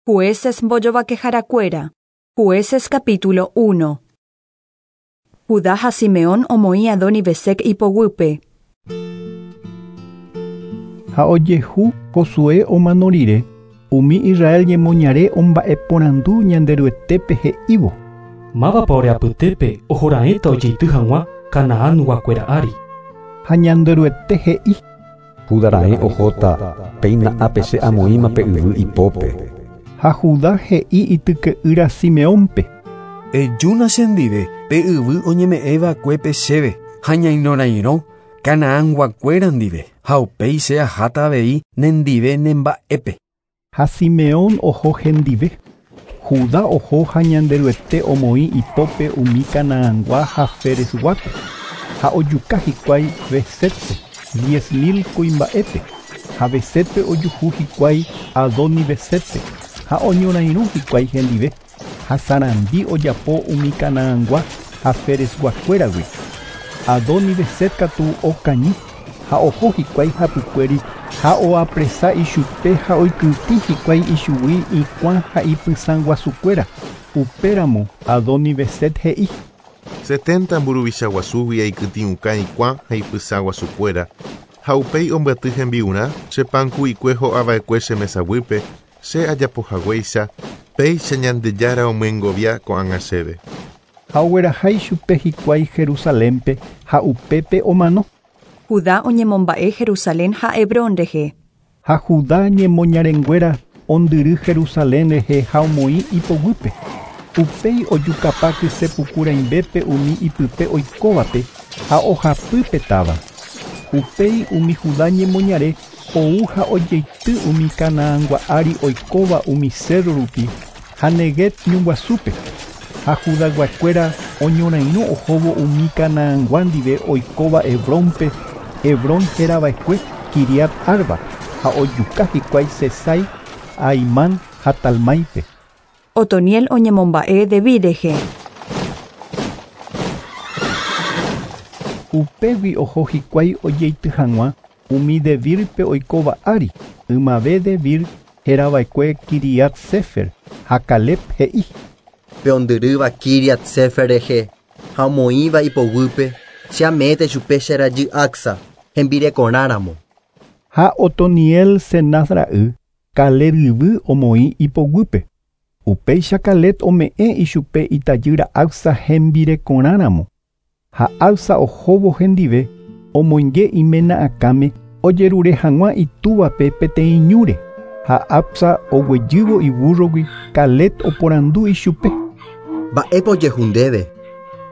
Jueces mbojovakeharakuéra. Jueces capítulo 1. Judá ha Simeón omoĩ Adoni-Bezec ipoguýpe. Ha ojehu Josué omano rire, umi Israel ñemoñare omba'eporandu Ñanderuetépe he'ívo. Mávapa ore apytépe ohoraẽta ojeity hag̃ua Canaán-guakuéra ári. Ha Ñanderuete he'i. Judá raẽ ohóta, péina ápe che amoĩma pe yvy ipópe. Ha Judá he'i ityke'ýra Simeónpe. Ejúna chendive pe yvy oñeme'ẽva'ekuépe chéve ha ñainorairõ Canaán-guakuéra ndive ha upéi che aháta avei nendive nemba'épe. Ha Simeón oho hendive. Judá oho ha Ñanderuete omoĩ ipópe umi Canaangua ha Ferezguápe ha ojuka hikuái Bezétpe 10.000 kuimba'épe ha Bezétpe ojuhu hikuái Adoni-Bezétpe ha oñorairõ hikuái hendive ha sarambi ojapo umi Canaangua ha Ferezguakuéragui. Adoni-Bezet katu okañy ha oho hikuái hapykuéri ha oapresa ichupe ha oikytĩ hikuái ichugui ikuã ha ipysãguasukuéra. Upéramo Adoni-Bezet he'i. 70 mburuvicha guasúgui aikytĩuka ikuã ha ipysãguasukuéra ha upéi ombyaty hembi'urã che panku'ikue ho'ava'ekue che mesaguýpe che ajapohaguéicha péicha Ñandejára omyengovia ko'ág̃a chéve. Ha ogueraha ichupe hikuái Jerusalénpe ha upépe omano. Judá oñemomba'e Jerusalén ha Hebrón rehe. Ha Judá ñemoñarenguéra ondyry Jerusalén rehe ha omoĩ ipoguýpe. Upéi ojukapa kysepuku rãimbépe umi ipype oikóvape ha ohapy pe táva. Upéi umi Judá ñemoñare ou ha ojeity umi Canaangua ári oikóva umi cerro rupi ha Neguev ñuguasúpe. Ha Judaguakuéra oñorairõ ohóvo umi Canaangua ndive oikóva Hebrónpe, Hebrón herava'ekue Kiriat Arba ha ojuka hikuái Sesai, Ahimán ha Talmáipe. Otoniel oñemomba'e Debir rehe. Upégui oho hikuái ojeity hag̃ua umi Debírpe oikóva ári, ymave Debir herava'ekue Kiriat Séfer ha Caleb he'i. Pe ondyrýva Kiriat Séfer rehe ha omoĩva ipoguýpe che ame'ẽta ichupe che rajy Acsa hembirekorãramo. Ha Otoniel Cenaz ra'y, Caleb yvy omoĩ ipoguýpe. Upéicha Caleb ome'ẽ ichupe itajýra Acsa hembirekorãramo. Ha Acsa ohóvo hendive omoinge iména akãme ojerure hag̃ua itúvape peteĩ ñúre. Ha Acsa oguejývo ibúrrogui Caleb oporandu ichupe. Mba'épa ojehu ndéve.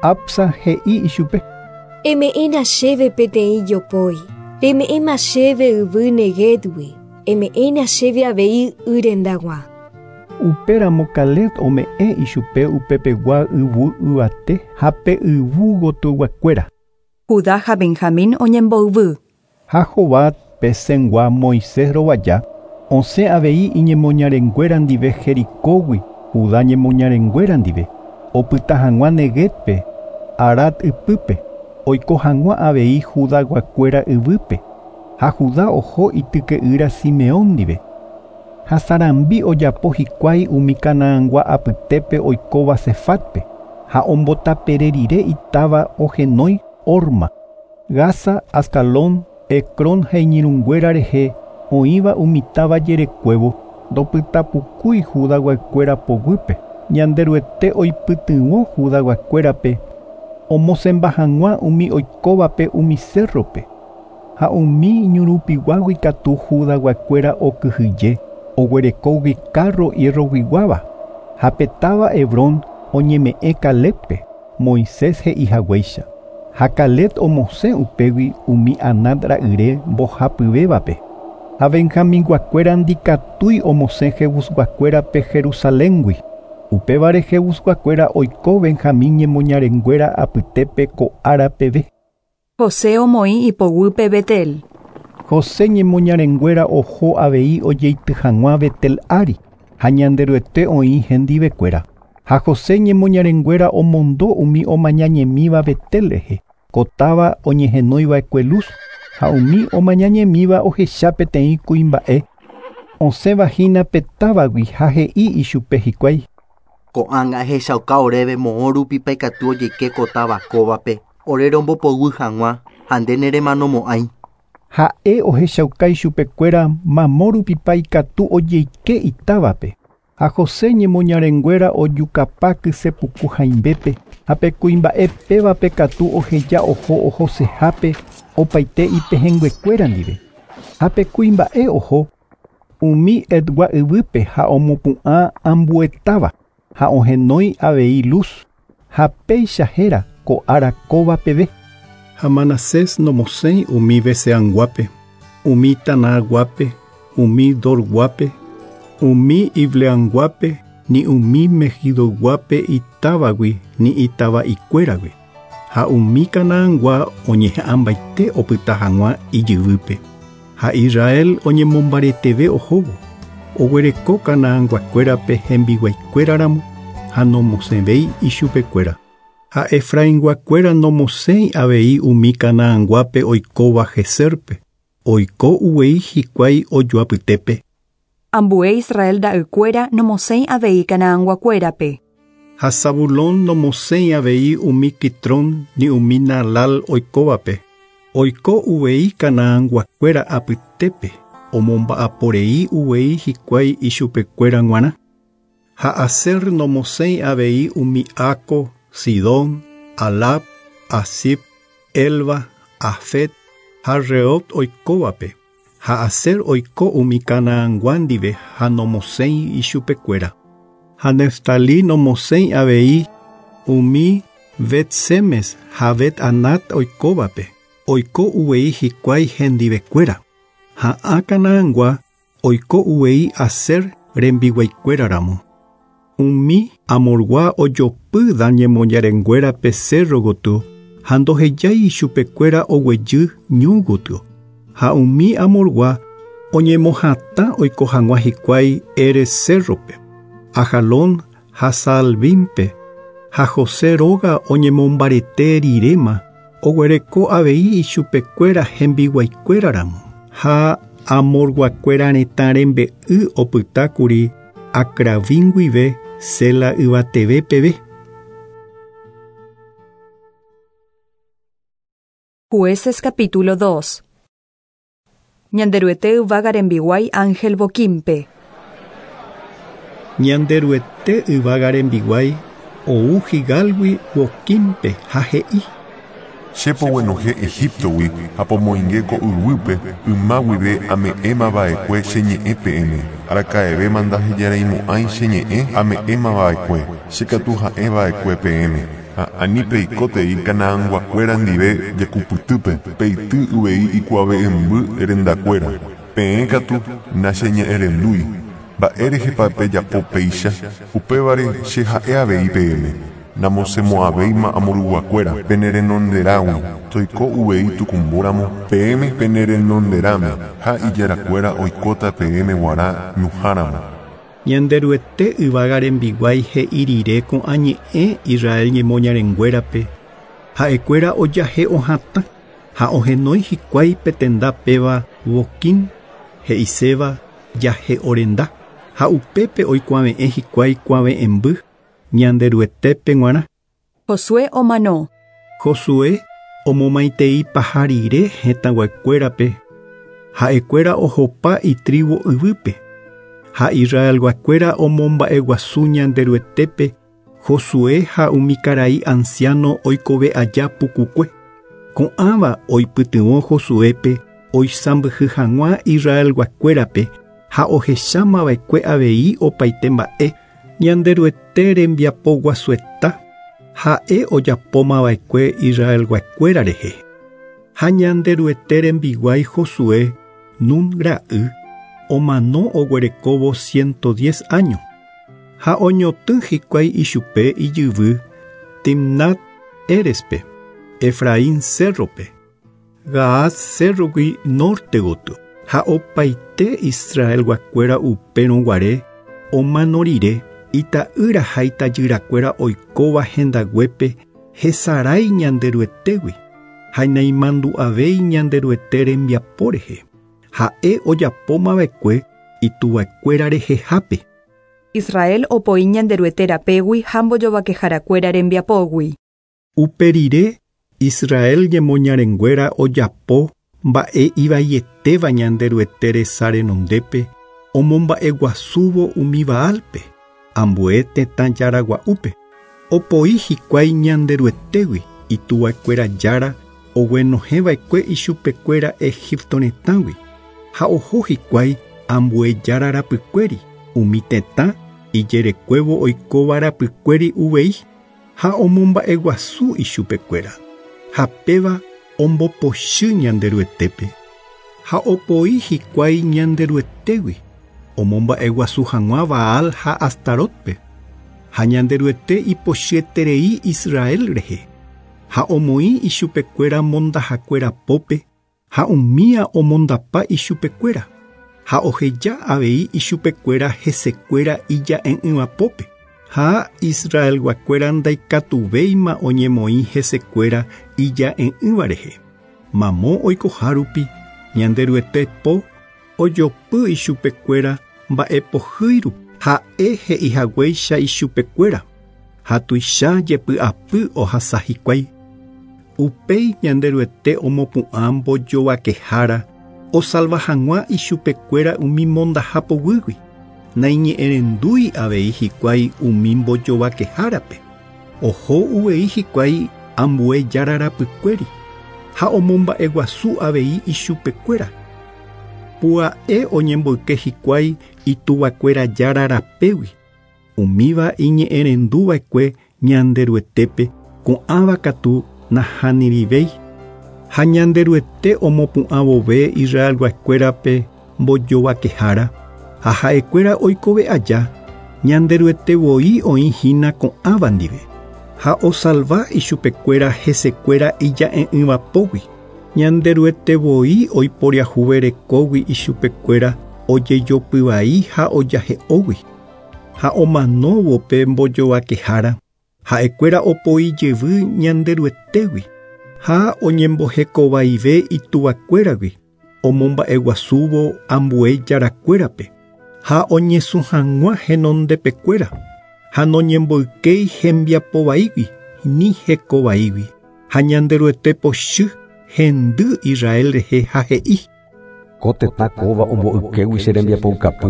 Acsa he'i ichupe. Eme'ẽna chéve peteĩ jopói, reme'ẽma chéve yvy Neguevgui, eme'ẽna chéve avei y rendag̃ua. Upéramo Caleb ome'ẽ ichupe upepegua yvu yvate ha pe yvu gotyoguakuéra. Judá ha Benjamín oñemboyvy. Ha Jobab pe Cengua Moisés rovaja osẽ avei iñemoñarenguéra ndive Jericógui Judá ñemoñarenguéra ndive opyta hag̃ua Neguevpe, Arad ypýpe, oiko hag̃ua avei Judaguakuéra yvýpe. Ha Judá oho ityke'ýra Simeón ndive. Ha sarambi ojapo hikuái umi Canaangua apytépe oikóva Sefátpe ha ombotapere rire itáva ohenói Horma, Gaza, Ascalón, Ecrón ha iñirũnguéra rehe oĩva umi táva jerekuévo ndopytapukúi Judaguakuéra poguýpe. Ñanderuete oipytyvõ Judaguakuérape omosẽmba hag̃ua umi oikóvape umi cerrope. Ha umi ñurupiguágui katu Judaguakuéra okyhyje oguerekógui carro hierroguiguáva. Ha pe táva Hebrón oñeme'ẽ Calébpe, Moisés he'ihaguéicha. Ha Caleb omosẽ upégui umi Anac ra'yre mbohapyvévape. Ha Benjaminguakuéra ndikatúi omosẽ Jebusguakuérape Jerusaléngui. Upévare Jebusguakuéra oiko Benjamín ñemoñarenguéra apytépe ko ára peve. José omoĩ ipoguýpe Betel. José ñemoñarenguéra oho avei ojeity hag̃ua Betel ári ha Ñanderuete oĩ hendivekuéra. Ha José ñemoñarenguéra omondo umi omañañemíva Betel rehe, ko táva oñehenóiva'ekue Luz, ha umi omañañemíva ohecha peteĩ kuimba'e Osẽvahína pe távagui ha he'i ichupe hikuái. Ko'ág̃a ehechauka oréve moõ rupipa ikatu ojeike ko táva kóvape ore rombopoguy hag̃ua ha nde neremanomo'ãi. Ha'e ohechauka ichupekuéra mamo rupipa ikatu ojeike itávape. Ha José ñemoñarenguéra ojukapa kysepuku hãimbépe ha pe kuimba'e pévape katu oheja oho ohosehápe opaite ipehẽnguekuéra ndive. Ha pe kuimba'e oho umi Hetgua yvýpe ha omopu'ã ambuetáva ha ohenói avei Luz ha péicha héra ko ára kóva peve. Ha Manasés nomosẽi umi Beseanguápe, umi Tanaguápe, umi Dorguápe, umi Ibleanguápe, ni umi Megidoguápe itávagui ni itava'ikuéragui. Ha umi Canaangua oñeha'ãmbaite opyta hag̃ua ijyvýpe. Ha Israel oñemombareteve ohóvo, oguereko Canaanguakuérape hembiguaikuéraramo ha nomosẽvéi ichupekuéra. Ha Efrainguakuéra nomosẽi avei umi Canaanguápe oikóva Geserpe, oiko uvei hikuái ojoapytépe. Ambue Israel ra'ykuéra nomosẽi avei Canaanguakuérape. Ha Zabulón nomosẽi avei umi Quitrón ni umi Naalal oikóvape. Oiko uvei Canaanguakuéra apytépe, omomba'aporei uvei hikuái ichupekuéra g̃uarã. Ha Aser nomosẽi avei umi Aco, Sidón, Alab, Azib, Elba, Afet ha Rehob oikóvape. Ha Aser oiko umi Canaangua ndive ha nomosẽi ichupekuéra. Ha Neftalí nomosẽi avei umi Bet-Semes ha Bet-Anat oikóvape. Oiko uvei hikuái hendivekuéra. Ha ã Canaangua oiko uvei Aser rembiguaikuéraramo. Umi Amorgua ojopy Dan ñemoñarenguérape cerro gotyo ha ndohejái ichupekuéra oguejy ñu gotyo. Ha umi Amorgua oñemohatã oiko hag̃ua hikuái Heres cerrope, Ajalón ha Saalbínpe, ha José róga oñemombarete riréma oguereko avei ichupekuéra hembiguaikuéraramo. Ha Amorguakuéra retã rembe'y opytákuri Acrabín guive Sela yvateve peve. Jueces capítulo 2. Ñanderuete yvága rembiguái Ángel Boquimpe. Ñanderuete yvága rembiguái ou Gilgálgui Boquimpe ha he'i. Che poguenohẽ Egiptogui ha pomoinge ko yvýpe yma guive ame'ẽmava'ekue che ñe'ẽ peẽme. Araka'evéma ndahejareimo'ãi che ñe'ẽ ame'ẽmava'ekue, che katu ha'eva'ekue peẽme. Ha ani peikótei Canaanguakuéra ndive jekupytýpe, peity uvei ikuave'ẽmby rendakuéra. Peẽ katu nacheñe'ẽrendúi. Mba'érehepa pejapo péicha, upévare che ha'e avei peẽme. Namosẽmo'ãvéima amoruguakuéra penerenonderãgui, toiko uvei tukumbóramo peẽme penerenonderãme ha ijarakuéra oikóta peẽme g̃uarã ñuhãramo. Ñanderuete yvága rembiguái he'i rire ko'ã ñe'ẽ Israel ñemoñarenguérape, ha'ekuéra ojahe'ohatã ha ohenói hikuái pe tenda péva Boquín, he'iséva jahe'orenda, ha upépe oikuave'ẽ hikuái kuave'ẽmby Ñanderuetépe g̃uarã. Josué omano. Josué omomaitei paha rire hetãguakuérape, ha'ekuéra ohopa itribu yvýpe. Ha Israelguakuéra omomba'eguasu Ñanderuetépe Josué ha umi karai anciano oikove aja pukukue. Ko'ãva oipytyvõ Josuépe oisãmbyhy hag̃ua Israelguakuérape ha ohechámava'ekue avei opaite mba'e Ñanderuete rembiapoguasueta ha'e ojapómava'ekue Israelguakuéra rehe. Ha Ñanderuete rembiguái Josué Nun ra'y omano oguerekóvo 110 año. Ha oñotỹ hikuái ichupe ijyvy Timnat Érespe, Efraín cerrope, Gaas cerrogui norte gotyo. Ha opaite Israelguakuéra upérõ guare omano rire ita'ýra ha itajyrakuéra oikóva hendaguépe hesarái Ñanderuetégui ha naimandu'avéi Ñanderuete rembiapo rehe. Ha'e ojapómava'ekue ituvakuéra rehehápe. Israel opoi Ñanderuete rapégui ha mbojovakeharakuéra rembiapógui. Upe rire Israel ñemoñarenguéra ojapo mba'e ivaietéva Ñanderuete resa renondépe omomba'eguasúvo umi Baalpe, ambue tetã jaragua'úpe. Opoi hikuái Ñanderuetégui ituvakuéra jára oguenohẽva'ekue ichupekuéra Egipto retãgui ha oho hikuái ambue jára rapykuéri umi tetã ijerekuévo oikóva rapykuéri uvei ha omomba'eguasu ichupekuéra ha péva ombopochy Ñanderuetépe ha opoi hikuái Ñanderuetégui omomba'eguasu hag̃ua Baal ha Astarotpe ha Ñanderuete ipochyeterei Israel rehe ha omoĩ ichupekuéra mondahakuéra pópe ha umía omondapa ichupekuéra ha oheja avei ichupekuéra hesekuéra ija'e'ỹva pópe ha Israelguakuéra ndaikatuvéima oñemoĩ hesekuéra ija'e'ỹva rehe. Mamo oikohárupi Ñanderuete po ojopy ichupekuéra mba'epohýirupi ha'e he'ihaguéicha ichupekuéra ha tuicha jepy'apy ohasa hikuái. Upéi Ñanderuete omopu'ã mbojovakehára osalva hag̃ua ichupekuéra umi mondaha poguýgui. Naiñe'ẽrendúi avei hikuái umi mbojovakehárape. Oho uvei hikuái ambue jára rapykuéri ha omomba'eguasu avei ichupekuéra. Pua'e oñemboyke hikuái ituvakuéra jára rapégui. Umíva iñe'ẽrenduva'ekue Ñanderuetépe ko'ãva katu nahanirivéi. Ha Ñanderuete omopu'ã vove Israelguakuérape mbojovakehára ha ha'ekuéra oikove aja Ñanderuete voi oĩhína ko'ãva ndive ha osalva ichupekuéra hesekuéra ija'e'ỹva pógui. Ñanderuete voi oiporiahuverekógui ichupekuéra ojejopyvai ha ojahe'ógui ha omanóvo pe mbojovakehára ha'ekuéra opoi jevy Ñanderuetégui ha oñembohekovaive ituvakuéragui omomba'eguasúvo ambue jarakuérape ha oñesũ hag̃ua henondepekuéra ha noñemboykéi hembiapovaígui ni hekovaígui ha Ñanderuete pochy hendy Israel rehe ha he'i. Ko tetã kóva omboykégui che rembiapoukapy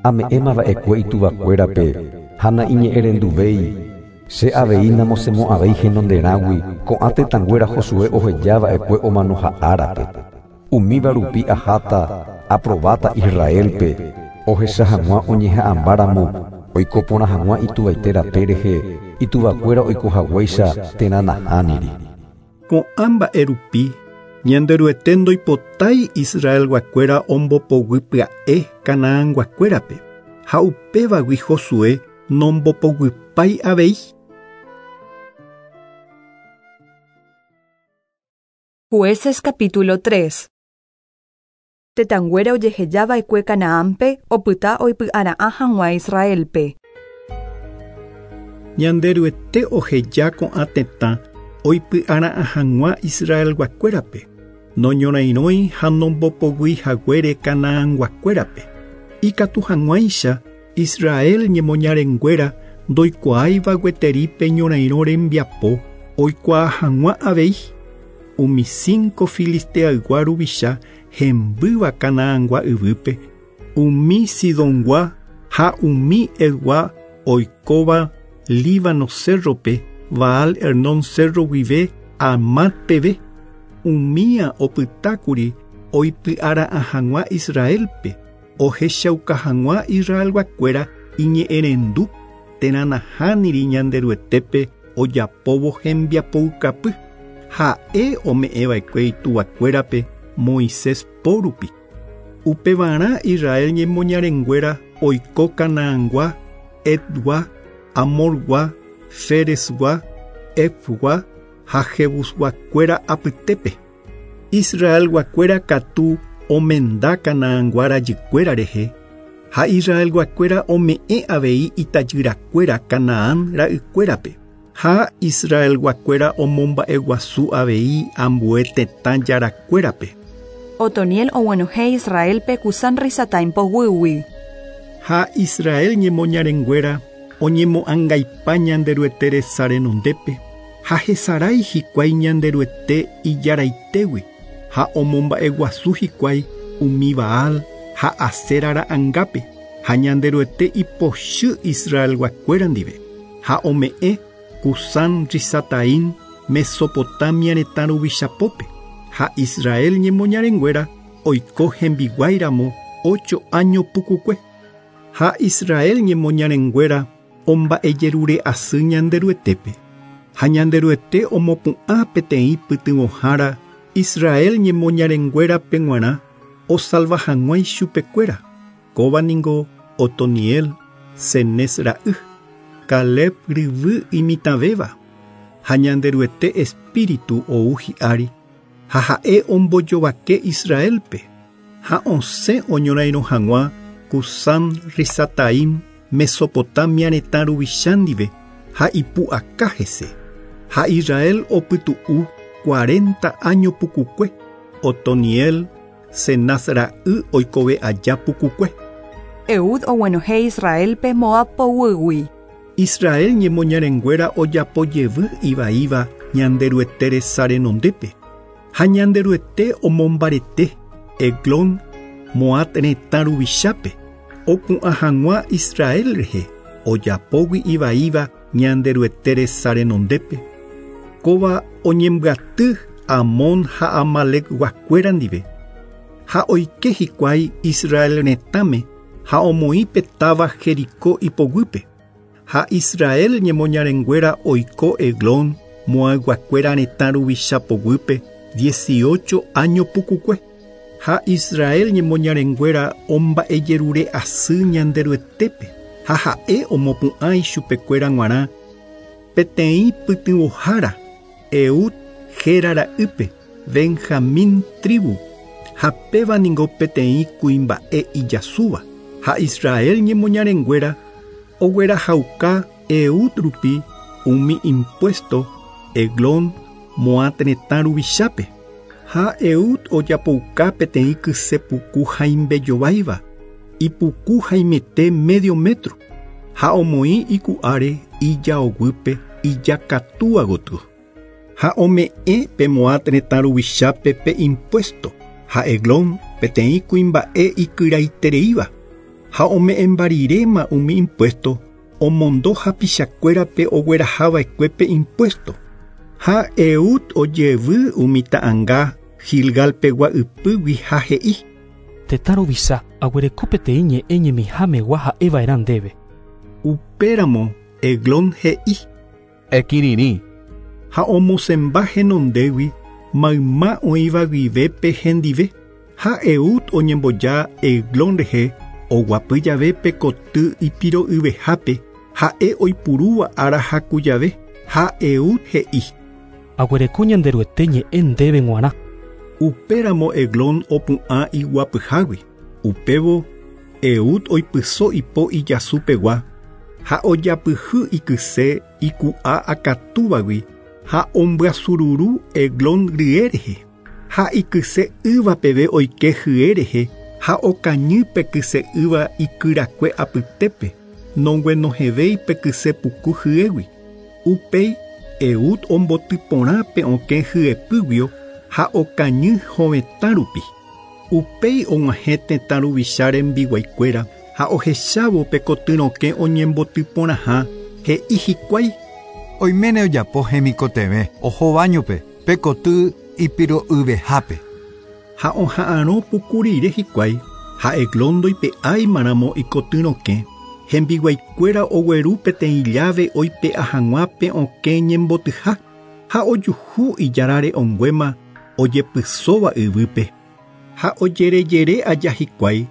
ame'ẽmava'ekue ituvakuérape ha naiñe'ẽrenduvéi. Che avei namosemo'ãvéi henonderãgui ko'ã tetãnguéra Josué ohejava'ekue omanoha árape. Umíva rupi aháta aprobáta Israelpe ohecha hag̃ua oñeha'ãmbáramo oiko porã hag̃ua ituvaite rape rehe ituvakuéra oikohaguéicha térã nahániri. Ko'ã mba'e rupi Ñanderuete ndoipotái Israelguakuéra ombopoguy pya'e Canaanguakuérape ha upévagui Josué nombopoguypái avei. Jueces capítulo 3. Tetãnguéra ojehejava'ekue Canaánpe opyta oipy'ara'ã hag̃ua Israelpe. Ñanderuete oheja ko'ã tetã oipy'ara'ã hag̃ua Israelguakuérape noñorairõi ha nombopoguy haguére Canaanguakuérape. Ikatu hag̃uáicha Israel ñemoñarenguéra ndoikuaáiva gueteri pe ñorairõ rembiapo oikuaa hag̃ua avei. Umi 5 filisteaygua ruvicha hembýva Canaangua yvýpe, umi Sidongua ha umi Etgua oikóva Líbano cerrope, Baal Hermón cerro guive Amat peve, umía opytákuri oipy'ara'ã hag̃ua Israelpe, ohechauka hag̃ua Israelguakuéra iñe'ẽrendu térã nahániri Ñanderuetépe ojapóvo hembiapoukapy. Ha'e ome'ẽva'ekue ituvakuérape Moisés pórupi. Upevarã Israel ñemoñarenguéra oiko Canaangua, Etgua, Amorgua, Feresgua, Efgua ha Jebusguakuéra apytépe. Israelguakuéra katu omenda Canaangua rajykuéra rehe ha Israelguakuéra ome'ẽ avei itajyrakuéra Canaán ra'ykuérape. Ha Israelguakuéra omomba'eguasu avei ambue tetã jarakuérape. Otoniel oguenohẽ Israelpe Cusán Risataim poguýgui. Ha Israel ñemoñarenguéra oñemo'ãngaipa Ñanderuete resa renondépe ha hesarái hikuái Ñanderuete ijaraitégui ha omomba'eguasu hikuái umi Baal ha Asera ra'angápe ha Ñanderuete ipochy Israelguakuéra ndive ha ome'ẽ Cusán Risataim Mesopotamia retã ruvichapópe ha Israel ñemoñarenguéra oiko hembiguáiramo 8 año pukukue. Ha Israel ñemoñarenguéra omba'ejerure asy Ñanderuetépe. Ha Ñanderuete omopu'ã peteĩ pytyvõhára Israel ñemoñarenguérape g̃uarã osalva hag̃ua ichupekuéra. Kóva ningo Otoniel, Cenez ra'y, Caleb ryvy imitãvéva. Ha Ñanderuete espíritu ou hi'ári ha ha'e ombojovake Israelpe ha osẽ oñorairõ hag̃ua Cusán Risataim Mesopotamia retã ruvicha ndive ha ipu'aka hese. Ha Israel opytu'u 40 año pukukue Otoniel Cenaz ra'y oikove aja pukukue. Eud oguenohẽ Israelpe Moab poguýgui. Israel ñemoñarenguéra ojapojevy ivaíva Ñanderuete resa renondépe. Ha Ñanderuete omombarete Eglón Moab retã ruvichápe opu'ã hag̃ua Israel rehe ojapógui ivaíva Ñanderuete resa renondépe. Kóva oñembyaty Amón ha Amalec-guakuéra ndive. Ha oike hikuái Israel retãme ha omoĩ pe táva Jericó ipoguýpe. Ha Israel ñemoñarenguéra oiko Eglón Moabguakuéra retã ruvicha poguýpe 18 año pukukue. Ha Israel ñemoñarenguéra omba'ejerure asy Ñanderuetépe ha ha'e omopu'ã ichupekuéra g̃uarã peteĩ pytyvõhára Eud héra ra'ýpe Benjamín tribu ha péva ningo peteĩ kuimba'e ijasúva. Ha Israel ñemoñarenguéra oguerahauka Eud rupi umi impuesto Eglón Moab retã ruvichápe. Ha Eud ojapouka peteĩ kysepuku haimbejováiva ipuku haimete medio metro ha omoĩ iku'áre ijaoguýpe ijakatúa gotyo. Ha ome'ẽ pe Moab retã ruvichápe pe impuesto ha Eglón peteĩ kuimba'e ikyraitereíva ha ome'ẽmbariréma umi impuesto omondo hapichakuérape oguerahava'ekuépe impuesto. Ha Eud ojevy umi ta'ãnga Gilgalpegua ypýgui ha he'i: Tetã ruvicha aguereko peteĩ ñe'ẽ ñemihámegua ha'eva'erã ndéve. Upéramo Eglón he'i: Ekirirĩ. Ha omosẽmba henondégui mayma oĩva guivépe hendive. Ha Eud oñemboja Eglón rehe oguapy jave pe koty ipiro'yvehápe ha'e oipurúva ára haku jave. Ha Eud he'i: Aguereko Ñanderuete ñe'ẽ ndéve g̃uarã. Upéramo Eglón opu'ã iguapyhágui. Upévo Eud oipyso ipo ijasupegua ha ojapyhy ikyse iku'a akatúvagui ha ombyasururu Eglón rye rehe. Ha ikyse yva peve oike hye rehe ha okañy pe kyse yva ikyrakue apytépe noguenohẽvéi pe kyse puku hyégui. Upéi Eud ombotyporã pe okẽ hyepýguio ha okañy hovetã rupi. Upéi og̃uahẽ tetã ruvicha rembiguaikuéra ha ohechávo pe kotyrokẽ oñembotyporãha he'i hikuái: Oiméne ojapo hemikotevẽ oho bañope pe koty ipiro'yvehápe. Ha oha'arõ puku rire hikuái ha Eglón ndoipe'áimaramo ikotyrokẽ hembiguaikuéra ogueru peteĩ llave oipe'a hag̃ua pe okẽ ñembotyha ha ojuhu ijarare onguéma ojepysóva yvýpe. Ha ojerejere aja hikuái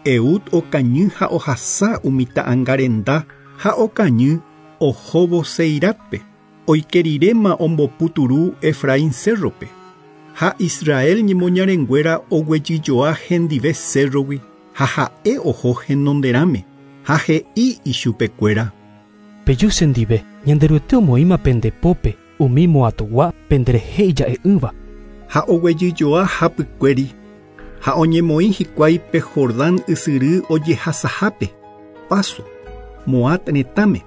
Eud okañy ha ohasa umi ta'ãnga renda ha okañy ohóvo Seiratpe oikeriréma omboputuru Efraín cerrope. Ha Israel ñemoñarenguéra oguejyjoa hendive cerrogui ha ha'e oho henonderãme ha he'i ichupekuéra: Peju chendive Ñanderuete omoĩma pendepópe umi Moabgua penderehe ija'e'ỹva. Ha oguejyjoa hapykuéri Ha oñemoĩ hikuái pe Jordán ysyry ojehasahápe, Paso, Moab retãme,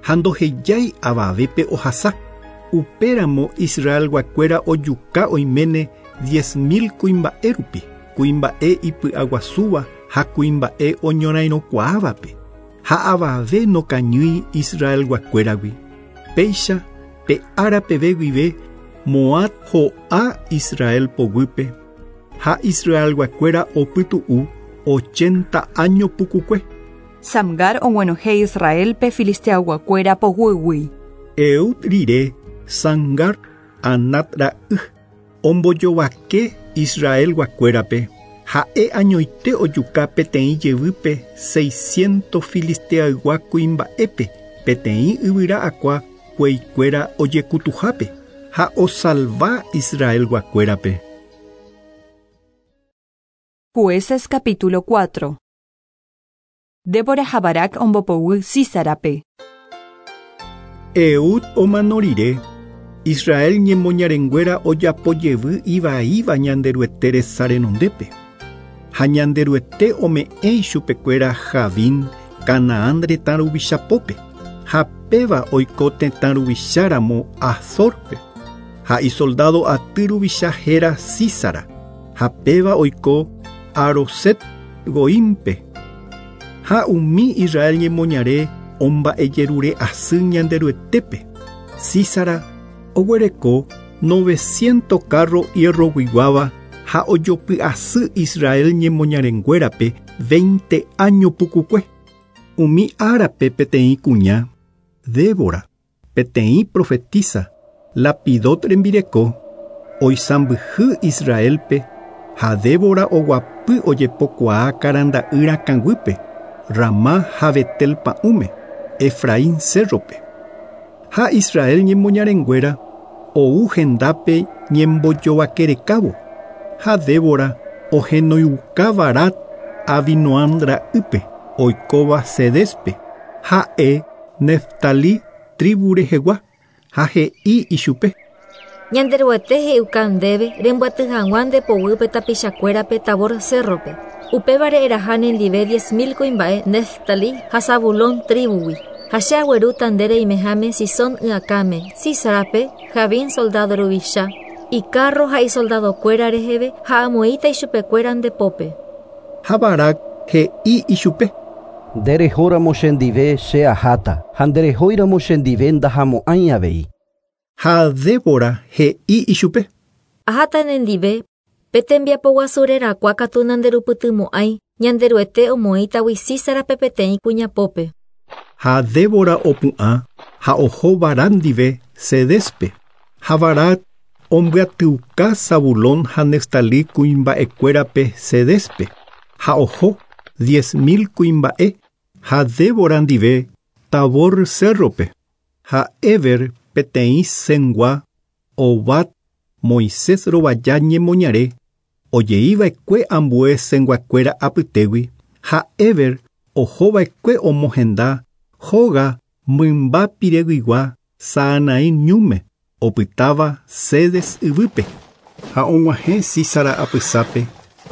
ha ndohejái avavépe ohasa. Upéramo Israelguakuéra ojuka oiméne 10 000 kuimba'e rupi, kuimba'e ipy'aguasúva ha kuimba'e oñorairõkuaávape, ha avave nokañýi Israelguakuéragui. Péicha pe ára peve guive Moab ho'a Israel poguýpe, ha Israelguakuéra opytu'u 80 áño pukukue. Samgar og̃uenohẽ Israelpe filisteayguakuéra poguýgui. Eud rire Samgar Anat ra'y ombojovake Israelguakuérape ha'e añoite ojuka peteĩ jevýpe 600 filisteaygua kuimba'épe peteĩ yvyra akua kueikuéra ojekutuhápe ha osalva Israelguakuérape. Jueces capítulo 4. Débora ha Barac ombopoguy Sísarape. Eud omano rire, Israel ñemoñarenguéra ojapo jevy ivaíva Ñanderuete resa renondépe. Ha Ñanderuete ome'ẽ ichupekuéra Jabín Canaán retã ruvichapópe, ha péva oiko tetã ruvicháramo Azorpe, ha isoldado aty ruvicha héra Sísara, ha péva oiko Aroset Goímpe. Ha umi Israel ñemoñare omba'ejerure asy Ñanderuetépe. Sísara oguereko 900 carro hierroguiguáva ha ojopy asy Israel ñemoñarenguérape 20 año pukukue. Umi árape peteĩ kuña, Débora, peteĩ profetisa, Lapidot rembireko, oisãmbyhy Israelpe ha Débora oguapy ojepokuaa karanda'y rakãguýpe, Ramá ha Betel pa'ũme, Efraín cérrope. Ha Israel ñemoñarenguéra ou hendápe ñembojovakerekávo, ha Débora ohenoiuka Barak Abinoam ra'ýpe oikóva Cedespe, ha'e Neftalí tribu rehegua, ha he'i ichupe. Ñanderuete he'iuka ndéve rembyaty hag̃ua nde poguýpe tapichakuérape Tabor cérrope. Upévare eraha nendive 10 000 kuimba'e Neftalí ha Zabulón tribugui. Ha che aguerúta nde reimeháme Sison y'akãme, Sísarape, Jabín soldado ruvicha, icarro ha isoldadokuéra reheve ha amoĩta ichupekuéra nde pópe. Ha Barak he'i ichupe. Nderehóramo chendive che aháta ha nderehóiramo chendive ndahamo'ãi avei. Ha Débora he'i ichupe. Aháta nendive, pe tembiapo guasu rerakuã katu nanderupytymo'ãi Ñanderuete omoĩtagui Sísarape peteĩ kuña pópe. Ha Débora opu'ã ha oho Barak ndive Cedespe. Ha Barak ombyatyuka Zabulón ha Neftalí kuimba'ekuérape Cedespe. Ha oho 10 000 kuimba'e ha Débora ndive Tabor cérrope. Ha Eber peteĩ Cengua Hobab Moisés rovaja ñemoñare ojeiva'ekue ambue Cenguakuéra apytégui ha Eber ohova'ekue omohenda hóga mymba pireguigua Saanaim ñúme opytáva Cedes yvýpe. Ha og̃uahẽ Sísara apysápe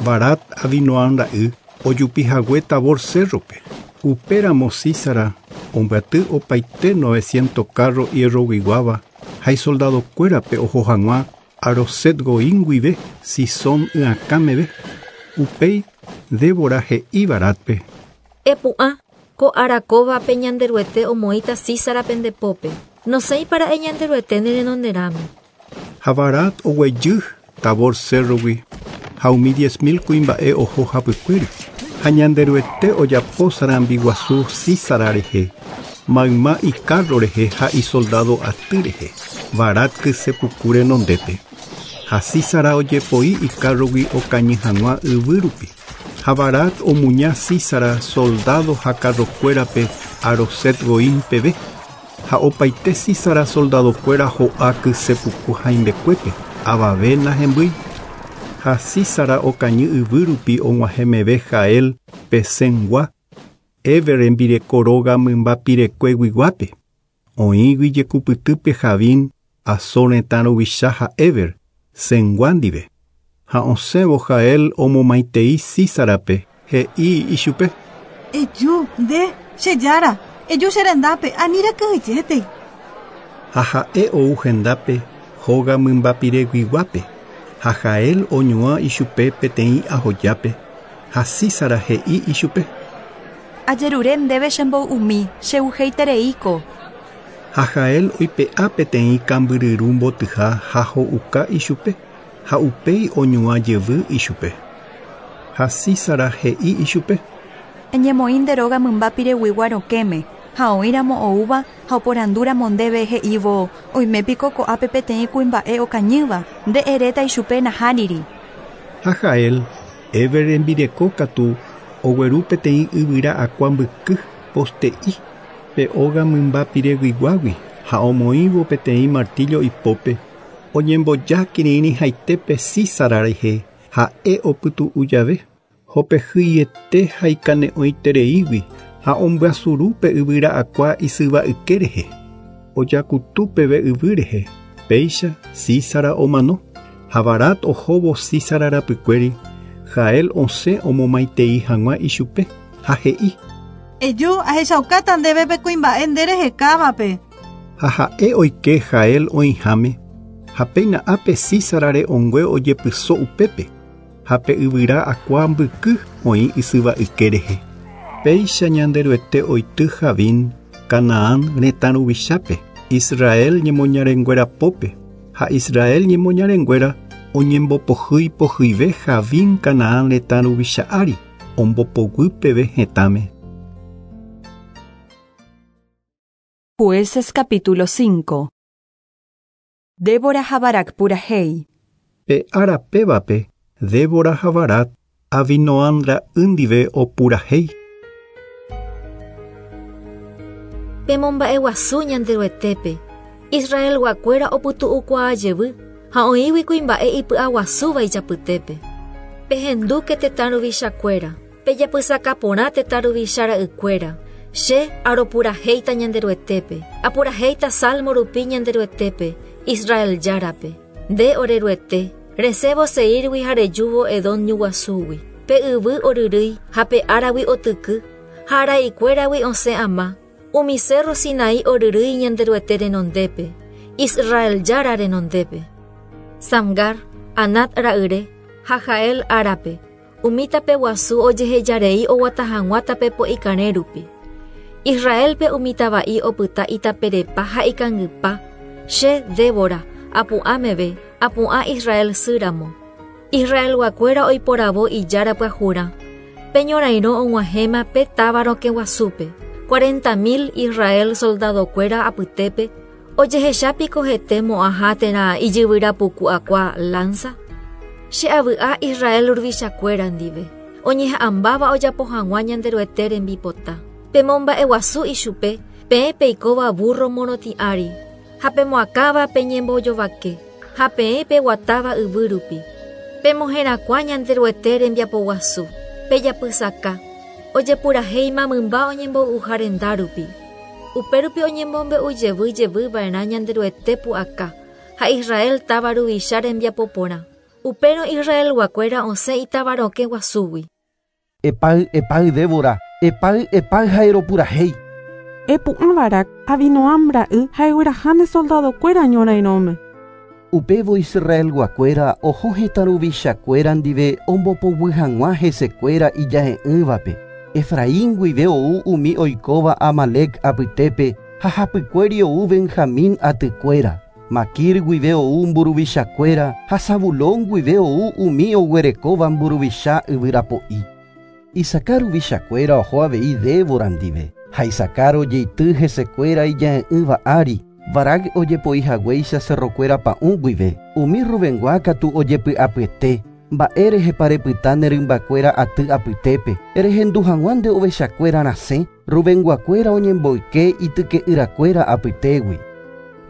Barak Abinoam ra'y ojupihague Tabor cérrope. Upéramo Sísara ombyaty opaite 900 carro hierroguiguáva ha isoldadokuérape oho hag̃ua Aroset Goím guive Sison y'akã meve. Upéi Débora he'i Barácpe. Epu'ã, ko ára kóvape Ñanderuete omoĩta Sísarape nde pópe. Nosẽipara'e Ñanderuete ne renonderãme. Ha Barak oguejy Tabor cérrogui ha umi 10 000 kuimba'e oho hapykuéri. Ha Ñanderuete ojapo sarambi guasu Sísara rehe, mayma icarro rehe ha isoldado aty rehe, Barak kysepuku renondépe. Ha Sísara ojepoi icarrogui okañy hag̃ua yvýrupi. Ha Barak omuña Sísara soldado ha carrokuérape Aroset Goím peve. Ha opaite Sísara soldadokuéra ho'a kysepuku haimbekuépe, avave nahembýi. Ha Sísara okañy yvýrupi og̃uahẽmeve Jael pe Cengua, Eber rembireko róga mymba pirekueguiguápe. Oĩgui jekupytýpe Jabín, Azor retã ruvicha ha Eber, Cengua ndive. Ha osẽvo Jael omomaitei Sísarape he'i ichupe. Eju, nde, che jára, eju che rendápe, ani rekyhyjétei. Ha ha'e ou hendápe hóga mymbapireguiguápe ha Jael oñuã ichupe peteĩ ahojápe ha Sísara he'i ichupe. Ajerure ndéve chemboy'umi, cheuheitereíko. Ha Jael oipe'a peteĩ kambyryru mbotyha ha ho'uka ichupe ha upéi oñuã jevy ichupe. Ha Sísara he'i ichupe. Eñemoĩ nde róga mymba pireguigua rokẽme ha oĩramo oúva ha oporandúramo ndéve he'ívo oimépiko ko'ápe peteĩ kuimba'e okañýva nde eréta ichupe nahániri. Ha Jael, Héber rembireko katu ogueru peteĩ yvyra akua mbyky poste'i pe óga mymba pireguiguágui ha omoĩvo peteĩ martillo ipópe oñemboja kirirĩhaitépe Sísara rehe ha'e opytu'u jave hopehýiete ha ikane'õitereígui ha ombyasuru pe yvyra akua isyva yke rehe ojakutu peve yvy rehe péicha Sísara omano ha Barak ohóvo Sísara rapykuéri Jael osẽ omomaitei hag̃ua ichupe ha he'i. Eju, ahechaukáta ndéve pe kuimba'e nde rehekávape. Ha ha'e oike Jael oĩháme ha péina ápe Sísara re'õngue ojepyso upépe ha pe yvyra akua mbyky oĩ isyva yke rehe. Péicha Ñanderuete oity Jabín, Canaán retã ruvichápe, Israel ñemoñarenguéra pópe ha Israel ñemoñarenguéra oñembopohýi pohyive Jabín Canaán retã ruvicha ári ombopoguy peve hetãme. Jueces capítulo 5. Débora ha Barak purahéi. Pe ára pévape Débora ha Barak Abinoam ra'y ndive opurahéi. Pemomba'eguasu Ñanderuetépe, Israelguakuéra opytu'ukuaa jevy ha oĩgui kuimba'e ipy'aguasúva ijapytépe. Pehendúke tetã ruvichakuéra, pejapysaka porã tetã ruvicha ra'ykuéra, che aropurahéita Ñanderuetépe, apurahéita Salmo rupi Ñanderuetépe, Israel Járape. Nde ore Ruete, resẽvo Seírgui ha rejúvo Edom ñu guasúgui. Pe yvy oryrýi ha pe áragui otyky, ha araikuéragui osẽ ama, umi cerro Sinaí oryrýi Ñanderuete renondépe, Israel Jára renondépe. Samgar, Anat ra'yre, ha Jael árape, umi tape guasu ojehejarei oguata hag̃ua tape po'ikarẽ rupi. Israelpe umi tava'i opyta itaperepa ha ikangypa, che, Débora, apu'ã meve, apu'ã Israel sýramo. Israelguakuéra oiporavo ijára pyahurã. Pe ñorairõ og̃uahẽma pe táva rokẽ guasúpe. 40.000 Israel soldadokuéra apytépe ojehecha piko hete mo'ãha térã ijyvyra puku akua lanza? Che avy'a Israel ruvichakuéra ndive, oñeha'ãmbáva ojapo hag̃ua Ñanderuete rembipota. Pemomba'eguasu ichupe, peẽ peikóva burro morotĩ ári, ha pemoakãva peñembojovake, ha peẽ peguatáva yvy rupi. Pemoherakuã Ñanderuete rembiapoguasu, pejapysaka, ojepurahéima mymba oñemboy'uha renda rupi. Upérupi oñemombe'u jevy jevy va'erã Ñanderuete pu'aka ha Israel táva ruvicha rembiapo porã. Upérõ Israelguakuéra osẽ itáva rokẽ guasúgui. Epáy, epáy Débora, epáy, epáy ha eropurahéi. Epu'ã Barac, Abinoam ra'y ha egueraha ne soldadokuéra ñorairõme. Upévo Israelguakuéra oho hetã ruvichakuéra ndive ombopoguy hag̃ua hesekuéra ijahe'ỹvape. Efraín guive ou umi oikóva Amalec apytépe ha hapykuéri ou Benjamín atykuéra. Makir guive ou mburuvichakuéra ha Zabulón guive ou umi oguerekóva mburuvicha yvyrapo'i. Isacar ruvichakuéra oho avei Débora ndive ha Isacar ojeity hesekuéra ijahe'ỹva ári. Barac ojepoi haguéicha cerrokuéra pa'ũ guive. Umi Rubengua katu ojepy'apyete. Mba'e rehepa repyta ne rymbakuéra aty apytépe. Rehendu hag̃ua nde ovechakuéra rasẽ, Rubenguakuéra oñemboyke ityke'yrakuéra apytégui.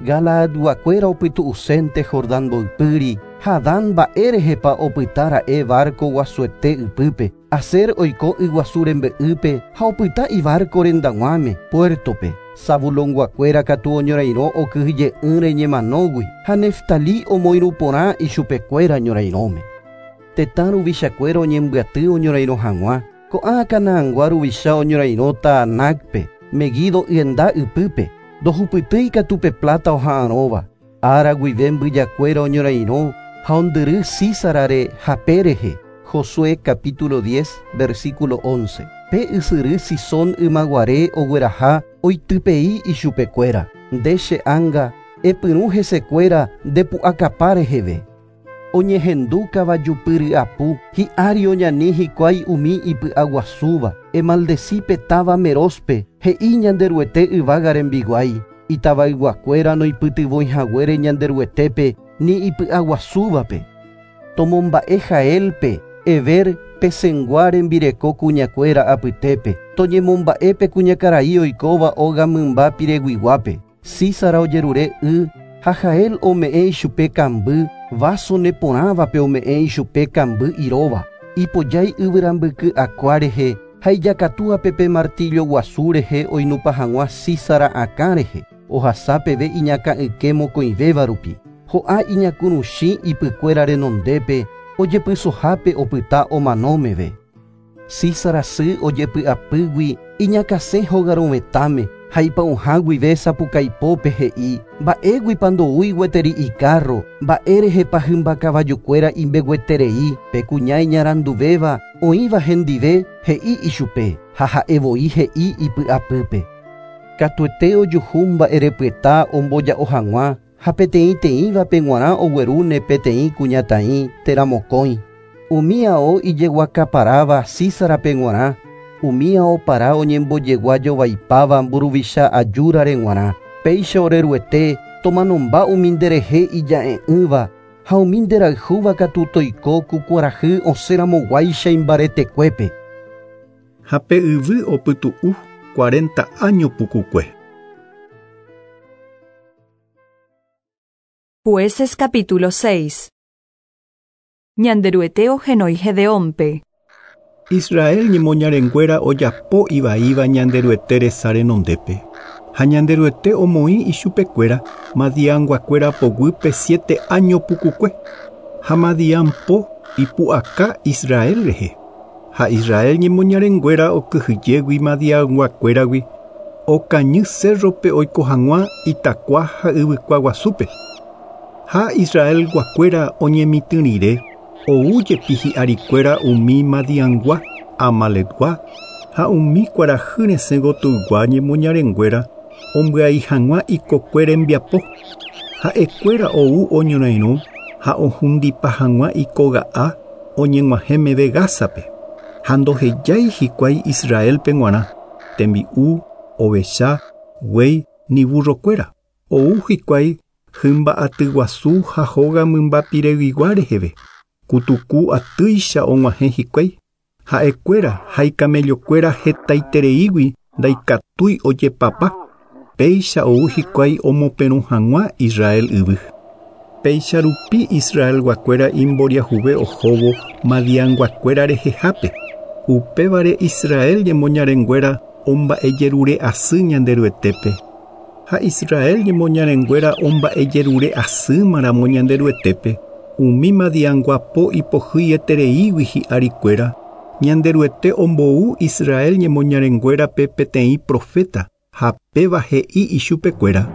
Galaadguakuéra opytu'usénte Jordán mboypýri ha Dan mba'e rehepa opyta ra'e barco guasuete ypýpe. Aser oiko yguasu rembe'ýpe ha opyta ibarco rendag̃uáme, puertope. Zabulonguakuéra katu oñorairõ okyhyje'ỹre ñemanógui ha Neftalí omoirũ porã ichupekuéra ñorairõme. Tetã ruvichakuéra oñembyaty oñorairõ hag̃ua. Ko'ã Canaangua ruvicha oñorairõ Taanacpe, Meguido yenda ypýpe. Ndohupytýi katu pe plata oha'arõva. Ára guive mbyjakuéra oñorairõ ha ondyry Sísarare hape rehe. Josué capítulo 10, versículo 11. Pe ysyry Sisón ymaguare ogueraha oitypei ichupekuéra. Nde che ánga epyrũ hesekuéra ndepu'akapa reheve. Oñehendu kavajupyry'apu hi'ári oñani hikuái umi ipy'aguasúva. Emaldeci pe táva Merospe, he'i Ñanderuete yvága rembiguái. Itavayguakuéra noipytyvõihaguére Ñanderuetépe ni ipy'aguasúvape. Tomomba'e Jaelpe, Eber pesengua rembireko kuñakuéra apytépe. Toñemomba'e pe kuñakarai oikóva óga mymba pireguiguápe. Sísara ojerure y ha Jael ome'ẽ ichupe kamby, vaso neporãvape ome'ẽ ichupe kamby iróva. Ipojái yvyrambyky akua rehe ha ijakatúape pe martillo guasu rehe oinupã hag̃ua Sísara akã rehe. Ohasa peve iñakã'yke mokõivéva rupi. Ho'a iñakuruchĩ ipykuéra renondépe ojepysohápe opyta omano meve. Sísara sy ojepy'apýgui iñakãsẽ hogarovetãme ha ipa'ũha guive sapukaipópe he'i mba'éguipa ndoúi gueteri ikárro, mba'érehepa hymba kavajukuéra imbegueterei pe kuña iñaranduvéva oĩva hendive he'i ichupe ha ha'evoi he'i ipy'apýpe. Katuete ojuhu mba'erepyeta omboja'o hag̃ua ha peteĩteĩvape g̃uarã oguerúne peteĩ kuñataĩ térã mokõi. Umi ao ijeguakaparáva Sísarape g̃uarã, umi ao para oñembojegua jovaipáva mburuvicha ajúrare g̃uarã. Péicha oreruete tomanomba umi nderehe ija'e'ỹva ha umi nderayhúva katu toiko ku kuarahy osẽramoguáicha imbaretekuépe. Ha pe yvy opytu'u 40 año pukukue. Jueces capítulo 6. Ñanderuete ohenói Gedeónpe. Israel ñemoñarenguéra ojapo ivaíva Ñanderuete resa renondépe. Ha Ñanderuete omoĩ ichupekuéra Madianguakuéra poguýpe 7 año pukukue. Ha Madian po ipu'aka Israel rehe. Ha Israel ñemoñarenguéra okyhyjégui Madianguakuéragui okañy cerrope oiko hag̃ua itakua ha yvykua guasúpe. Ha Israel guakuéra oñemitỹrire ou jepi hi'arikuéra umi Madiangua, Amalecgua ha umi kuarahy resẽ gotyygua ñemoñarenguéra ombyai hag̃ua ikokue rembiapo. Ha'ekuéra ou oñorairõ ha ohundipa hag̃ua ikoga'a oñeg̃uahẽ meve Gázape. Ha ndohejái hikuái Israelpe g̃uarã, tembi'u, ovecha, guéi ni burrokuéra. Ou hikuái hymba'aty guasu ha hóga mymba pireguigua reheve. Kutuku atýicha og̃uahẽ hikuái. Ha'ekuéra ha ikamellokuéra hetaitereígui ndaikatúi ojepapa. Péicha ou hikuái omoperũ hag̃ua Israel yvy. Péicha rupi Israelguakuéra imboriahuve ohóvo Madianguakuéra rehehápe. Upévare Israel ñemoñarenguéra omba'ejerure asy Ñanderuetépe. Ha Israel ñemoñarenguéra omba'ejerure asýmaramo Ñanderuetépe. Umi Madianguapo ipohýietereígui hi'arikuéra. Ñanderuete ombou Israel ñemoñarenguérape peteĩ profeta ha péva he'i ichupekuéra.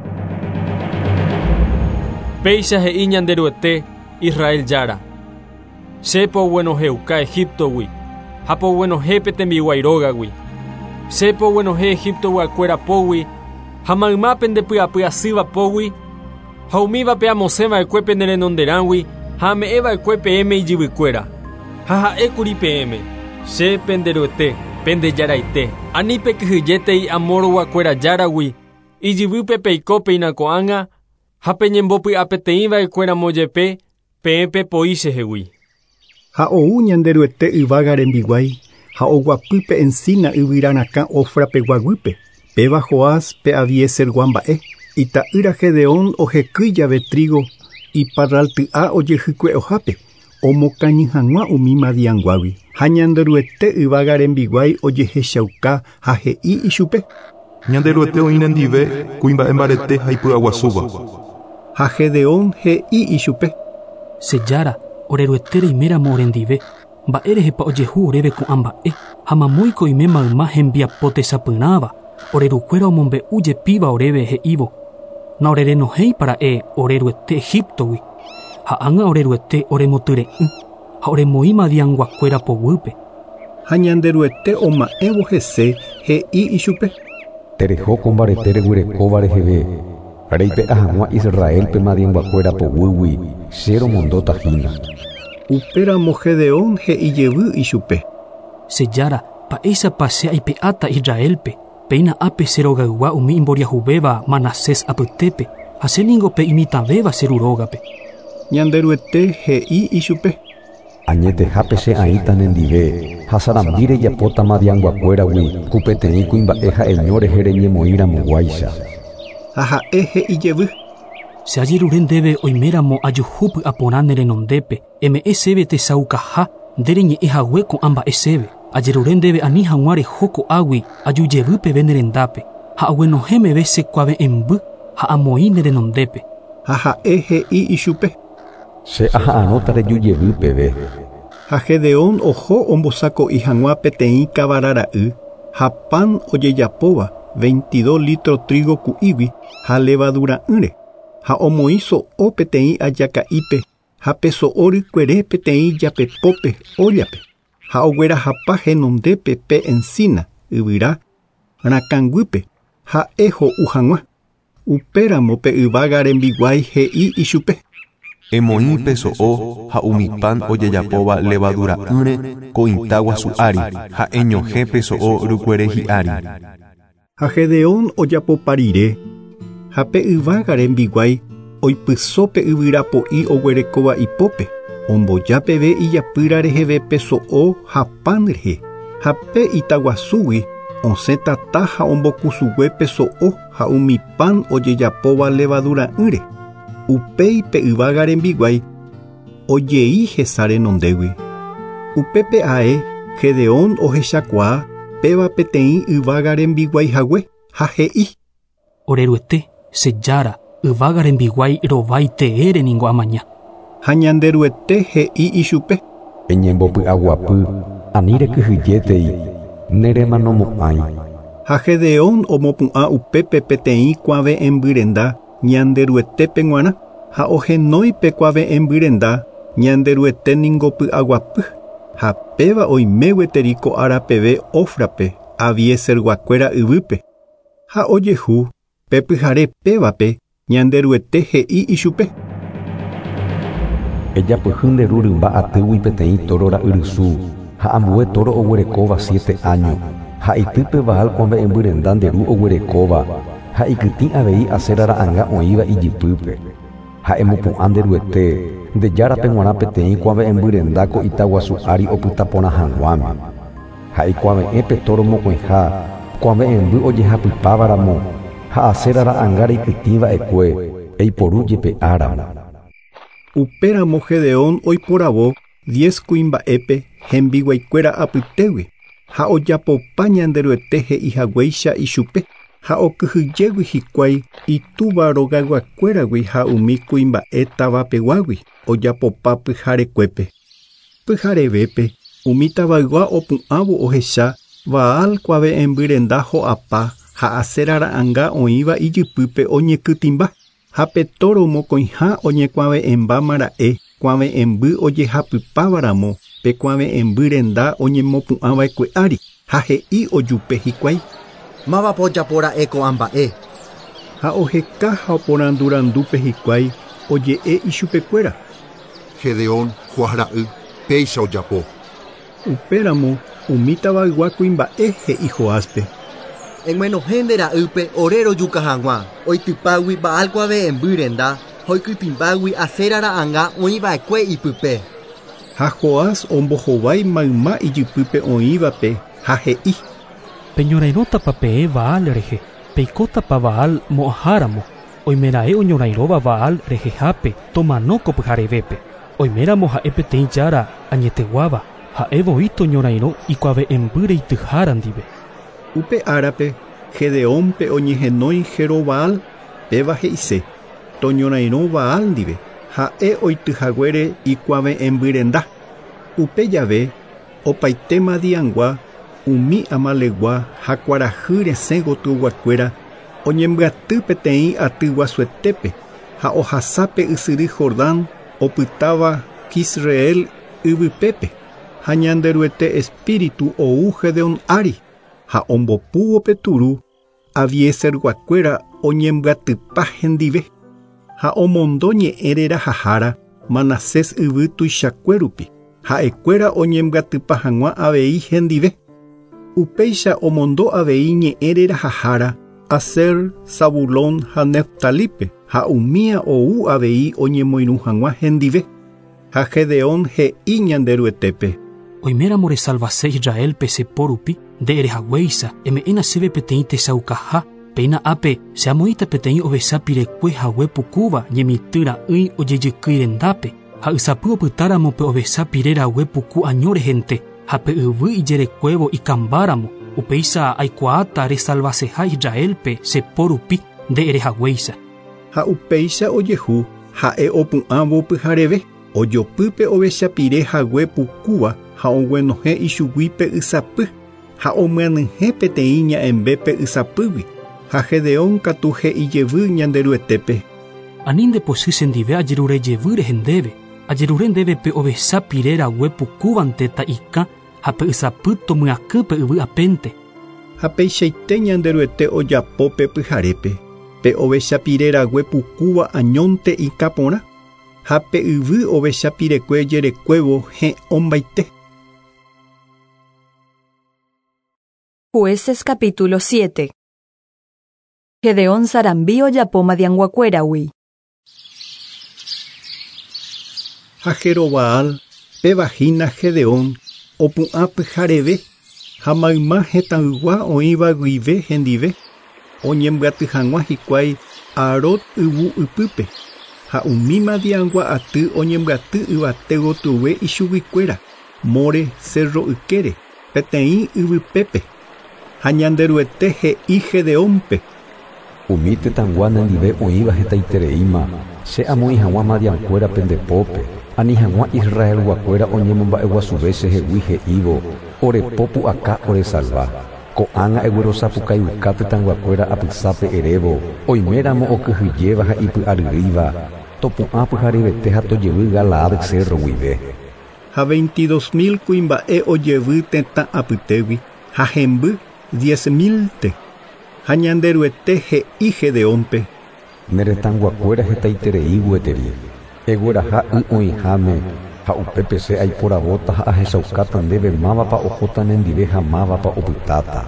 Péicha he'i Ñanderuete Israel Jára. Che poguenohẽuka Egiptogui ha poguenohẽ pe tembiguái rógagui. Che poguenohẽ Egiptoguakuéra pógui ha mayma pendepy'apy'asýva pógui ha umívape amosẽva'ekue pene renonderãgui ha ame'ẽva'ekue peẽme ijyvykuéra. Ha ha'ékuri peẽme, che Penderuete, pendejaraite. Ani pekyhyjétei amorguakuéra járagui, ijyvýpe peiko péina ko'ág̃a ha peñembopy'apeteĩva'ekuéramo jepe peẽ pepoi chehegui. Ha ou Ñanderuete yvága rembiguái ha oguapýpe encina yvyrarakã Ofrapegua guýpe. Péva Joás pe Abiesergua mba'e. Ita'ýra Gedeón ohekýi jave trigo iparralty'a ojehykue'ohápe omokañy hag̃ua umi Madianguágui. Ha Ñanderuete yvága rembiguái ojehechauka ha he'i ichupe. Ñanderuete oĩ nendive kuimba'e mbarete ha ipy'aguasúva. Ha Gedeón he'i ichupe. Che Jára, Ore Ruete reiméramo orendive, mba'érehepa ojehu oréve ko'ã mba'e, ha mamóiko oime mayma hembiapo tesapyrãva, ore rukuéra omombe'u jepíva oréve he'ívo, Naorerenohẽipara'e ore Ruete Egiptogui, ha ág̃a ore Ruete oremotyre'ỹ ha oremoĩ Madianguakuéra poguýpe. Ha Ñanderuete oma'ẽvo hese he'i ichupe. Tereho ko mbarete reguerekóva reheve, reipe'a hag̃ua Israélpe Madianguakuéra poguýgui, che romondóta hína. Upéramo Gedeón he'i jevy ichupe. Che Jára, mba'éichapa che aipe'áta Israélpe, péina ápe che rogaygua umi imboriahuvéva Manasés apytépe, ha che ningo pe imitãvéva che ru rógape. Ñanderuete he'i ichupe. Añetehápe che aĩta nendive, ha sarambi rejapóta Madianguakuéragui ku peteĩ kuimba'e ha'eño rehe reñemoĩ ramoguáicha. Ha ha'e he'i jevy. Che ajerure ndéve oiméramo ajuhu py'aporã ne renondépe, eme'ẽ chéve techaukaha nde reñe'ẽ hague ko'ã mba'e chéve. Ajerure ndéve ani hag̃ua reho ko'águi aju jevy peve ne rendápe, ha aguenohẽ meve che kuave'ẽmby ha amoĩ ne renondépe. Ha ha'e he'i ichupe. Che aha'arõta reju jevy peve. Ha Gedeón oho ombosako'i hag̃ua peteĩ kavara ra'y ha pan ojejapóva 22 litro trigo ku'ígui ha levadura'ỹre, ha omoĩ so'o peteĩ ajaka'ípe ha pe so'o rykuere peteĩ japepópe óllape, ha oguerahapa henondépe pe encina yvyra rakãnguýpe ha'e ho'u hag̃ua. Upéramo pe yvága rembiguái he'i ichupe. Emoĩ pe so'o ha umi pan ojejapóva levadura'ỹre ko ita guasu ári, ha eñohẽ pe so'o rykuere hi'ári. Ha Gedeón ojapopa rire, ha pe yvága rembiguái oipyso pe yvyrapo'i oguerekóva ipópe, omboja peve ijapýra reheve pe so'o ha pan rehe, ha pe itaguasúgui osẽ tata ha ombokusugue pe so'o ha umi pan ojejapóva levadura'ỹre. Upéi pe yvága rembiguái ojei hesa renondégui. Upépe ae Gedeón ohechakuaa péva peteĩ yvága rembiguái hague ha he'i. Ore Ruete, che Jára, yvága rembiguái rovái teére ningo amaña. Ha Ñanderuete he'i ichupe. Eñembopy'aguapy, ani rekyhyjétei, neremanomo'ãi. Ha Gedeón omopu'ã upépe peteĩ kuave'ẽmbyrenda Ñanderuetépe g̃uarã ha ohenói pe kuave'ẽmbyrenda Ñanderuete ningo py'aguapy, ha péva oime gueteri ko ára peve Ofrape Abieserguakuéra yvýpe. Ha ojehu pe pyhare pévape Ñanderuete he'i ichupe. Ejapyhy nde ru rymba atýgui peteĩ tóro ra'yrusu ha ambue tóro oguerekóva 7 áño, ha itýpe Baal kuave'ẽmbyrenda nde ru oguerekóva, ha ikytĩ avei Asera ra'ãnga oĩva ijypýpe. Ha emopu'ã nde Ruete, nde Járape g̃uarã peteĩ kuave'ẽmbyrenda ko ita guasu ári opyta porã hag̃uáme. Ha ikuave'ẽ pe tóro mokõiha, kuave'ẽmby ojehapypávaramo, ha Asera ra'ãnga reikytĩva'ekue, eiporu jepe'áramo. Upéramo Gedeón oiporavo 10 kuimba'épe hembiguaikuéra apytégui, ha ojapopa Ñanderuete he'i haguéicha ichupe, ha okyhyjégui hikuái itúva rogayguakuéragui ha umi kuimba'e tavapeguágui ojapopa pyharekuépe. Pyharevépe umi tavaygua opu'ãvo ohecha Baal kuave'ẽmbyrenda ho'apa ha Asera ra'ãnga oĩva ijypýpe oñekytĩmba, ha pe tóro mokõiha oñekuave'ẽmbámara'e kuave'ẽmby ojehapypávaramo pe kuave'ẽmbyrenda oñemopu'ãva'ekue ári, ha he'i ojupe hikuái. Mávapa ojapora'e ko'ã mba'e. Ha oheka ha oporandurandúpe hikuái oje'e ichupekuéra. Gedeón, Joás ra'y, péicha ojapo. Upéramo umi tavaygua kuimba'e he'i Joáspe. Eg̃uenohẽ nde ra'ýpe ore rojuka hag̃ua, oitypágui Baal kuave'ẽmbyrenda ha oikytĩmbágui Asera ra'ãnga oĩva'ekue ipype. Ha Joás ombohovái mayma ijypýpe oĩvape ha he'i. Peñorairõtapa peẽ Baal rehe, peikótapa Baal mo'ãháramo, oimeraẽ oñorairõva Baal rehehápe tomano ko pyharevépe. Oiméramo ha'e peteĩ jára añeteguáva, ha'e voi toñorairõ ikuave'ẽmby reityhára ndive. Upe árape Gedeónpe oñehenói Jerobaal, péva he'ise, toñorairõ Baal ndive, Ha'e oityhaguére ikuave'ẽmbyrenda. Upe jave opaite Madiangua umi Amalegua ha kuarahy resẽ gotyoguakuéra oñembyaty peteĩ aty guasuetépe ha ohasápe ysyry Jordán opytáva Jisreel yvypépe ha Ñanderuete espíritu ou Gedeón ári ha ombopúvo pe turu Abieserguakuéra oñembyatypa hendive ha omondo ñe'ẽ rerahahára Manasés yvy tuichakuérupi ha'ekuéra oñembyatypa hag̃ua avei hendive. Upéicha omondo avei ñe'ẽ rerahahára Aser, Zabulón ha Neftalípe ha umía ou avei oñemoirũ hag̃ua hendive. Ha Gedeón he'i Ñanderuetépe. Oiméramo resalvase Israelpe che po rupi, nde erehaguéicha, eme'ẽna chéve peteĩ techaukaha, péina ápe che amoĩta peteĩ ovecha pirekue hague pukúva ñemitỹ ra'ỹi ojejykýi rendápe, ha ysapy opytáramo pe ovecha pire rague puku año rehente ha pe yvy ijerekuévo ikambáramo, upéicha aikuaáta resalvaseha Israelpe che po rupi nde erehaguéicha. Ha upéicha ojehu ha'e opu'ãvo pyhareve, ojopýpe ovecha pire hague pukúva ha oguenohẽ ichuguípe ysapy ha omyanyhẽ peteĩ ña'ẽmbépe ysapýgui ha Gedeón katu he'ijevy Ñanderuetépe. Ani ndepochy chendive ajerurejevy rehe ndéve, ajerure ndéve pe ovecha pire rague pukúvante ta'ikã ha pe ysapy tomyakỹ pe yvy apénte. Ha peichaite Ñanderuete ojapo pe pyharépe, pe ovecha pire rague pukúva añónte ikã porã ha pe yvy ovecha pirekue jerekuévo he'õmbaite. Jueces capítulo 7. Gedeón sarambi ojapo Madianguakuéragui. Ha Jerobaal péva hína Gedeón opu'ã pyhareve ha mayma hetãygua oĩva guive hendive oñembyaty hag̃ua hikuái Harod yvu ypýpe ha umi Madiangua aty oñembyaty yvate gotyo ichuguikuéra More cerro ykére peteĩ yvypépe ha Ñanderuete he'i Gedeónpe. Umi tetãygua nendive oĩva hetaitereíma che amoĩ hag̃ua Madiankuérape nde pópe, ani hag̃ua Israelguakuéra oñemomba'eguasuve chehegui he'ívo ore po pu'aka oresalva. Ko'ág̃a eguerosapukaiuka tetãyguakuéra apysápe erévo, oiméramo okyhyjéva ha ipy'aryrýiva, topu'ã pyharevete ha tojevy Galaad cerro guive. Ha 22.000 kuimba'e ojevy tetã apytégui ha hemby 10.000-nte. Ha Ñanderuete he'i Gedeónpe. Ne retãyguakuéra hetaiterei gueteri, egueraha y oĩháme ha upépe che aiporavóta ha ahechaukáta ndéve mávapa ohóta nendive ha mávapa opytáta.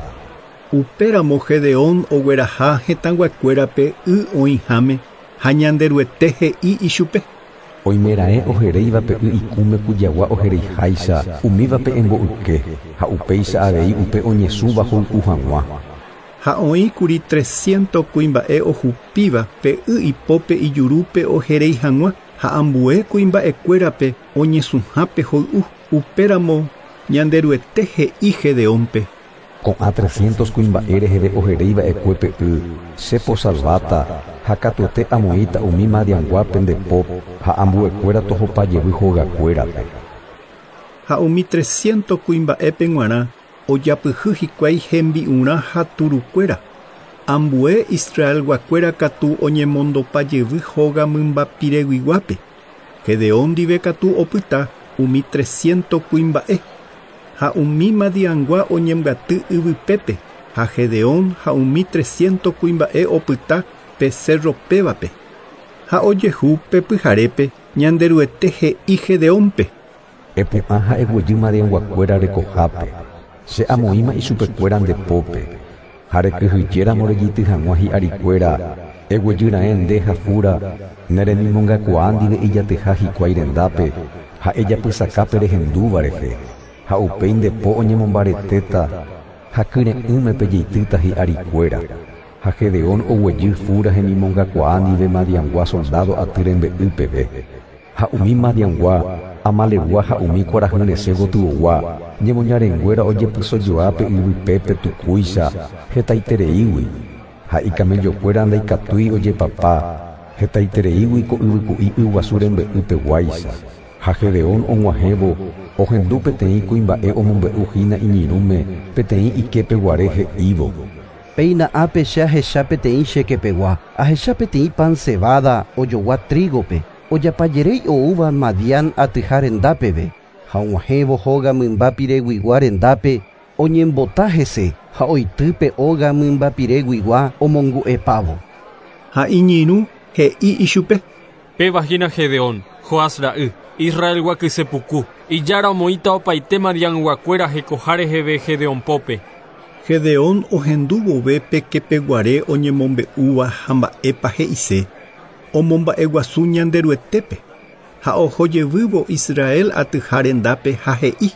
Upéramo Gedeón ogueraha hetãyguakuérape y oĩháme ha Ñanderuete he'i ichupe. Oimeraẽ oheréivape y ikũme kujagua ohereiháicha umívape emboyke ha upéicha avei upe oñesũva hoy'u hag̃ua. Ha oĩkuri 300 kuimba'e ohupíva pe y ipópe ijurúpe oheréi hag̃ua ha ambue kuimba'ekuérape oñesũhápe hoy'u. Upéramo Ñanderuete he'i Gedeónpe. Ko'ã 300 kuimba'e reheve oheréiva'ekue pe y, che posalváta ha katuete amoĩta umi Madianguápe nde po ha ambuekuéra tohopajevy hogakuérape. Ha umi 300 kuimba'épe g̃uarã ojapyhy hikuái hembi'urã ha turukuéra. Ambue Israelguakuéra katu oñemondopajevy hóga mymbapireguiguápe. Gedeón ndive katu opyta umi 300 kuimba'e. Ha umi Madiangua oñembyaty yvypépe ha Gedeón ha umi 300 kuimba'e opyta pe cerro pévape. Ha ojehu pe pyharépe Ñanderuete he'i Gedeónpe. Epu'ã ha eguejy Madianguakuéra rekohápe, che amoĩma ichupekuéra nde pópe. Ha rekyhyjéramo rejeity hag̃ua hi'arikuéra, eguejyraẽ nde ha Fura ne remimongakuaa ndive ijatyha hikuái rendápe ha ejapysakápe rehendúva rehe. Ha upéi nde po oñemombaretéta ha kyre'ỹme pejeitýta hi'arikuéra. Ha Gedeón oguejy Fura hemimongakuaa ndive Madiangua soldado aty rembe'y peve. Ha umi Madiangua, Amalegua ha umi kuarahy resẽ gotyogua, ñemoñarenguéra ojepysojoa pe yvypépe tukúicha hetaitereígui. Ha ikamellokuéra ndaikatúi ojepapa Hetaitereígui ko yvyku'i yguasu rembe'ypeguáicha. Ha Gedeón og̃uahẽvo ohendu peteĩ kuimba'e omombe'uhína iñirũme peteĩ ikepeguare he'ívo. Péina ápe che ahecha peteĩ chekepegua, ahecha peteĩ pan cebada ojogua trígope, ojapajeréi oúva Madián atyha rendápeve, ha og̃uahẽvo hóga mymba pireguigua rendápe, oñembota hese ha oitýpe óga mymba pireguigua omongu'epávo. Ha iñirũ he'i ichupe. Péva hína Gedeón, Joás ra'y, Israelgua kysepuku, ijára omoĩta opaite Madianguakuéra hekoha reheve Gedeón pópe. Gedeón ohendu vove pe kepeguare oñemombe'úva ha mba'épa he'ise, omomba'eguasu Ñanderuetépe, ha ohojevývo Israel atyha rendápe ha he'i.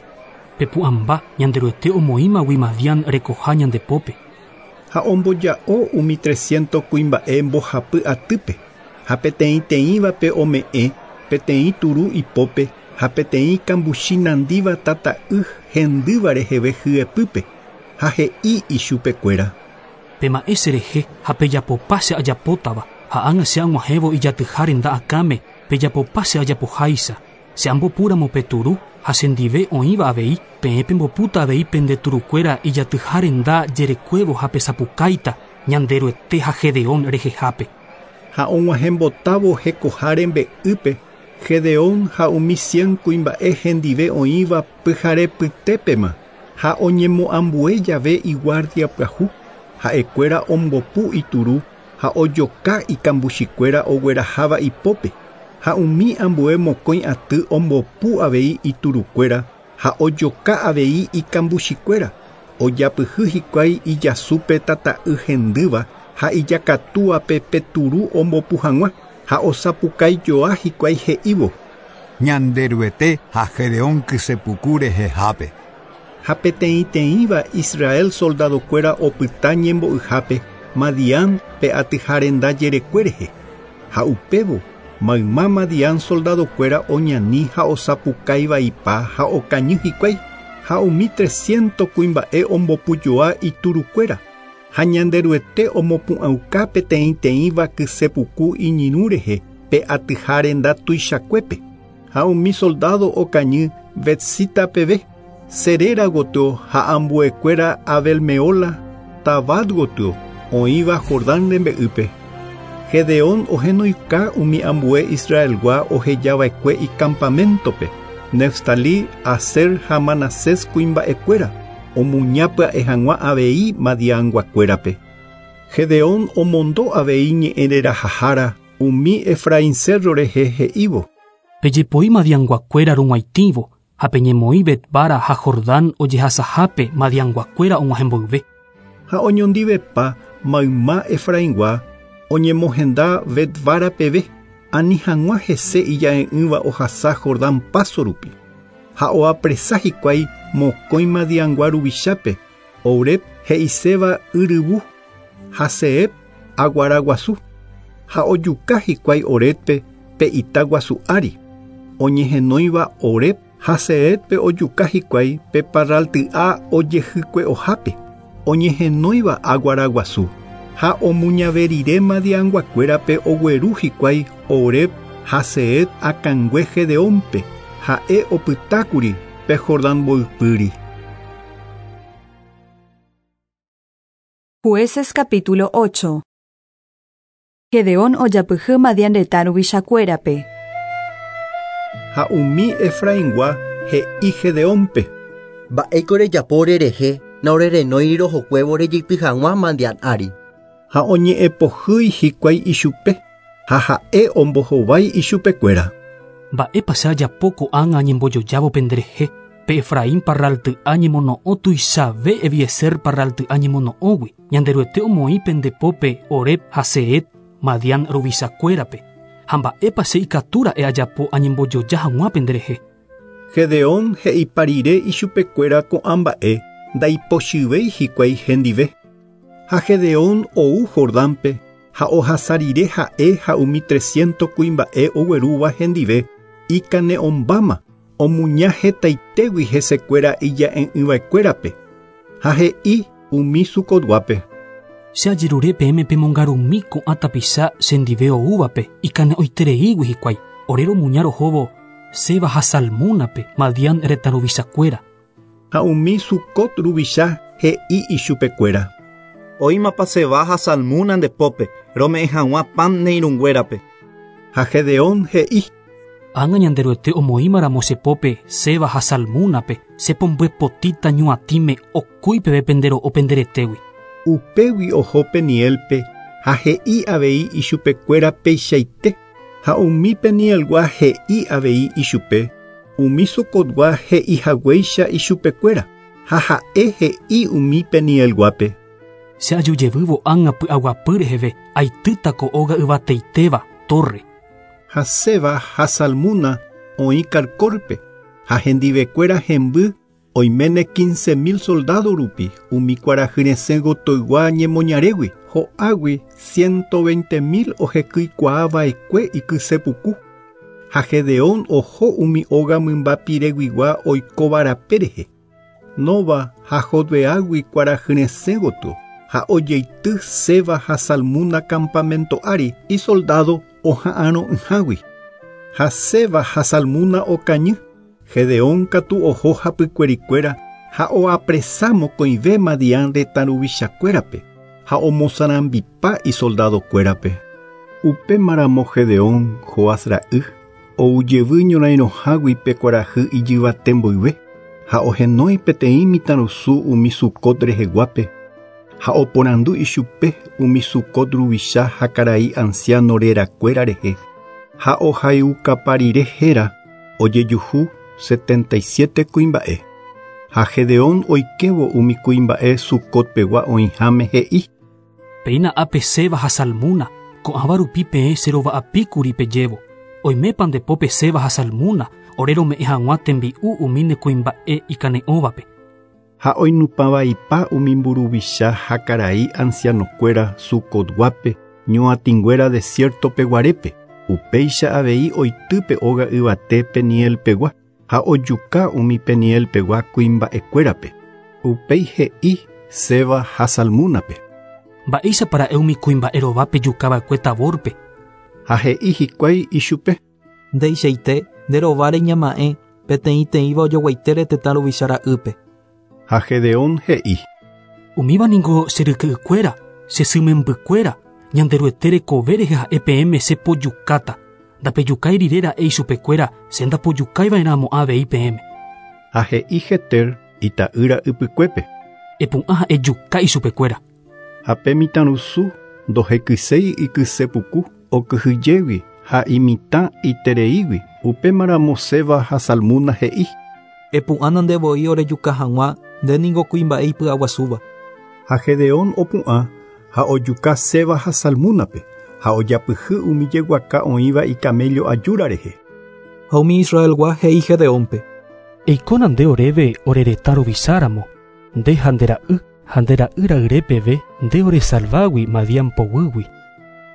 Pepu'ãmba Ñanderuete omoĩmagui Madián rekoha ñandepópe. Ha omboja'o umi 300 kuimba'e mbohapy atýpe, ha peteĩteĩvape ome'ẽ, peteĩ turu ipópe, ha peteĩ kambuchi nandíva tata'y hendýva reheve hyepýpe, ha he'i ichupekuéra. Pema'ẽ cherehe ha pejapopa che ajapótava, ha ág̃a che ag̃uahẽvo ijatyha renda akãme, pejapopa che ajapoháicha. Che ambopúramo pe turu ha chendive oĩva avei, peẽ pembopúta avei pende turukuéra ijatyha renda jerekuévo ha pesapukáita Ñanderuete ha Gedeón rehehápe. Ha og̃uahẽmbotávo hekoha rembe'ýpe, Gedeón ha umi 100 kuimba'e hendive oĩva pyharepytépema, ha oñemoambue jave iguardia pyahu, ha'ekuéra ombopu ituru ha ojoka ikambuchikuéra ogueraháva ipópe, ha umi ambue mokõi aty ombopu avei iturukuéra ha ojoka avei ikambuchikuéra, ojapyhy hikuái ijasúpe tata'y hendýva ha ijakatúape pe turu ombopu hag̃ua, ha osapukaijoa hikuái he'ívo. Ñanderuete ha Gedeón kysepuku rehehápe. Ha peteĩteĩva Israel soldadokuéra opyta ñembo'yhápe Madián pe atyha renda jerekue rehe. Ha upévo mayma Madián soldadokuéra oñani ha osapukáivaipa ha okañy hikuái, ha umi 300 kuimba'e ombopujoa iturukuéra, ha Ñanderuete omopu'ãuka peteĩteĩva kysepuku iñirũ rehe pe atyha renda tuichakuépe, ha umi soldado okañy Betsita peve, Serera gotyo ha ambuekuéra Abelmeola Tabat gotyo oĩva Jordán rembe'ýpe. Gedeón ohenoika umi ambue Israelgua ohejava'ekue icampamentope, Neftalí, Aser ha Manasés kuimba'ekuéra, omuña pya'e hag̃ua avei Madianguakuérape. Gedeón omondo avei ñe'ẽrerahahára umi Efraín cerro rehe he'ívo. Pejepoi Madianguakuéra rug̃uaitĩvo ha peñemoĩ Betbara ha Jordán ojehasahápe Madianguakuéra og̃uahẽmboyve. Ha oñondivepa mayma Efraingua oñemohenda Betbara peve, ani hag̃ua hese ija'e'ỹva ohasa Jordán paso rupi. Ha oapresa hikuái mokõi Madiangua ruvichápe, Oreb he'iséva yryvu, ha Seeb aguaraguasu, ha ojuka hikuái Orebpe pe ita guasu ári, oñehenóiva Oreb ha Seebpe ojuka hikuái pe parralty'a ojehykue'ohápe, oñehenóiva aguaraguasu, ha omuñave rire Madianguakuérape ogueru hikuái Oreb ha Seeb akãngue Gedeónpe, ha'e opytákuri pe Jordán mboypýri. Jueces capítulo 8. Gedeón ojapyhy Madián retã ruvichakuérape. Ha umi Efraingua he'i Gedeónpe. Mba'éiko rejapo rerehe na orerenói rohokuévo rejeity hag̃ua Madián ári. Ha oñe'ẽpohýi hikuái ichupe, ha ha'e ombohovái ichupekuéra. Mba'épa che ajapo ko'ág̃a añembojojávo penderehe, pe Efraín parralty'a ñemono'õ tuichave Ebiezer parralty'a ñemono'õgui, Ñanderuete omoĩ pendepópe Oreb ha Seeb Madián ruvichakuérape, ha mba'épa che ikatúra'e ajapo añembojoja hag̃ua penderehe. Gedeón he'ipa rire ichupekuéra ko'ã mba'e ndaipochyvéi hikuái hendive. Ha Gedeón ou Jordánpe ha ohasa rire ha'e ha umi 300 kuimba'e oguerúva hendive ikane'õmbáma omuña hetaitégui hesekuéra ija'e'ỹva'ekuérape, ha he'i umi Sucotguápe. Che ajerure peẽme pemongarumi ko'ã tapicha chendive oúvape ikane'õitereígui hikuái. Ore romuña rohóvo Zeba ha Salmunape, Madián retã ruvichakuéra. Ha umi Sucot ruvicha he'i ichupekuéra. Oĩmapa Zeba ha Salmuna nde pópe, rome'ẽ hag̃ua pan ne irũnguérape. Ha Gedeón he'i. Ág̃a Ñanderuete omoĩmaramo che pópe Zeba ha Salmunape, che pombyepotĩta ñuatĩme okúi peve pende ro'o pende retégui. Upégui oho Peniélpe ha he'i avei ichupekuéra peichaite, ha umi Penielgua he'i avei ichupe, umi Sucotgua he'ihaguéicha ichupekuéra, ha ha'e he'i umi Penielguápe. Che aju jevývo ág̃a py'aguapy reheve aitýta ko óga yvateitéva, tórre. Ha Zeba ha Salmuna oĩ Carcórpe, ha hendivekuéra hemby oiméne 15 000 soldádo rupi umi kuarahyresẽ gotyoygua ñemoñarégui, ho'águi 120 000 ohekykuaava'ekue ikysepuku. Ha Gedeón oho umi óga mymba pireguigua oikóva rape rehe. Nova ha Jotbeágui kuarahyresẽ gotyo, ha ojeity Zeba ha Salmuna campamento ári isoldádo oha'arõ'ỹhágui. Ha Zeba ha Salmuna okañy, Gedeón katu oho hapykuerikuéra ha oapresa mokõive Madián retã ruvichakuérape ha omosarambipa isoldadokuérape. Upémaramo Gedeón, Joás ra'y, oujevy ñorairõhágui pe kuarahy ijyvate mboyve ha ohenói peteĩ mitãrusu umi Sucot reheguápe ha oporandu ichupe umi Sucot ruvicha ha karai anciano rerakuéra rehe ha ohaiukapa rire héra ojejuhu 77 kuimba'e. Ha Gedeón oikévo umi kuimba'e Sucotpegua oĩháme he'i. Péina ápe Zeba ha Salmuna, ko'ãva rupi peẽ che rova'apíkuri pejévo. Oimépa nde pópe Zeba ha Salmuna, ore rome'ẽ hag̃ua tembi'u umi ne kuimba'e ikane'õvape. Ha oinupãvaipa umi mburuvicha ha karai ancianokuéra Sucotguápe, ñuatĩnguéra desiertopeguarépe. Upéicha avei oity pe óga yvate Penielpegua ha ojuka umi Penielpegua kuimba'ekuérape. Upéi he'i Zeba ha Salmunape. Mba'éichapa ra'e umi kuimba'e rova pejukava'ekue Taborpe. Ha he'i hikuái ichupe. Ndeichaite nde rováre ñama'ẽ peteĩteĩva ojoguaitére tetã ruvicha ra'ýpe. Ha Gedeón he'i. Umíva ningo che ryke'ykuéra, che sy membykuéra, Ñanderuete rekove rehe ha'e peẽme che pojukáta. Ndapejukái rire ra'e ichupekuéra, che ndapojukaiva'erãmo'ã avei peẽme. Ha he'i Jeter ita'ýra ypykuépe. Epu'ã ha ejuka ichupekuéra. Ha pe mitãrusu ndohekyséi ikysepuku okyhyjégui ha imitã itereígui, upémaramo Zeba ha Salmuna he'i. Epu'ã ndevoi orejuka hag̃ua, nde ningo kuimba'e ipy'aguasúva. Ha Gedeón opu'ã ha ojuka Zeba ha Salmunape ha ojapyhy umi jeguaka oĩva icamello ajúra rehe. Ha umi Israelgua he'i Gedeónpe. Eikóna nde oréve ore retã ruvicháramo, nde ha nde ra'y ha nde ra'y ra'yre peve nde oresalvágui Madián poguýgui.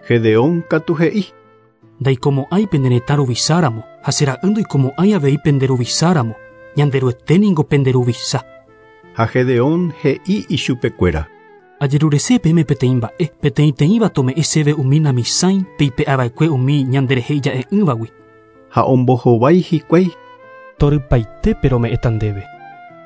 Gedeón katu he'i. Ndaikomo'ãi pene retã ruvicháramo ha che ra'y ndoikomo'ãi avei pende ruvicháramo, Ñanderuete ningo pende ruvicha. Ha Gedeón he'i ichupekuéra. Ajerurese peẽme peteĩ mba'e, peteĩteĩva tome'ẽ chéve umi namisãi peipe'ava'ekue umi ñanderehe ija'e'ỹvagui. Ha ombohovái hikuái. Torypaitépe rome'ẽta ndéve.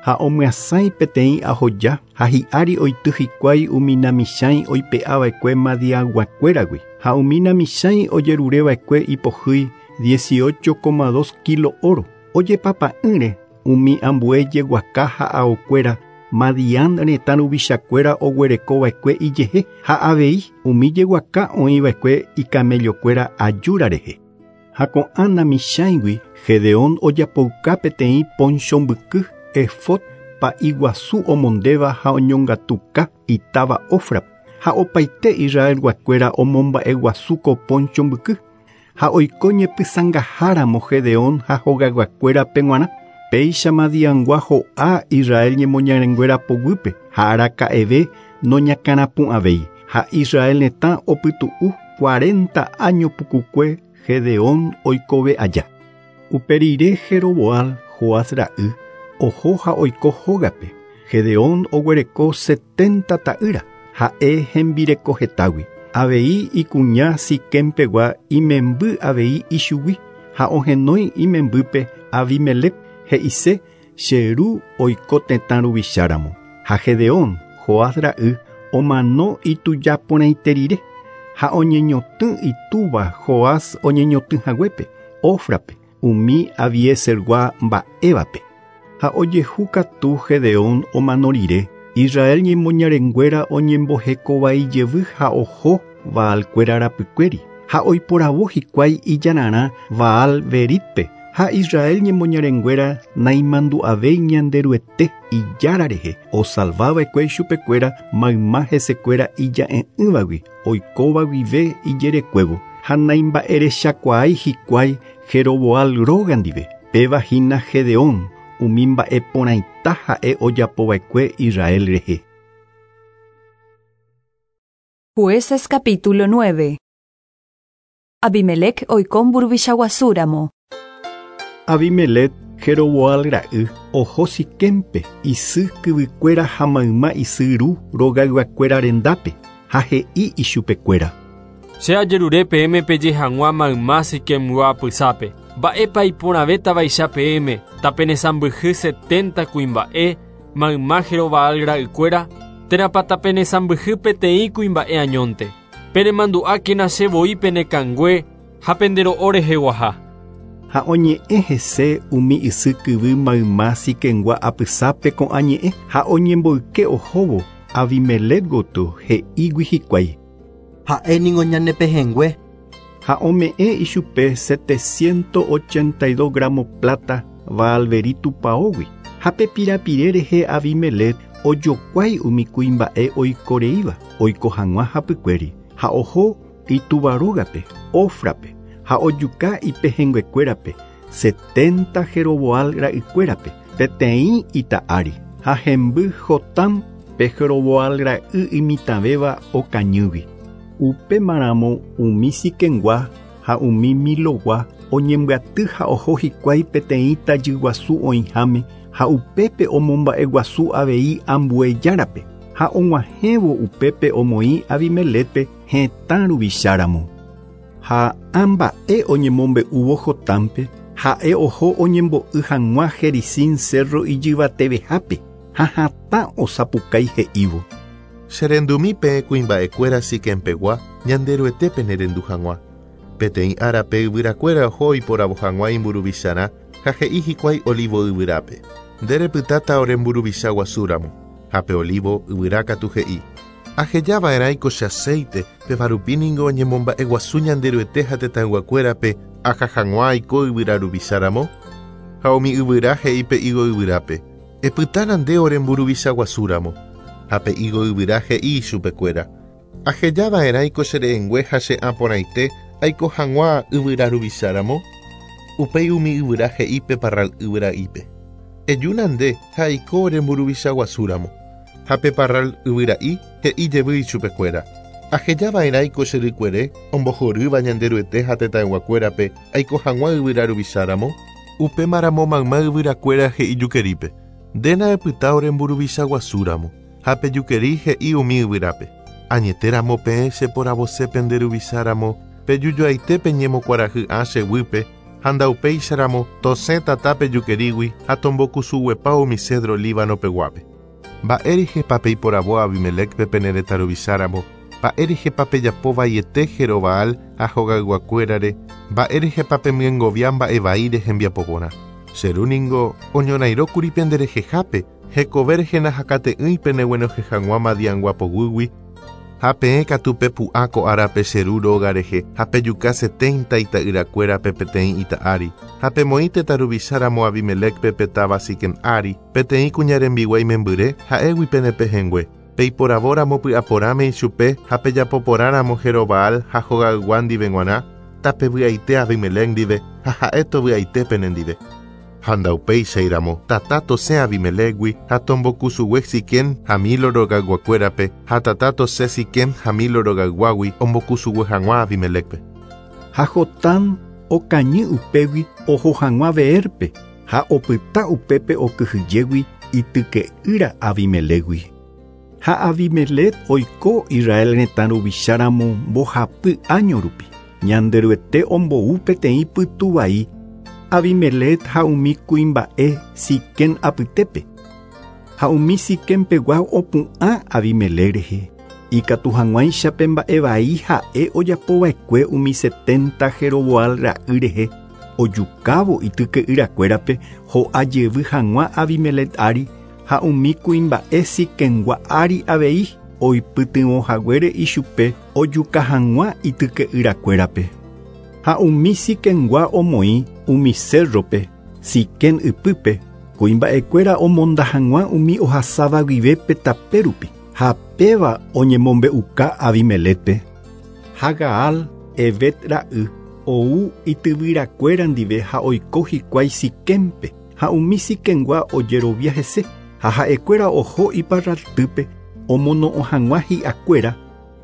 Ha omyasãi peteĩ ahoja ha hi'ári oity hikuái umi namisãi oipe'ava'ekue Madiaguakuéragui ha umi namisãi ojerureva'ekue ipohýi 18,2 kilo oro ojepapa'ỹre umi ambue jeguaka ha aokuéra Madián retã ruvichakuéra oguerekova'ekue ijehe ha avei umi jeguaka oĩva'ekue icamellokuéra ajúra rehe. Ha ko'ã namichãigui Gedeón ojapouka peteĩ poncho mbyky efod pa'i guasu omondéva ha oñongatuka itáva Ofra ha opaite Israelguakuéra omomba'eguasu ko poncho mbyky ha oiko ñepysãngaháramo Gedeón ha hogayguakuérape g̃uarã. Péicha Madiangua ho'a Israel ñemoñarenguéra poguýpe ha araka'eve noñakãrapu'ãvéi ha Israel retã opytu'u 40 año pukukue Gedeón oikove aja. Upe rire Jeroboal, Joás ra'y, oho ha oiko hógape. Gedeón oguereko 70 ta'ýra Ha'e hembireko hetágui. Avei ikuña Siquempegua imemby avei ichugui ha ohenói imembýpe Abimelec he'ise che ru oiko tetã ruvicháramo. Ha Gedeón, Joás ra'y, omano itujaporãite rire ha oñeñotỹ itúva Joás oñeñotỹhaguépe, Ofrape, umi Abiesergua mba'évape. Ha ojehu katu Gedeón omano rire, Israel ñemoñarenguéra oñembohekovaijevy ha oho Baalkuéra rapykuéri ha oiporavo hikuái ijararã Baal Beritpe ha Israel ñemoñarenguéra naimandu'avéi Ñanderuete ijára rehe osalvava'ekue ichupekuéra mayma hesekuéra ija'e'ỹvagui oikóva guive ijerekuévo ha naimba'erechakuaái hikuái Jeroboal róga ndive péva hína Gedeón umi mba'eporãita ha'e ojapova'ekue Israel rehe. Jueces capítulo 9. Abimelec oiko mburuvichaguasúramo. Abimelec Jeroboal ra'y oho Siquempe isy kyvykuéra ha mayma isy ru rogayguakuéra rendápe ha he'i ichupekuéra. Che ajerure peẽme peje hag̃ua mayma Siquemgua apysápe. Mba'épa iporãvétavaicha peẽme tapenesãmbyhy 70 kuimba'e mayma Jeroboal ra'ykuéra térãpa tapenesãmbyhy peteĩ kuimba'e añónte. Penemandu'ákena che voi penekangue ha pendero'o reheguaha. Ha oñe'ẽ hese umi isy kyvy mayma Siquemgua apysápe ko'ã ñe'ẽ ha oñemboyke ohóvo Abimelec gotyo he'ígui hikuái. Ha'éningo ñanepehẽngue. Ha ome'ẽ ichupe 782 gramo plata Baalberi tupãógui ha pe pirapire rehe Abimelec ojokuái umi kuimba'e oikoreíva oiko hag̃ua hapykuéri ha oho itúva rógape Ofrape ha ojuka ipehẽnguekuérape 70 Jeroboal ra'ykuérape peteĩ ita ári ha hemby Jotam pe Jeroboal ra'y imitãvéva okañýgui. Upémaramo umi Siquemgua ha umi Milogua oñembyaty ha oho hikuái peteĩ tajyguasu oĩháme ha upépe omomba'eguasu avei ambue járape ha og̃uahẽvo upépe omoĩ Abimelecpe hetã ruvicháramo. Ha ã mba'e oñemombe'úvo Jotámpe ha'e oho oñembo'y hag̃ua Gerizim cerro ijyvatevehápe ha hatã osapukái he'ívo. Cherendumi peẽ kuimba'ekuéra Siquempegua Ñanderuetépe nerendu hag̃ua. Peteĩ árape yvyrakuéra oho oiporavo hag̃ua imburuvicharã ha he'i hikuái olivo yvyrápe. Nde repytáta ore mburuvicha guasúramo. Ha pe olivo yvyra katu he'i. Ahejava'erãiko che aceite péva rupi ningo oñemomba'eguasu Ñanderuete ha tetãyguakuérape aha hag̃ua aiko yvyra ruvicháramo. Ha umi yvyra he'i pe higo yvyrápe. Epytána nde ore mburuvicha guasúramo. Ha pe higo yvyra he'i ichupekuéra. Ahejava'erãiko che re'ẽngue ha che ãporãite aiko hag̃ua yvyra ruvicháramo. Upéi umi yvyra he'i pe parral yvyra'ípe. Ejúna nde ha aiko ore mburuvicha guasúramo. Ha pe parral yvyra'i he'i jevy ichupekuéra. Ahejava'erãiko che rykuere ombohorýva Ñanderuete ha tetãyguakuérape aiko hag̃ua yvyra ruvicháramo. Upémaramo mayma yvyrakuéra he'i jukerípe. Ndéna epyta ore mburuvicha guasúramo. Ha pe jukeri he'i umi yvyrápe. Añetéramo peẽ cheporavose pende ruvicháramo pejujoaite peñemokuarahy'ã che guýpe ha ndaupéicharamo tosẽ tata pe jukerígui ha tombokusuguepa umi cedro Líbano peguápe. Mba'érehepa peiporavo Abimelecpe pene retã ruvicháramo, mba'érehepa pejapovaiete Jerobaal ha hogayguakuérare, mba'érehepa pemyengovia mba'evaíre hembiapoporã. Che ru ningo oñorairõkuri penderehehápe hekove rehe hakate'ỹi peneguenohẽ hag̃ua Madiangua poguýgui ha peẽ katu pepu'ã ko árape che ru róga rehe ha pejuka 70 ita'yrakuérape peteĩ ita ári ha pemoĩ tetã ruvicháramo Abimelecpe pe táva Siquem ári peteĩ kuña rembiguái membyre ha'égui penepehẽngue. Peiporavóramo py'aporãme ichupe ha pejapoporãramo Jerobaal ha hogaygua ndive g̃uarã tapevy'aite Abimelec ndive ha ha'e tovy'aite penendive. Ha ndaupéichairamo tata tosẽ Abimelecgui ha tombokusugue Siquem ha Milo rogayguakuérape ha tata tosẽ Siquem ha Milo rogayguágui ombokusugue hag̃ua Abimelecpe. Ha Jotán okañy upégui oho hag̃ua Beerpe ha opyta upépe okyhyjégui ityke'ýra Abimelecgui. Ha Abimelec oiko Israel retã ruvicháramo mbohapy áño rupi. Ñanderuete ombou peteĩ pytu vai Abimelec ha umi kuimba'e Siquem apytépe. Ha umi Siquempegua opu'ã Abimelec rehe. Ikatu hag̃uáicha pe mba'e vai ha'e ojapova'ekue umi 70 Jeroboal ra'y rehe ojukávo ityke'yrakuérape ho'a jevy hag̃ua Abimelec ári ha umi kuimba'e Siquemgua ári avei oipytyvõ haguére ichupe ojuka hag̃ua ityke'yrakuérape. Ha umi Siquemgua omoĩ umi cerrope Siquem ypýpe kuimba'ekuéra omonda hag̃ua umi ohasáva guive pe tape rupi ha péva oñemombe'uka Abimelecpe. Ha Gaal Ebed ra'y ou ityvyrakuéra ndive ha oiko hikuái Siquempe ha umi Siquemgua ojerovia hese ha ha'ekuéra oho iparraltýpe omono'õ hag̃ua hi'akuéra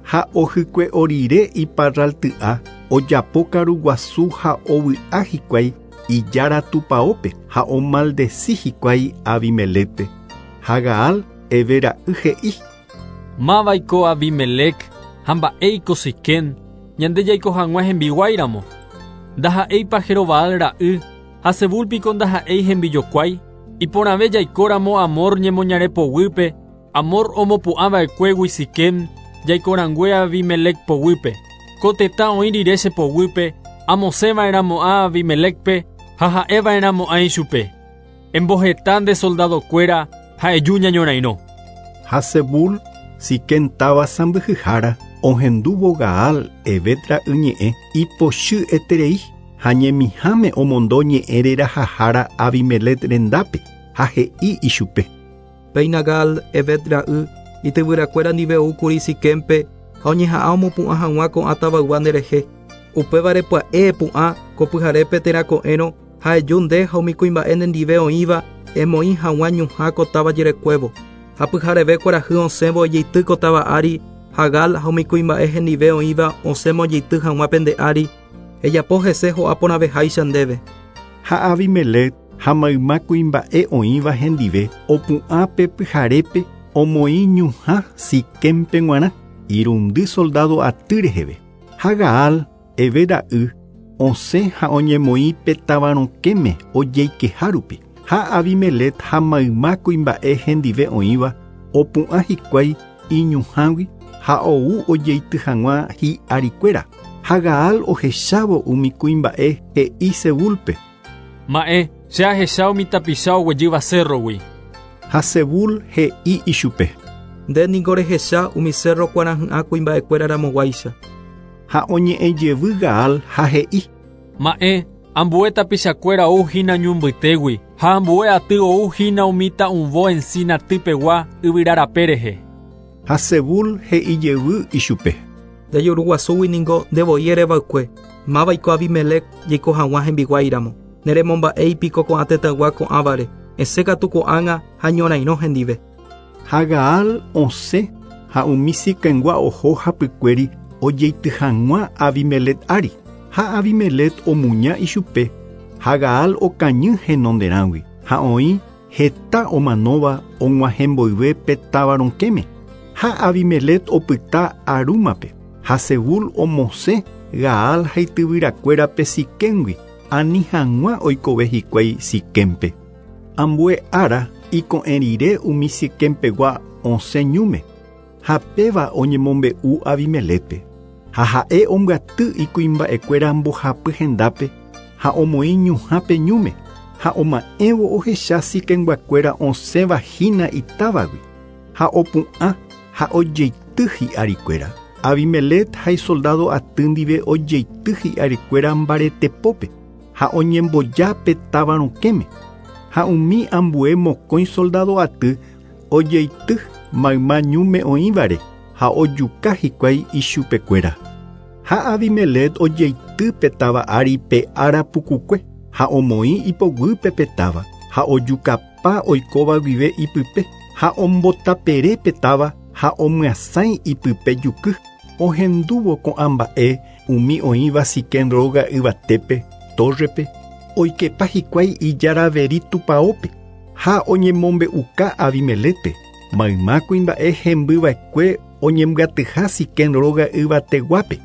ha ohykue'o rire iparralty'a ojapo karuguasu ha ovy'a hikuái ijára tupãópe ha omaldeci hikuái Abimelecpe. Ha Gaal Ebed ra'y he'i: Mávaiko Abimelec ha mba'éiko Siquem ñande jaiko hag̃ua hembiguáiramo. Ndaha'éipa Jerobaal ra'y ha Zebul piko ndaha'éi hembijokuái. Iporãve jaikóramo Hamor ñemoñare poguýpe, Hamor omopu'ãva'ekuégui Siquem jaikorangue Abimelec poguýpe. Ko tetã oĩ rire che poguýpe, amosẽva'erãmo'ã Abimelecpe ha ha'eva'erãmo'ã ichupe. Emboheta nde soldadokuéra ha eju ñañorairõ. Ha Zebul Siquem táva sãmbyhyhára ohendúvo Gaal Ebed ra'y ñe'ẽ ipochy eterei ha ñemiháme omondo ñe'ẽ rerahahára Abimelec rendápe ha he'i ichupe. Péina Gaal Ebed ra'y ityvyrakuéra ndive oúkuri Siquempe ha oñeha'ã omopu'ã hag̃ua ko'ã tavaygua nderehe. Upévare pya'e epu'ã ko pyharépe térã ko'ẽrõ ha eju nde ha umi kuimba'e nendive oĩva emoĩ hag̃ua ñuhã ko táva jerekuévo. Ha pyhareve kuarahy osẽvo ojeity ko táva ári ha Gaal ha umi kuimba'e hendive oĩva osẽma ojeity hag̃ua pende ári ejapo hese ho'a porãveháicha ndéve. Ha Abimelec ha mayma kuimba'e oĩva hendive opu'ã pe pyharépe omoĩ ñuhã Siquempe g̃uarã irundy soldado aty reheve. Ha Gaal Ebed ra'y osẽ ha oñemoĩ pe táva rokẽme ojeikeha rupi. Ha Abimelec ha mayma kuimba'e hendive oĩva opu'ã hikuái iñuhãgui ha ou ojeity hag̃ua hi'arikuéra. Ha Gaal ohechávo umi kuimba'e he'i Zebulpe: Ma'ẽ, che ahecha umi tapicha oguejýva cerrogui. Ha Zebul he'i ichupe: Nde niko rehecha umi cerro kuarahy'ã kuimba'ekuéra ramoguáicha. Ha oñe'ẽ jevy Gaal ha he'i: Ma'ẽ, ambue tapichakuéra ou hína ñu mbytégui ha ambue aty ou hína umi ta'uvõ encina typegua yvyrarape rehe. Ha Zebul he'i jevy ichupe: Nde juruguasúgui niko ndevoi ereva'ekue. Mávaiko Abimelec jaiko hag̃ua hembiguáiramo. Neremomba'éipiko ko'ã tetãygua ko'ãvare. Esẽ katu ko'ág̃a ha ñorairõ hendive. Ha Gaal osẽ ha umi Siquemgua oho hapykuéri ojeity hag̃ua Abimelec ári. Ha Abimelec omuña ichupe ha Gaal okañy henonderãgui ha oĩ heta omanóva og̃uahẽ mboyve pe táva rokẽme. Ha Abimelec opyta Arúmape ha Zebul omosẽ Gaal ha ityvyrakuérape Siquemgui ani hag̃ua oikove hikuái Siquempe. Ambue ára iko'ẽ rire umi Siquempegua osẽ ñúme ha péva oñemombe'u Abimelecpe. Ha ha'e ombyaty ikuimba'ekuéra mbohapy hendápe ha omoĩ ñuhãpe ñúme ha oma'ẽvo ohecha Siquemguakuéra osẽva hína itávagui ha opu'ã ha ojeity hi'arikuéra. Abimelec ha isoldado aty ndive ojeity hi'arikuéra mbaretepópe ha oñemboja pe táva rokẽme. Ha umi ambue mokõi soldado aty ojeity mayma ñúme oĩvare ha ojuka hikuái ichupekuéra. Ha Abimelec ojeity pe táva ári pe ára pukukue ha omoĩ ipoguýpe pe táva ha ojukapa oikóva guive ipype ha ombotapere pe táva ha omyasãi ipype juky. Ohendúvo ko'ã mba'e umi oĩva Siquem róga yvatépe tórrepe oikepa hikuái ijaraveri tupãópe ha oñemombe'uka Abimelecpe. Mayma kuimba'e hembyva'ekue oñembyatyha Siquem róga yvateguápe.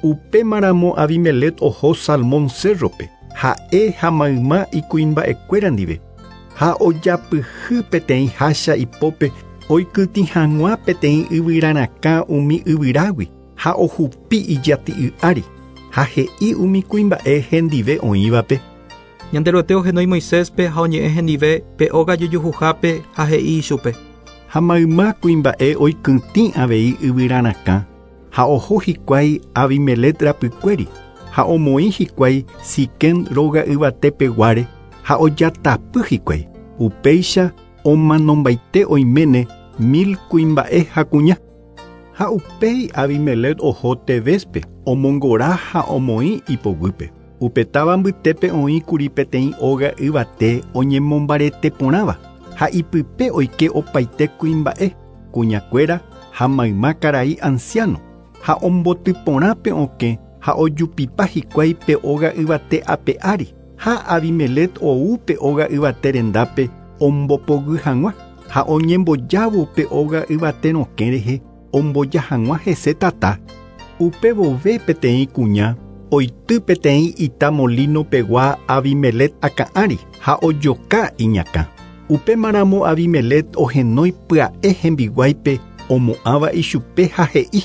Upémaramo Abimelec oho Salmón cérrope, ha'e ha mayma ikuimba'ekuéra ndive. Ha ojapyhy peteĩ hácha ipópe oikytĩ hag̃ua peteĩ yvyrarakã umi yvyrágui ha ohupi ijati'y ári ha he'i umi kuimba'e hendive oĩvape. Ñanderuete ohenói Moiséspe ha oñe'ẽ hendive pe óga jojuhuhápe ha he'i ichupe. Ha mayma kuimba'e oikytĩ avei yvyrarakã ha oho hikuái Abimelec rapykuéri ha omoĩ hikuái Siquem róga yvatepeguáre ha ojatapy hikuái. Upéicha omanombaite oiméne 1000 kuimba'e ha kuña. Ha upéi Abimelec oho Tebéspe omongora ha omoĩ ipoguýpe. Upe táva mbytépe oĩkuri peteĩ óga yvate oñemombarete porãva ha ipype oike opaite kuimba'e, kuñakuéra ha mayma karai anciano ha ombotyporã pe okẽ ha ojupipa hikuái pe óga yvate ape ári ha Abimelec ou pe óga yvate rendápe ombopoguy hag̃ua ha oñembojávo pe óga yvate rokẽ rehe omboja hag̃ua hese tata. Upe vove peteĩ kuña oity peteĩ ita molino pegua Abimelec akã ári ha ojoka iñakã. Upémaramo Abimelec ohenói pya'e hembiguáipe omo'ãva ichupe ha he'i: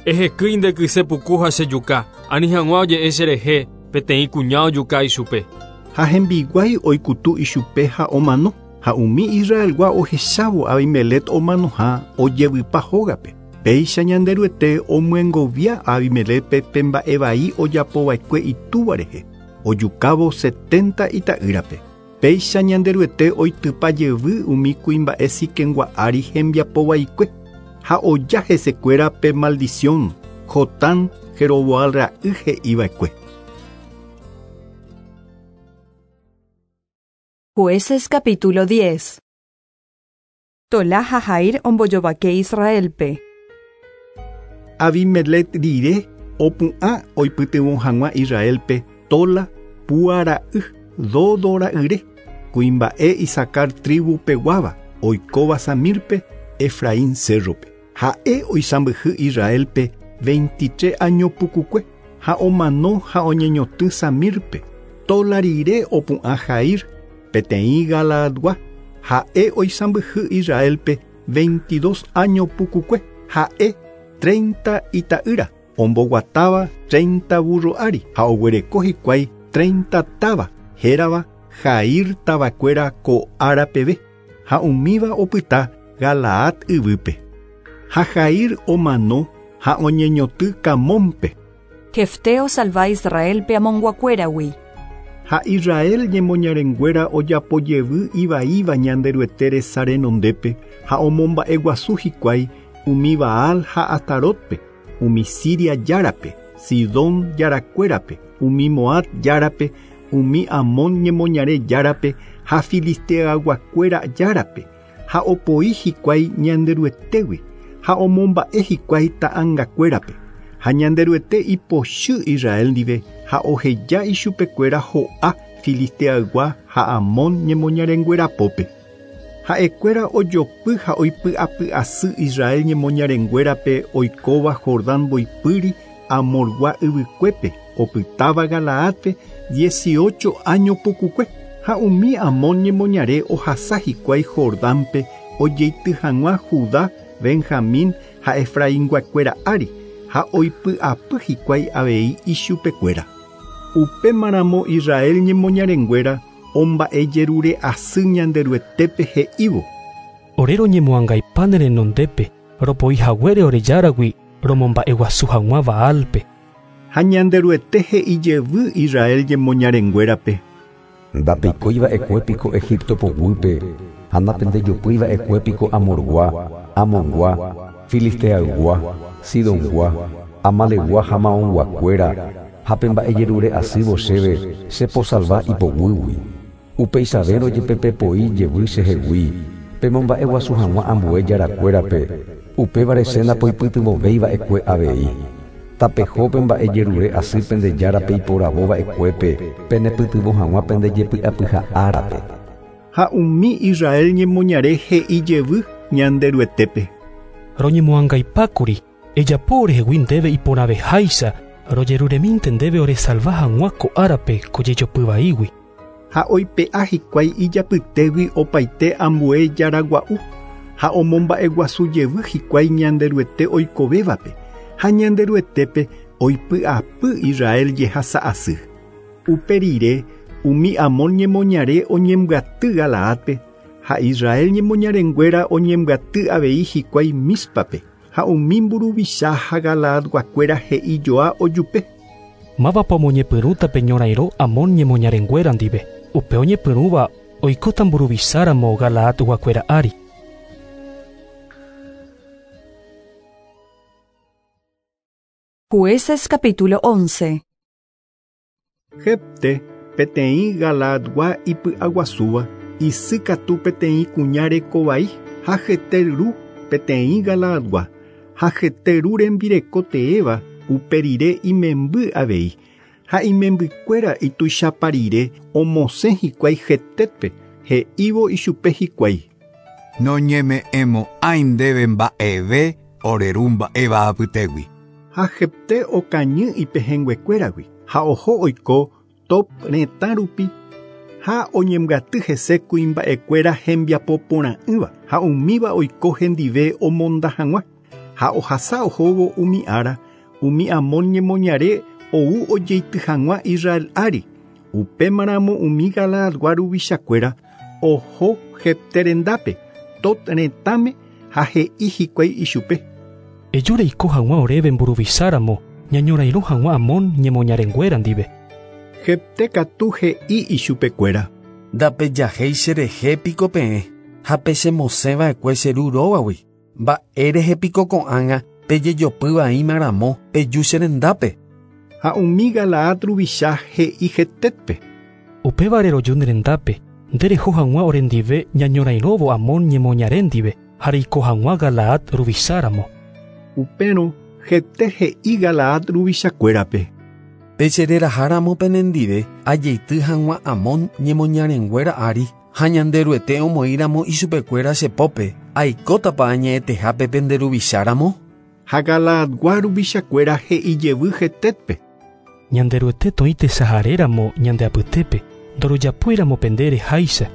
Ehekýi nde kysepuku ha chejuka, ani hag̃ua oje'e cherehe peteĩ kuña ojuka ichupe. Ha hembiguái oikutu ichupe ha omano, ha umi Israelgua ohechávo Abimelec omanoha ojevypa hógape. Péicha Ñanderuete omyengovia Abimelecpe pe mba'e vai ojapova'ekue itúva rehe, ojukávo 70 ita'ýrape. Péicha Ñanderuete oitypa jevy umi kuimba'e Siquemgua ári hembiapovaikue ha oja hesekuéra pe maldición Jotán Jeroboam ra'y he'iva'ekue. Jueces capítulo 10. Tolá ha Jair ombojovake Israelpe. Abimelec rire opu'ã oipytyvõ hag̃ua Israelpe Tola Púa ra'y Dodo ra'yre, kuimba'e Isacar tribu peguáva oikóva Samirpe Efraín cérrope. Ha'e oisãmbyhy Israelpe 23 año pukukue ha omano ha oñeñotỹ Samirpe. Tola rire opu'ã Jair peteĩ Galaadgua ha'e oisãmbyhy Israelpe 22 año pukukue ha'e 30 ita'ýra omboguatáva 30 burro ári ha oguereko hikuái 30 táva hérava Jair tavakuéra ko ára peve ha umíva opyta Galaad yvýpe. Ha Jair omano ha oñeñotỹ Camónpe. Jefté osalva Israelpe Amonguakuéragui. Ha Israel ñemoñarenguéra ojapojevy ivaíva Ñanderuete resa renondépe ha omomba'eguasu hikuái umi Baal ha Astarótpe, umi Siria járape, Sidón jarakuérape, umi Moab járape, umi Amón ñemoñare járape ha Filisteaguakuéra járape, ha opoi hikuái Ñanderuetégui ha omomba'e hikuái ta'angakuérape. Ha Ñanderuete ipochy Israel ndive ha oheja ichupekuéra ho'a Filisteaygua ha Amón ñemoñarenguérapópe. Ha'ekuéra ojopy ha oipy'apy'asy Israel ñemoñarenguérape oikóva Jordán mboypýri Amorgua yvykuépe opytáva Galaadpe 18 año pukukue ha umi Amón ñemoñare ohasa hikuái Jordánpe ojeity hag̃ua Judá, Benjamín ha Efrainguakuéra ári ha oipy'apy hikuái avei ichupekuéra. Upémaramo Israel ñemoñarenguéra omba'ejerure asy Ñanderuetépe he'ívo: Ore roñemoangaipa ne renondépe ropoi haguére ore járagui romomba'eguasu hag̃ua Baalpe. Ha Ñanderuete he'i jevy Israel ñemoñarenguérape: Ndapeikóiva'ekue piko Egipto poguýpe ha ndapendejopýiva'ekue piko Amorgua, Amongua, Filisteaygua, Sidongua, Amalegua ha Maonguakuéra ha pe mba'ejerure asývo chéve cheposalva ipoguýgui. Upeichavérõ jepe pepoi jevy chehegui pemomba'eguasu hag̃ua ambue jarakuérape, upévare che ndapoipytyvõvéiva'ekue avei. Tapeho pe mba'ejerure asy pende járape iporavóva'ekuépe penepytyvõ hag̃ua pende jepy'apyha árape. Ha umi Israel ñemoñare he'i jevy: Ñanderuetépe. Roñemoangaipákuri, ejapo orehegui ndéve iporãveháicha, rojeruremínte ndéve oresalva hag̃ua ko árape ko jejopy vaígui. Ha oipe'a hikuái ijapytégui opaite ambue jaragua'u ha omomba'eguasu jevy hikuái Ñanderuete oikovévape ha Ñanderuetépe oipy'apy Israel jehasa'asy. Upe rire umi Amón ñemoñare oñembyaty Galaadpe ha Israel ñemoñarenguéra oñembyaty avei hikuái Míspape ha umi mburuvicha ha Galaadguakuéra he'ijoa ojupe. Mávapa omoñepyrũta pe ñorairõ Amón ñemoñarenguéra ndive. Upe oñepyrũva oikóta mburuvicháramo Galaadguakuéra ári. Jueces capítulo 11. Jefté peteĩ Galaadgua ipy'aguasúva, isýkatu peteĩ kuña rekovai ha Jefté ru peteĩ Galaadgua ha Jefté ru rembireko teéva upe rire imemby avei ha imembykuéra ituichapa rire omosẽ hikuái Jeftépe he'ívo ichupe hikuái. Noñeme'ẽmo'ãi ndéve mba'eve ore ru mba'éva apytégui. Ha Jefté okañy ipehẽnguekuéragui ha oho oiko Top retã rupi ha oñembyaty hese kuimba'ekuéra hembiapoporã'ỹva ha umíva oiko hendive omonda hag̃ua ha ohasa ohóvo umi ára umi Amón ñemoñare ou ojeity hag̃ua Israel ári upémaramo umi Galaadgua ruvichakuéra oho Jefté rendápe Tot retãme ha he'i hikuái ichupe. Eju reiko hag̃ua oréve mburuvicháramo ñañorairõ hag̃ua Amón ñemoñarenguéra ndive. Jefté katu he'i ichupekuéra. Ndapejahéi cherehe piko peẽ ha pechemosẽva'ekue che ru rógagui. Mba'érehe piko ko'ág̃a pejejopyvaímaramo peju che rendápe. Ha umi Galaad ruvicha he'i Jeftépe. Upévare roju ne rendápe, nde reho hag̃ua orendive ñañorairõvo Amón ñemoñare ndive ha reiko hag̃ua Galaad ruvicháramo. Upérõ Jefté he'i Galaad ruvichakuérape. Pechereraháramo penendive ajeity hag̃ua Amón ñemoñarenguéra ári ha Ñanderuete omoĩramo ichupekuéra che pópe aikótapa añe'ẽtehápe pende ruvicháramo. Ha Galaadgua ruvichakuéra he'i jevy Jeftépe. Ñanderuete toĩ tesaharéramo ñande apytépe ndorojapóiramo pende reháicha.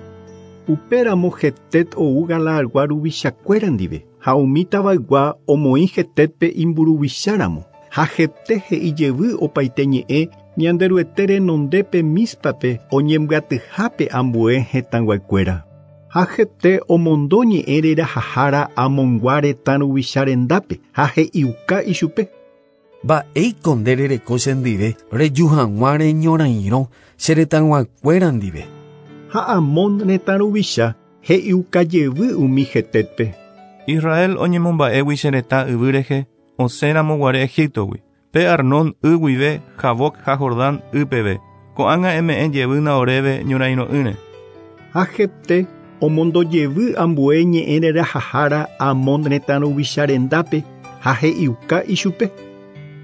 Upéramo Jefté ou Galaadgua ruvichakuéra ndive ha umi tavaygua omoĩ Jeftépe imburuvicháramo ha Jefté he'i jevy opaite ñe'ẽ Ñanderuete renondépe Míspape oñembyatyhápe ambue hetãguakuéra. Ha Jefté omondo ñe'ẽ rerahahára Amongua retã ruvicha rendápe ha he'iuka ichupe. Mba'éiko nde rereko chendive reju hag̃ua reñorairõ che retãguakuéra ndive. Ha Amón retã ruvicha he'iuka jevy umi Jeftépe. Israel oñemomba'égui che retã yvy rehe osẽramo guare Egiptogui. Pe Arnón y guive Jaboc ha Jordán ypeve. Ko'ág̃a eme'ẽ jevýna oréve ñorairõ'ỹre. Ha Jefté omondo jevy ambue ñe'ẽ rerahahára Amón retã ruvicha rendápe ha he'iuka ichupe.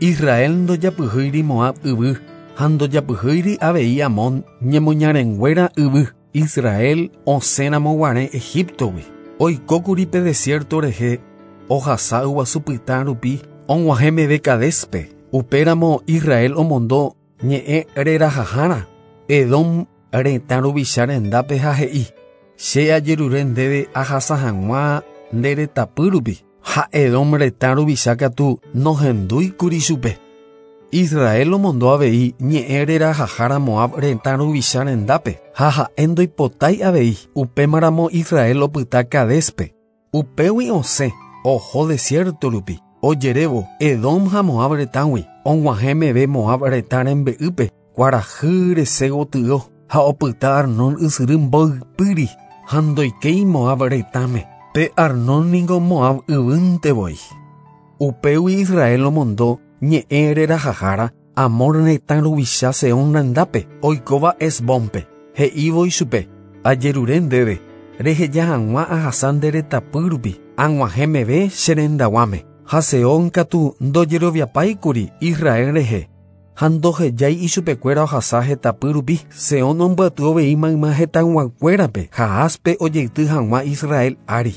Israel ndojapyhýiri Moab yvy ha ndojapyhýiri avei Amón ñemoñarenguéra yvy. Israel osẽramo guare Egiptogui. Oikókuri pe desierto rehe ohasa yguasu pytã rupi og̃uahẽ meve Cadéspe. Upéramo Israel omondo ñe'ẽ rerahahára Edom retã ruvicha rendápe ha he'i che ajerure ndéve ahasa hag̃ua nde retãpy rupi ha Edom retã ruvicha katu nohendúikuri chupe. Israel omondo avei ñe'ẽ rerahahára Moab retã ruvicha rendápe ha ha'e ndoipotái avei upémaramo Israel opyta Cadéspe. Upégui osẽ oho desierto rupi ojerévo Edom ha Moab retãgui og̃uahẽ meve Moab retã rembe'ýpe kuarahy rese gotyo ha opyta Arnón ysyry mboypýri ha ndoikéi Moab retãme. Pe Arnón ningo Moab yvýnte voi. Upégui Israel omondo ñe'ẽ rerahahára Amor retã ruvicha Seón rendápe oikóva Hesbónpe. He'ívo ichupe ajerure ndéve reheja hag̃ua ahasa nde retãpy rupi ag̃uahẽ meve che rendaguáme. Ha Seón katu ndojeroviapáikuri Israel rehe ha ndohejái ichupekuéra ohasa hetãpy rupi. Seón ombyaty avei mayma hetãyguakuérape Jaáspe ojeity hag̃ua Israel ári.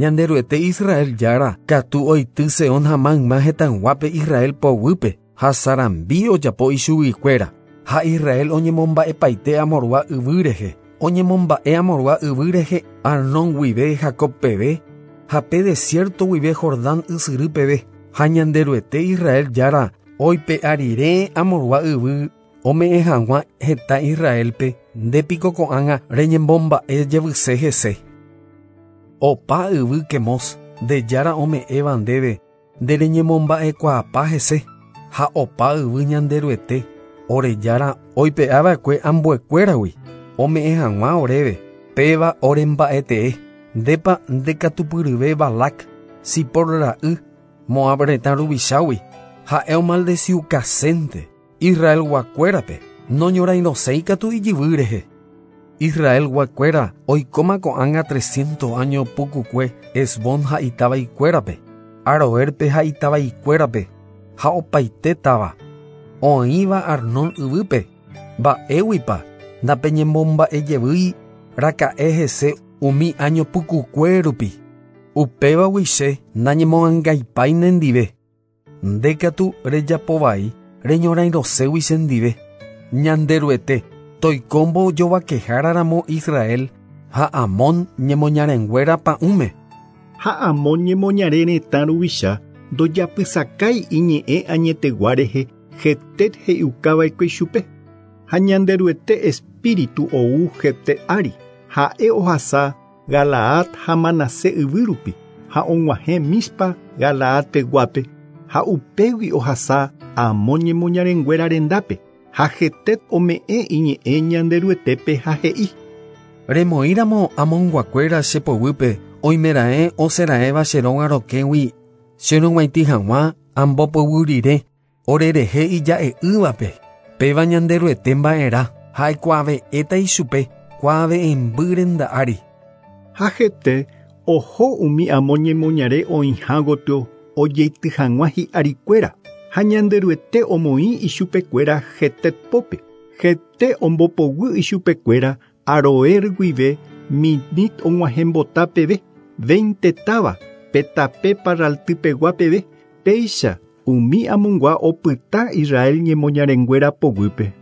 Ñanderuete Israel Jára katu oity Sehón ha mayma hetãyguápe Israel poguýpe ha sarambi ojapo ichuguikuéra. Ha Israel oñemomba'epaite Amorgua yvy rehe. Oñemomba'e Amorgua yvy rehe Arnón guive Jacob peve ha pe desierto guive Jordán ysyry peve. Ha Ñanderuete Israel Jára oipe'a rire Amorgua yvy ome'ẽ hag̃ua heta Israelpe ndépiko ko'ág̃a reñembomba'e jevyse hese. Opa yvy Quemos nde Jára ome'ẽva ndéve nde reñemomba'ekuaapa hese ha opa yvy Ñanderuete ore Jára oipe'ava'ekue ambuekuéragui ome'ẽ hag̃ua oréve péva oremba'etee ndépa ndekatupyryve Balac Sipor ra'y Moab retã ruvichágui ha'e omaldeciukasénte Israelguakuérape noñorairõséikatu ijyvy rehe. Israelguakuéra oikóma ko'ág̃a 300 año pukukue Hesbón ha itavaikuérape, Aroerpe ha itavaikuérape ha opaite táva oĩva Arnón yvýpe mba'éguipa ndapeñemomba'ejevýi raka'e hese umi año pukukue rupi. Upévagui che nañemo'ãngaipái nendive. Ndékatu rejapovai reñorairõségui chendive. Ñanderuete toiko mbojovakehára Israel ha Amón ñemoñarenguéra pa'ũme. Ha Amón ñemoñare retã ruvicha ndojapysakái iñe'ẽ añetegua rehe Jefté he'iukava'ekue chupe. Ha Ñanderuete espíritu ou Jefté ári. Ha'e ohasa Galaad ha Manasé yvy rupi ha og̃uahẽ Mispa Galaad peguápe ha upégui ohasa Amón ñemoñarenguéra rendápe ha Jefté ome'ẽ iñe'ẽ Ñanderuetépe ha he'i. Remoĩramo Amonguakuéra che poguýpe oimeraẽ osẽraẽva che róga rokẽgui cherug̃uaitĩ hag̃ua ambopoguy rire orerehe ija'e'ỹvape péva Ñanderuete mba'erã ha aikuave'ẽta ichupe kuave'ẽmby renda ári. Ha Jefté oho umi Amón ñemoñare oĩha gotyo ojeity hag̃ua hi'arikuéra ha Ñanderuete omoĩ ichupekuéra Jefté pópe. Jefté ombopoguy ichupekuéra Aroer guive Minit og̃uahẽmbota peve 20 táva pe tape parraltypegua peve péicha umi Amongua opyta Israel ñemoñarenguéra poguýpe.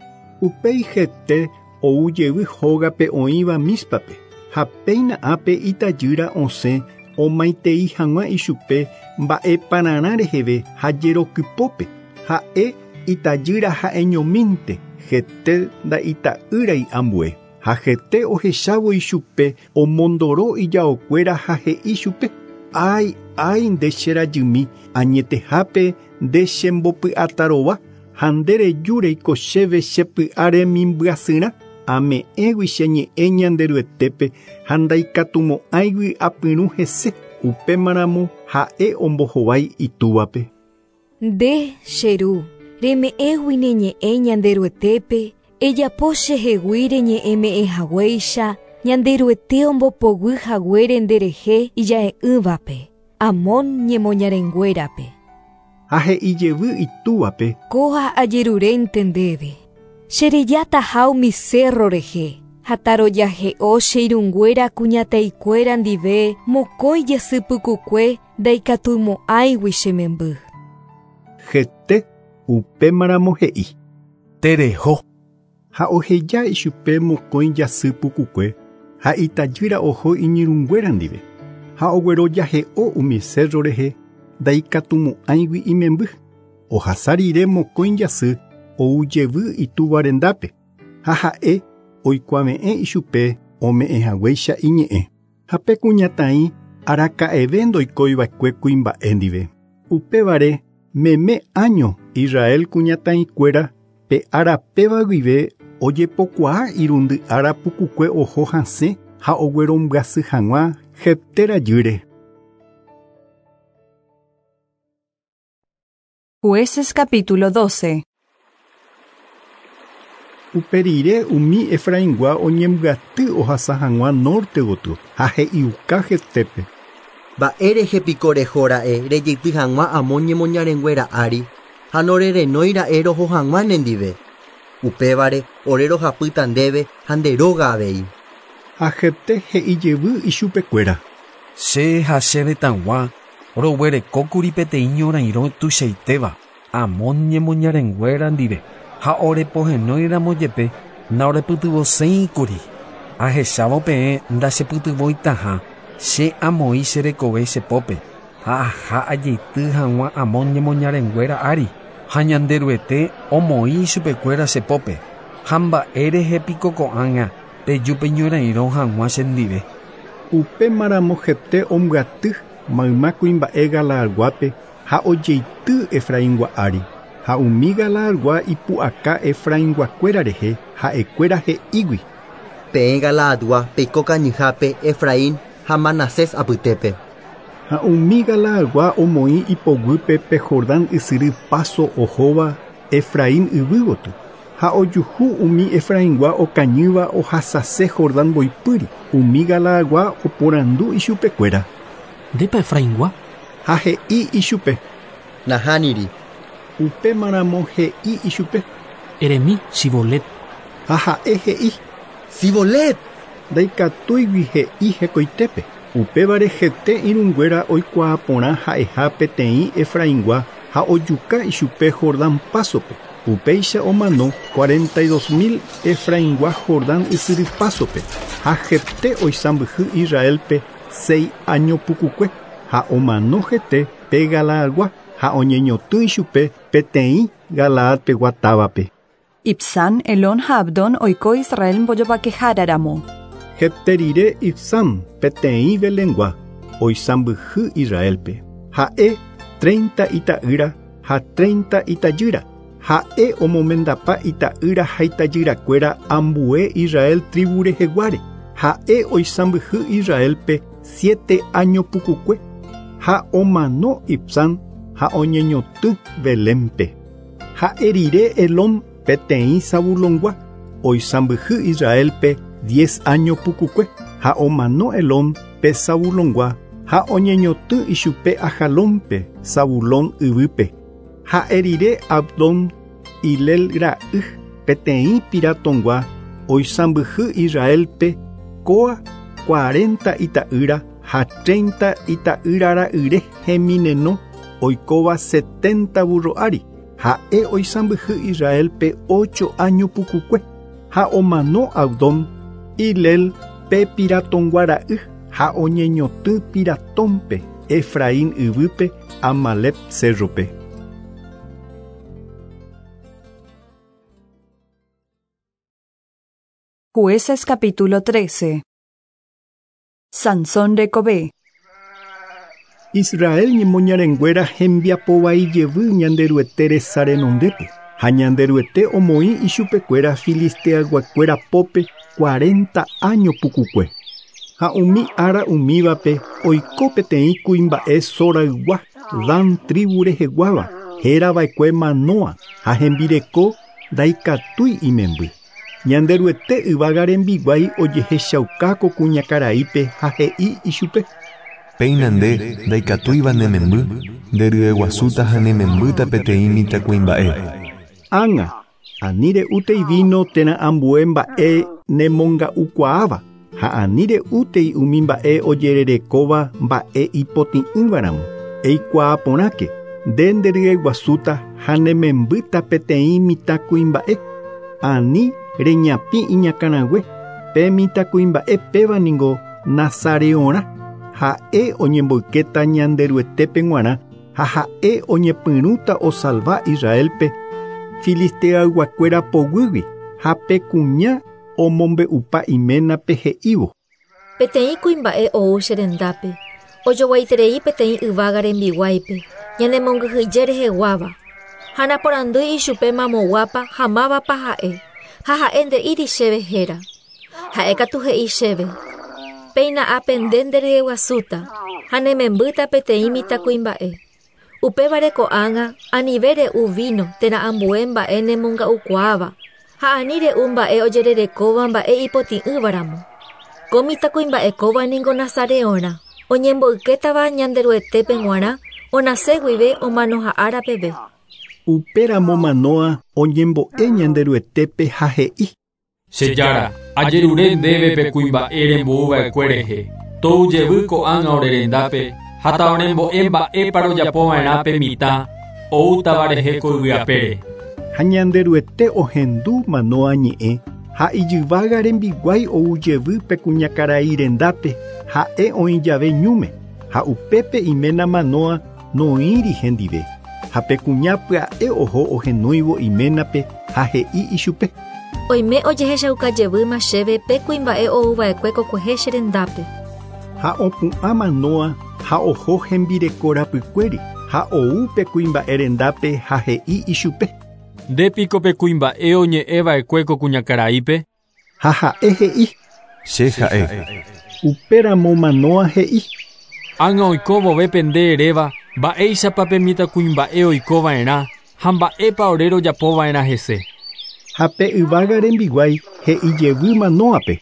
Upéi Jefté ou jevy hógape oĩva Míspape ha péina ápe itajýra osẽ omaitei hag̃ua ichupe mba'epararã reheve ha jerokypópe ha'e itajýra ha'eñomínte Jefté nda'ita'ýrai ambue. Ha Jefté ohechávo ichupe omondoro ijaokuéra ha he'i chupe ái ái nde che rajymi añetehápe nde chembopy'atarova ha nde reju reiko chéve chepy'a remimbyasyrã ame'ẽgui che ñe'ẽ Ñanderuetépe ha ndaikatumo'ãigui apyrũ hese upémaramo ha'e ombohovái itúvape. Nde che ru reme'ẽgui ne ñe'ẽ Ñanderuetépe ejapo chehegui reñe'ẽme'ẽ haguéicha Ñanderuete ombopoguy haguére nderehe ija'e'ỹvape Amón ñemoñarenguérape. Ha he'i jevy itúvape. Kóa ajerurénte ndéve. Cherejataha umi cerro rehe ha tarojahe'o che irũnguéra kuñataikuéra ndive mokõi jasypykukue ndaikatumo'ãigui che memby. Jefté upémaramo he'i. Tereho. Ha oheja ichupe mokõi jasy pukukue ha itajýra oho iñirũnguéra ndive ha oguerojahe'o umi cerro rehe ndaikatumo'ãigui imemby. Ohasa rire mokõi jasy ou jevy itúva rendápe ha ha'e oikuave'ẽ ichupe ome'ẽ haguéicha iñe'ẽ. Ha pe kuñataĩ araka'eve ndoikóiva'ekue kuimba'e ndive. Upévare meme año Israel kuñataĩkuéra pe ára péva guive ojepokuaa irundy ára pukukue oho hasẽ ha oguerombyasy hag̃ua Jefté rajýre. Jueces capítulo 12. Upe rire umi Efraingua oñembyaty ohasa hag̃ua norte gotyo ha he'iuka Jeftépe. Mba'érehe piko rehóra'e rejeity hag̃ua Amón ñemoñarenguéra ári ha norerenóira'e roho hag̃ua nendive. Upévare ore rohapýta ndéve ha nde róga avei. Ha Jefté he'i jevy ichupekuéra. Che ha che retãgua roguerekókuri peteĩ ñorairõ tuichaitéva Amón ñemoñarenguéra ndive ha orepohenóiramo jepe naorepytyvõséikuri. Ahechávo peẽ ndachepytyvõitaha che amoĩ che rekove che pópe ha aha ajeity hag̃ua Amón ñemoñarenguéra ári ha Ñanderuete omoĩ ichupekuéra che pópe ha mba'e piko ko'ág̃a peju peñorairõ hag̃ua chendive. Upémaramo Jefté ombyaty mayma kuimba'e Galaadguápe ha ojeity Efraingua ári ha umi Galaadgua ipu'aka Efrainguakuéra rehe ha'ekuéra he'ígui. Peẽ Galaadgua peiko kañyhápe Efraín ha Manasés apytépe. Ha umi Galaadgua omoĩ ipoguýpe pe Jordán ysyry paso ohóva Efraín yvy gotyo ha ojuhu umi Efraingua okañýva ohasase Jordán mboypýri umi Galaadgua oporandu ichupekuéra. Ndépa Efraingua? Ha he'i ichupe. Nahániri. Upémaramo he'i ichupe. Eremi Sibolet. Ha ha'e he'i. Sibolet. Ndaikatúigui he'i hekoitépe. Upévare hete irũnguéra oikuaa porã ha'eha peteĩ Efraingua ha ojuka ichupe Jordán pásope. Upéicha omano 42.000 Efraingua Jordán ysyry pásope ha Jefté oisãmbyhy Israelpe 6 año pukukue ha omano hete pe Galaadgua ha oñeñotỹ ichupe peteĩ Galaadpegua távape. Ibsán, Elón ha Abdón oiko Israel mbojovakeháraramo. Jefté rire Ibsán peteĩ Belengua oisãmbyhy Israelpe. Ha'e 30 ita'ýra ha 30 itajýra. Ha'e omomendapa ita'ýra ha itajyrakuéra ambue Israel tribu reheguáre. Ha'e oisãmbyhy Israelpe 7 año pukukue ha omano Ibsán ha oñeñotỹ Belénpe. Ha'e rire Elón peteĩ Zabulongua oisãmbyhy Israelpe 10 año pukukue ha omano Elón pe Zabulongua ha oñeñotỹ ichupe Ajalónpe Zabulón yvýpe. Ha'e rire Abdón Hilel ra'y peteĩ Piratongua oisãmbyhy Israelpe kóa 40 ita'ýra ha 30 ita'ýra ra'yre hemineno oikóva 70 burro ári. Ha'e oisãmbyhy Israelpe 8 año pukukue ha omano Abdón Hilel pe Piratongua ra'y ha oñeñotỹ Piratónpe Efraín yvýpe Amalec cérrope. Jueces capítulo 13. Sansón rekove. Israel ñemoñarenguéra hembiapovai jevy Ñanderuete resa renondépe ha Ñanderuete omoĩ ichupekuéra filisteayguakuéra pópe 40 año pukukue. Ha umi ára umívape oiko peteĩ kuimba'e Soraygua Dan tribu reheguáva hérava'ekue Manoa ha hembireko ndaikatúi imemby. Ñanderuete yvága rembiguái ojehechauka ko kuñakaraípe ha he'i ichupe. Péina nde ndaikatúiva ne memby, nderyeguasúta ha ne membýta peteĩ mitãkuimba'e. Ág̃a, ani re'útei vino térã ambue mba'e nemonga'ukuaáva ha ani re'útei umi mba'e ojererekóva mba'e ipotĩ'ỹvaramo. Eikuaa porãke, nde nderyeguasúta ha ne membýta peteĩ mitãkuimba'e. Ani reñapĩ iñakãrague, pe mitãkuimba'e péva ningo Nazareorã. Ha'e oñemboykéta Ñanderuetépe g̃uarã ha ha'e oñepyrũta osalva Israelpe filisteayguakuéra poguýgui ha pe kuña omombe'upa iménape he'ívo. Peteĩ kuimba'e ou che rendápe, ojoguaiterei peteĩ yvága rembiguáipe, ñanemongyhyje reheguáva. Ha naporandúi ichupe mamoguápa ha mávapa ha'e, ha ha'e nde'íri chéve héra. Ha'e katu he'i chéve. Péina ápe nde nderyeguasúta ha ne membýta peteĩ mitãkuimba'e. Upévare ko'ág̃a anive re'u vino térã ambue mba'e nemonga'ukuaáva ha ani re'u mba'e ojererekóva mba'e ipotĩ'ỹvaramo. Ko mitãkuimba'e kóva ningo Nazareorã oñemboykétava Ñanderuetépe g̃uarã onase guive omanoha'ára peve. Upéramo Manoa oñembo'e Ñanderuetépe ha he'i. Che Jára, ajerure ndéve pe kuimba'e rembouva'ekue rehe. Tou jevy ko'ág̃a ore rendápe ha taorembo'e mba'épa rojapova'erã pe mitã oútava rehe ko yvy apére. Ha Ñanderuete ohendu Manoa ñe'ẽ ha ijyvága rembiguái ou jevy pe kuñakarai rendápe ha'e oĩ jave ñúme ha upépe iména Manoa noĩri hendive ha pe kuña pya'e oho ohenóivo iménape ha he'i ichupe. Oime ojehechaukajevýma chéve pe kuimba'e ouva'ekue kokuehe che rendápe. Ha opu'ã Manoa ha oho hembireko rapykuéri ha ou pe kuimba'e rendápe ha he'i ichupe. Ndépiko pe kuimba'e oñe'ẽva'ekue ko kuñakaraípe? Ha ha'e he'i. Che ha'e. Upéramo Manoa he'i. Ág̃a oiko vove pende eréva mba'éichapa pe mitãkuimba'e oikova'erã ha mba'épa ore rojapova'erã hese. Ha pe yvága rembiguái he'i jevy Manoape.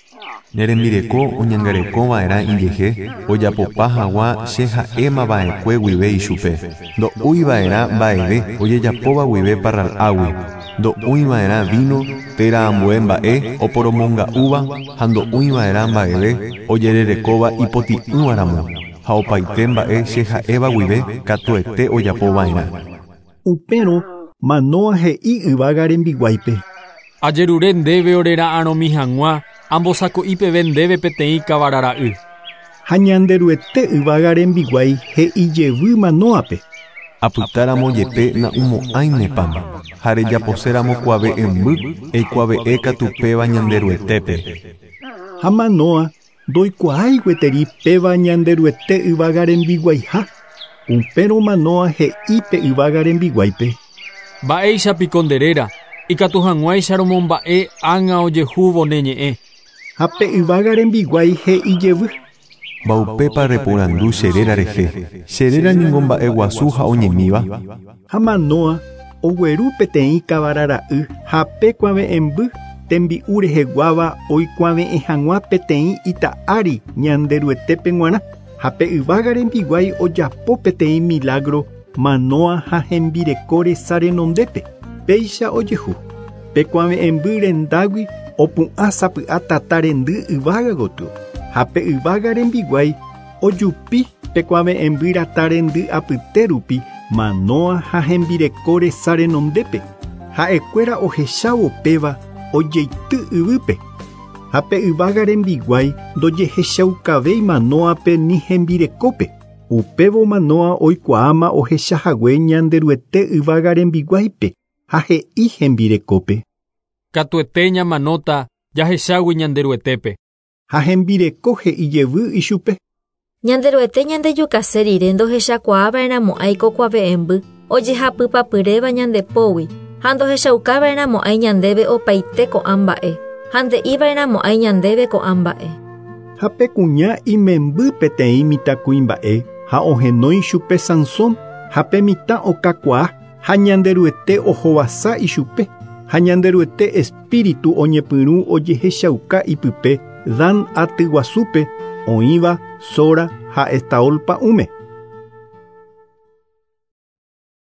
Ne rembireko oñangarekova'erã ijehe ojapopa hag̃ua che ha'émava'ekue guive ichupe. Ndo'úiva'erã mba'eve ojejapóva guive parral'águi, ndo'úiva'erã vino térã ambue mba'e oporomonga'úva ha ndo'úiva'erã mba'eve ojererekóva ipotĩ'ỹvaramo ha opaite mba'e che ha'éva guive katuete ojapova'erã. Upérõ Manoa he'i yvága rembiguáipe. Ajerure ndéve orera'arõmi hag̃ua ambosako'i peve ndéve peteĩ kavarara'y. Ha Ñanderuete yvága rembiguái he'i jevy Manoape. Apytáramo jepe na'umo'ãi ne pan ha rejaposéramo kuave'ẽmby eikuave'ẽ katu péva Ñanderuetépe. Ha Manoa ndoikuaái gueteri péva Ñanderuete yvága rembiguaiha. Upérõ Manoa he'i pe yvága rembiguáipe. Mba'éichapiko nde réra ikatu hag̃uáicha romomba'e ág̃a ojehúvo ne ñe'ẽ. Ha pe yvága rembiguái he'i jevy. Mbaupépa reporandu che réra rehe. Che réra ningo mba'eguasu ha oñemíva. Ha Manoa ogueru peteĩ kavarara'y ha pe kuave'ẽmby tembi'u reheguáva oikuave'ẽ hag̃ua peteĩ ita ári Ñanderuetépe g̃uarã ha pe yvága rembiguái ojapo peteĩ milagro Manoa ha hembireko resa renondépe. Péicha ojehu. Pe kuave'ẽmby rendágui opu'ã sapy'a tata rendy yvága gotyo ha pe yvága rembiguái ojupi pe kuave'ẽmby rata rendy apyte rupi Manoa ha hembireko resa renondépe. Ha'ekuéra ohechávo péva ojeity yvýpe. Ha pe yvága rembiguái ndojehechaukavéi Manoape ni hembirekópe. Upévo Manoa oikuaáma ohechahague Ñanderuete yvága rembiguáipe ha he'i hembirekópe. Katuete ñamanóta jahechágui Ñanderuetépe. Ha hembireko he'i jevy ichupe. Ñanderuete ñandejukase rire ndohechakuaava'erãmo'ãi ko kuave'ẽmby ojehapypapyréva ñandepógui ha ndohechaukava'erãmo'ãi ñandéve opaite ko'ã mba'e ha nde'iva'erãmo'ãi ñandéve ko'ã mba'e. Ha pe kuña imemby peteĩ mitãkuimba'e ha ohenói chupe Sansón ha pe mitã okakuaa ha Ñanderuete ohovasa ichupe ha Ñanderuete espíritu oñepyrũ ojehechauka ipype Dan atyguasúpe oĩva Sora ha Estaol pa'ũme.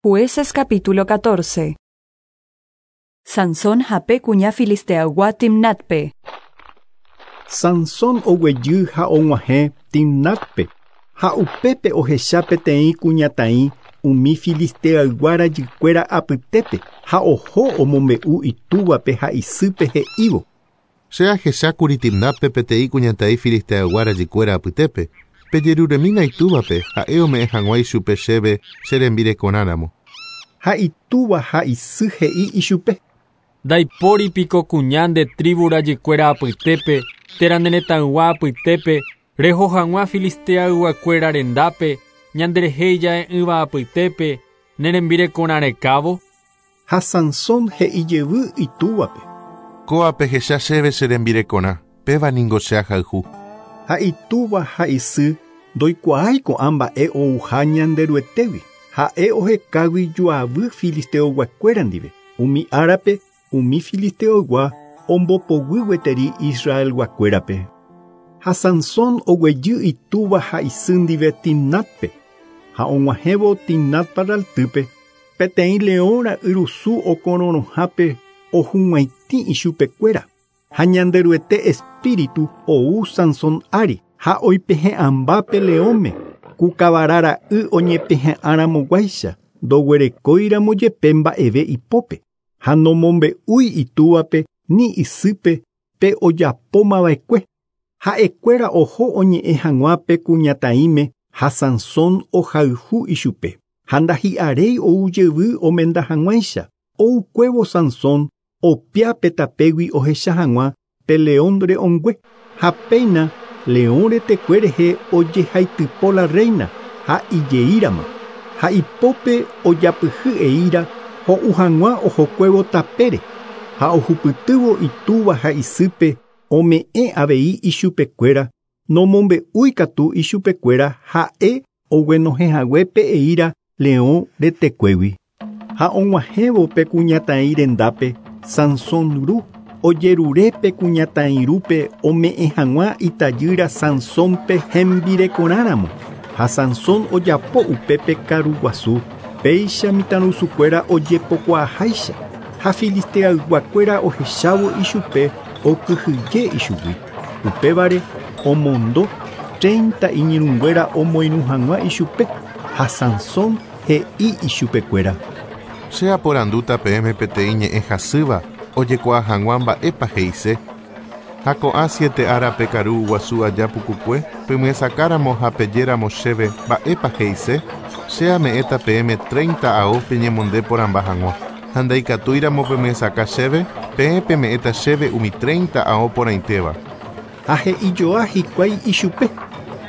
Jueces capítulo 14. Sansón ha pe kuña filisteaygua Timnatpe. Sansón oguejy ha og̃uahẽ Timnatpe ha upépe ohecha peteĩ kuñataĩ umi filisteaygua rajykuéra apytépe ha oho omombe'u itúvape ha isýpe he'ívo. Che ahechákuri Timnatpe peteĩ kuñataĩ filisteaygua rajykuéra apytépe pejeruremína itúvape ha'e ome'ẽ hag̃ua ichupe chéve che rembirekorãramo. Ha itúva ha isy he'i ichupe. Ndaipóripiko kuña nde tribu rajykuéra apytépe térã ne retãygua apytépe reho hag̃ua filisteayguakuéra rendápe ñanderehe ija'e'ỹva apytépe ne rembirekorã rekávo. Ha Sansón he'i jevy itúvape. Kóape hecha chéve che rembirekorã, péva ningo che ahayhu. Ha itúva ha isy ndoikuaái ko'ã mba'e ouha Ñanderuetégui. Ha'e ohekágui joavy filisteoyguakuéra ndive. Umi árape umi filisteoygua ombopoguy gueteri Israelguakuérape. Ha Sansón oguejy itúva ha isy ndive Timnatpe. Ha og̃uahẽvo Timnat parraltýpe peteĩ leõ ra'yrusu okororõhápe ohug̃uaitĩ ichupekuéra. Ha Ñanderuete espíritu ou Sansón ári. Ha oipehe'ãmba pe leõme ku kavarara'y oñepehe'ãramoguáicha ndoguerekóiramo jepe mba'eve ipópe ha nomombe'úi itúvape ni isýpe pe ojapómava'ekue. Ha'ekuéra oho oñe'ẽ hag̃ua pe kuñataĩme ha Sansón ohayhu ichupe ha ndahi'aréi ou jevy omenda hag̃uáicha. Oukuévo Sansón opia pe tapégui ohecha hag̃ua pe león re'õngue ha péina león retekue rehe ojehaitypo la reina ha ijeírama ha ipópe ojapyhy eíra ho'u hag̃ua ohokuévo tapére ha ohupytývo itúva ha isýpe ome'ẽ avei ichupekuéra nomombe'úikatu ichupekuéra ha'e oguenohẽhague pe eíra leõ retekuégui. Ha og̃uahẽvo pe kuñataĩ rendápe Sansón ru ojerure pe kuñataĩ rúpe ome'ẽ hag̃ua itajýra Sansónpe hembirekorãramo ha Sansón ojapo upépe karuguasu péicha mitãrusukuéra ojepokuaaháicha ha filisteayguakuéra ohechávo ichupe okyhyje ichugui. Upévare omondo 30 iñirũnguéra omoirũ hag̃ua ichupe ha Sansón he'i ichupekuéra. Che aporandúta peẽme peteĩ ñe'ẽ hasýva ojekuaa hag̃ua mba'épa he'ise. Ha ko'ã 7 árape karu guasu aja pukukue pemyesakáramo ha pejéramo chéve mba'épa he'ise, che ame'ẽta peẽme 30 ao peñemonde porãmba hag̃ua. Ha ndaikatúiramo pemyesaka chéve, peẽ peme'ẽta chéve umi 30 ao porãitéva. Ha he'ijoa hikuái ichupe.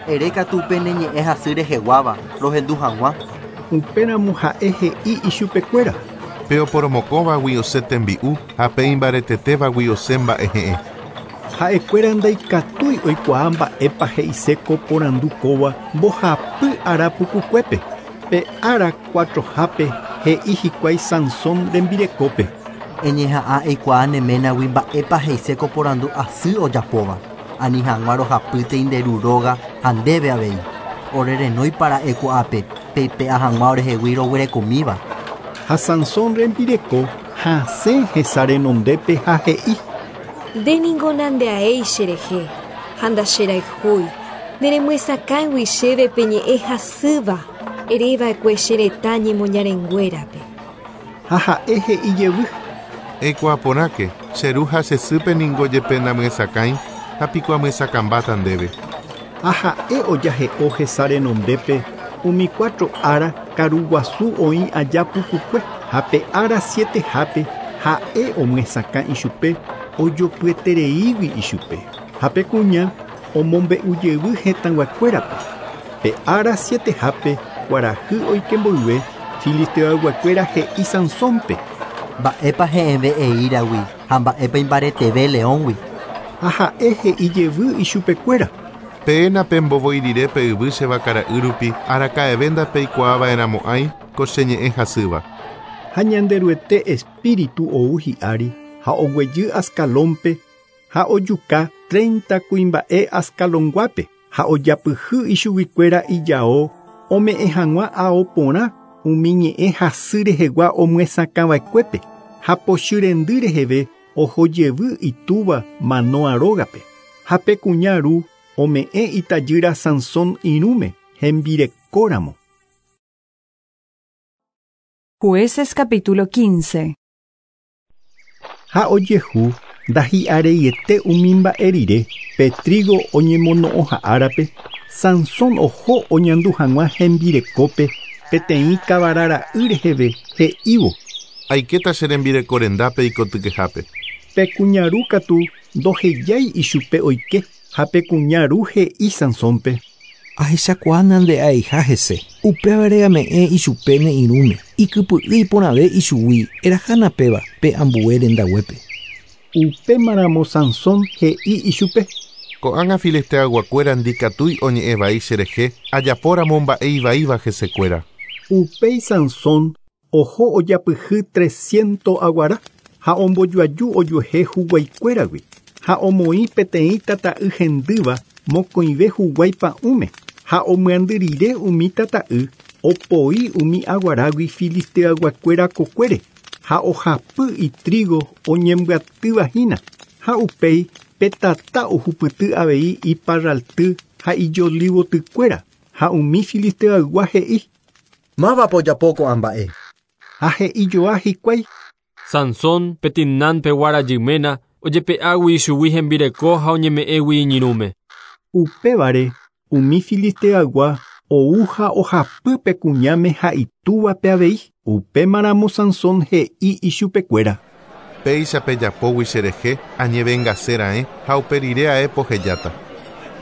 Erékatu pe ne ñe'ẽ hasy reheguáva rohendu hag̃ua. Upéramo ha'e he'i ichupekuéra. Pe oporomokõvagui osẽ tembi'u ha pe imbaretetévagui osẽ mba'ehe'ẽ. Ha'ekuéra ndaikatúi oikuaa mba'épa he'ise ko porandu kóva mbohapy ára pukukuépe. Pe ára 4hápe he'i hikuái Sansón rembirekópe. Eñeha'ã eikuaa ne ménagui mba'épa he'ise ko porandu asy ojapóva. Ani hag̃ua rohapýte nde ru róga ha ndéve avei. Orerenói para'e ko'ápe peipe'a hag̃ua orehegui roguerekomíva. Ha Sansón rembireko hasẽ hesa renondépe ha he'i. Nde ningo nandeaéi cherehe ha ndacherayhúi. Neremyesakãigui chéve pe ñe'ẽ hasýva ereva'ekue che retã ñemoñarenguérape. Ha ha'e he'i jevy. Eikuaa porãke, che ru ha che sýpe ningo jepe namyesakãi ha piko amyesakãmbáta ndéve. Ha ha'e ojahe'o hesa renondépe umi 4 ára karuguasu oĩ aja pukukue ha pe ára 7hápe ha'e omyesakã ichupe ojopyetereígui ichupe. Ha pe kuña omombe'ujevy hetãguakuérape. Pe ára 7hápe kuarahy oike mboyve filisteoyguakuéra he'i Sansónpe. Mba'épa he'ẽve eíragui ha mba'épa imbareteve leóngui. Ha ha'e he'i jevy ichupekuéra. Peẽ pembovoirire pe yvy che vakara'y rupi araka'eve ndapeikuaava'erãmo'ãi ko che ñe'ẽ hasýva. Ha Ñanderuete espíritu ou hi'ári ha oguejy Ascalónpe ha ojuka 30 kuimba'e Ascalonguápe ha ojapyhy ichuguikuéra ijao ome'ẽ hag̃ua ao porã umi ñe'ẽ hasy rehegua omyesakãva'ekuépe ha pochy rendy reheve oho jevy itúva Manoa rógape. Ha pe kuña ru ome'ẽ itajýra Sansón irũme hembirekóramo. Jueces capítulo 15. Ha ojehu ndahi'areiete umi mba'e rire pe trigo oñemono'õha árape Sansón oho oñandu hag̃ua hembirekópe peteĩ kavarara'y reheve he'ívo. Aikéta che rembireko rendápe ikotykehápe. Pe kuña ru katu ndohejái ichupe oike ha pe kuña ru he'i Sansónpe. Ahechakuaa nande'aiha hese. Upévare ame'ẽ ichupe ne irũme. Ikypy'y iporãve ichugui erahána péva pe ambue rendaguépe. Upémaramo Sansón he'i ichupe. Ko'ág̃a filisteayguakuéra ndikatúi oñe'ẽvai cherehe ajapóramo mba'e ivaíva hesekuéra. Upéi Sansón oho ojapyhy 300 aguara ha ombojoaju ojuehe huguaikuéragui ha omoĩ peteĩ tata'y hendýva mokõive huguái pa'ũme ha omyandyrire umi tata'y opoi umi aguarágui filisteayguakuéra kokuére ha ohapy itrigo oñembyatývahína ha upéi pe tata ohupyty avei iparralty ha ijolivotykuéra ha umi filisteaygua he'i. Mávapa ojapo ko'ã mba'e? Ha he'ijoa hikuái. Sansón pe Timnánpegua rajy ména ojepe'águi ichugui hembireko ha oñeme'ẽgui iñirũme. Upévare umi filisteaygua ou ha ohapy pe kuñáme ha itúvape avei. Upémaramo Sansón he'i ichupekuéra. Péicha pejapógui cherehe añevengaséra'e ha uperire ae pohejáta.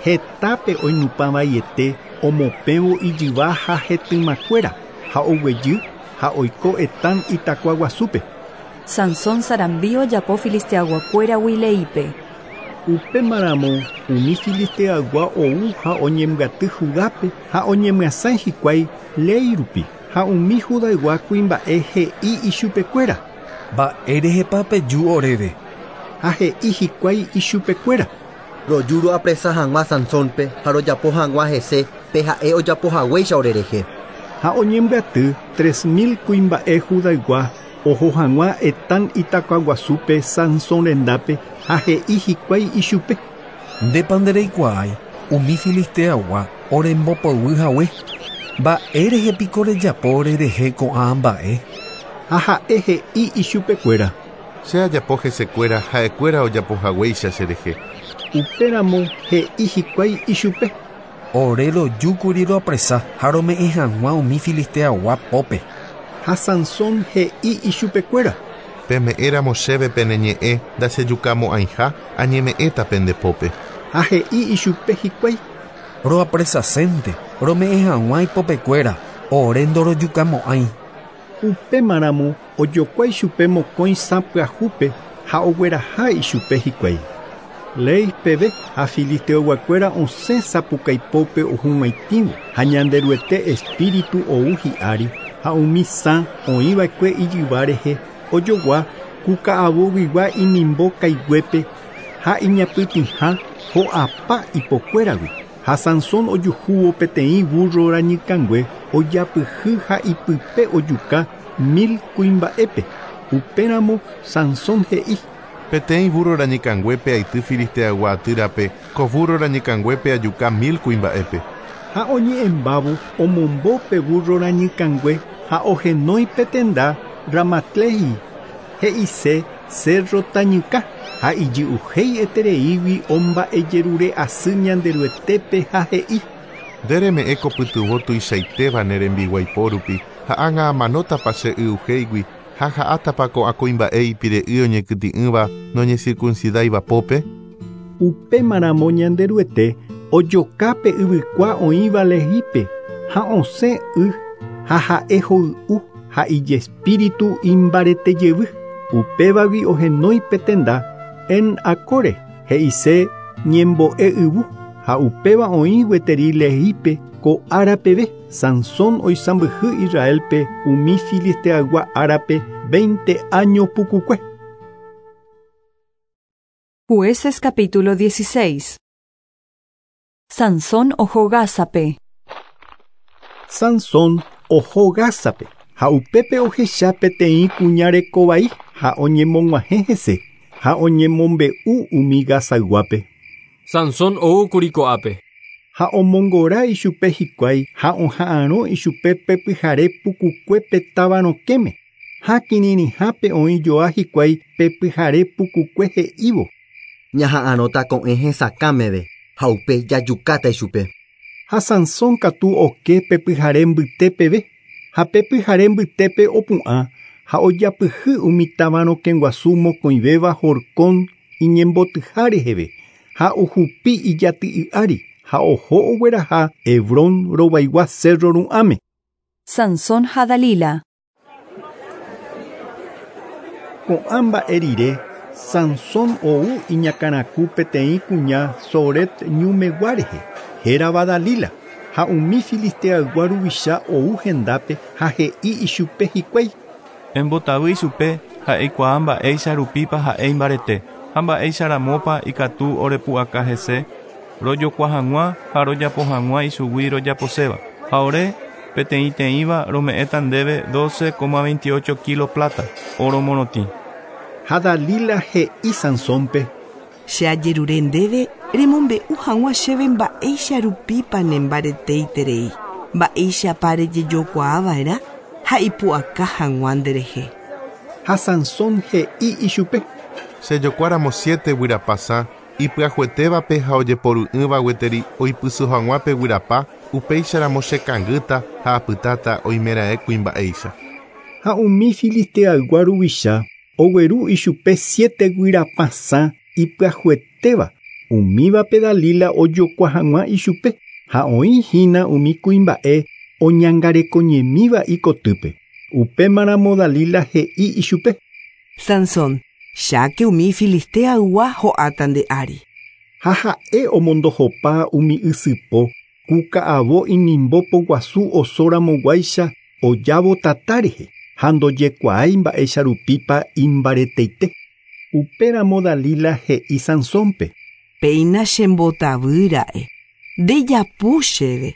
Hetápe oinupãvaiete omopẽvo ijyva ha hetymakuéra ha oguejy ha oiko Etán itakuaguasúpe. Sansón sarambi ojapo filisteayguakuéragui Leípe. Upémaramo umi filisteaygua ou ha oñembyaty Judápe ha oñemyasãi hikuái Léi rupi ha umi Judaygua kuimba'e he'i ichupekuéra. Mba'érehepa peju oréve. Ha he'i hikuái ichupekuéra. Roju roapresa hag̃ua Sansónpe ha rojapo hag̃ua hese pe ha'e ojapohaguéicha orerehe. Ha oñembyaty 3000 kuimba'e Judaygua oho hag̃ua Etán itakuaguasúpe Sansón rendápe ha he'i hikuái ichupe. Ndépa ndereikuaái umi filisteaygua orembopoyvy hague. Mba'érehe piko rejapo orerehe ko'ã mba'e. Ha ha'e he'i ichupekuéra. Che ajapo hesekuéra ha'ekuéra ojapohaguéicha cherehe. Upéramo he'i hikuái ichupe. Ore rojúkuri roapresa ha rome'ẽ hag̃ua umi filisteaygua pópe. Ha Sansón he'i ichupekuéra. Peme'ẽramo chéve pene ñe'ẽ ndachejukamo'ãiha añeme'ẽta pende pópe. Ha he'i ichupe hikuái. Roapresasénte rome'ẽ hag̃ua ipopekuéra ore ndorojukamo'ãi. Upémaramo ojokuái chupe mokõi sã pyahúpe ha ogueraha ichupe hikuái. Léi peve ha filisteoyguakuéra osẽ sapukaipópe ohug̃uaitĩvo ha Ñanderuete espíritu ou hi'ári ha umi sã oĩva'ekue ijyva rehe ojogua ku ka'avoguigua inimbo kaiguépe ha iñapytĩha ho'apa ipokuéragui. Ha Sansón ojuhúvo peteĩ burro rañykãngue ojapyhy ha ipype ojuka 1000 kuimba'épe. Upéramo Sansón he'i. Peteĩ burro rañykãnguépe aity filisteaygua atýrape ko burro rañykãnguépe ajuka 1000 kuimba'épe. Ha oñe'ẽmbávo omombo pe burro rañykãngue ha ohenói pe tenda Ramatlehi he'ise Cerro Tañyka ha ijy'uhéietereígui omba'ejerure asy Ñanderuetépe ha he'i. Nde reme'ẽ ko pytyvõ tuichaitéva ne rembiguaipo rupi ha ág̃a amanótapa che y'uhéigui ha ha'átapa ko'ã kuimba'e ipire'ỹ oñekytĩ'ỹva noñecircuncidáiva pópe. Upémaramo Ñanderuete ojoka pe yvykua oĩva Lehípe ha osẽ y ha ha'e hoy'u ha ijespíritu imbaretejevy. Upévagui ohenói pe tenda En Akore he'ise ñembo'e yvu ha upéva oĩ gueteri Lehípe ko ára peve. Sansón oisãmbyhy Israelpe umi filisteaygua árape 20 años pukukue. Jueces capítulo 16. Sansón oho Gázape. Sansón oho Gázape ha upépe ohecha peteĩ kuña rekovai ha oñemog̃uahẽ hese ha oñemombe'u umi Gazayguápe. Sansón oúkuri ko'ápe. Ha omongora ichupe hikuái ha oha'arõ ichupe pe pyhare pukukuépe táva rokẽme. Ha kirirĩhápe oĩjoa hikuái pe pyhare pukukue he'ívo. Ñaha'arõta ko'ẽ hesakã meve ha upe jajukáta ichupe. Ha Sansón katu oke pe pyhare mbytépeve ha pe pyhare mbytépe opu'ã ha ojapyhy umi táva rokẽguasu mokõivéva horkón iñembotyha reheve ha ohupi ijaty'y ári ha oho ogueraha Hebrón rovaigua cerro ru'ãme. Sansón ha Dalila. Ko'ã mba'e rire Sansón ou iñakãraku peteĩ kuña Soret ñumegua rehe hérava Dalila ha umi filisteaygua ruvicha ou hendápe ha he'i ichupe hikuái. Embotavy ichupe ha'eikuaa mba'éicha rupípa ha'e imbarete ha mba'éicha ramópa ikatu orepu'aka hese rojokua hag̃ua ha rojapo hag̃ua ichugui rojaposéva. Ha ore peteĩteĩva rome'ẽta ndéve 12,28 kilo plata oro morotĩ. Ha Dalila he'i Sansónpe. Che ajerure ndéve Remombe'u hag̃ua chéve mba'éicha rupípa nembareteiterei, mba'éichapa rejejokuaava'erã ha ipu'aka hag̃ua nderehe. Ha Sansón he'i ichupe. Chejokuáramo siete guyrapa sã, ipyahuetévape ha ojeporu'ỹva gueteri oipyso hag̃ua pe guyrapa, upéicharamo chekangýta ha apytáta oimeraẽ kuimba'éicha. Ha umi filisteaygua ruvicha ogueru ichupe siete guyrapa sã ipyahuetéva, umívape Dalila ojokua hag̃ua ichupe ha oĩhína umi kuimba'e oñangarekoñemíva ikotýpe. Upémaramo Dalila he'i ichupe. Sansón, cháke umi filisteaygua ho'áta nde ári. Ha ha'e omondohopa umi ysypo ku ka'avo inimbo poguasu osóramoguáicha ojávo tata rehe ha ndojekuaái mba'éicha rupípa imbareteite. Upéramo Dalila he'i Sansónpe. Péina chembotavýra'e. Ndejapu chéve.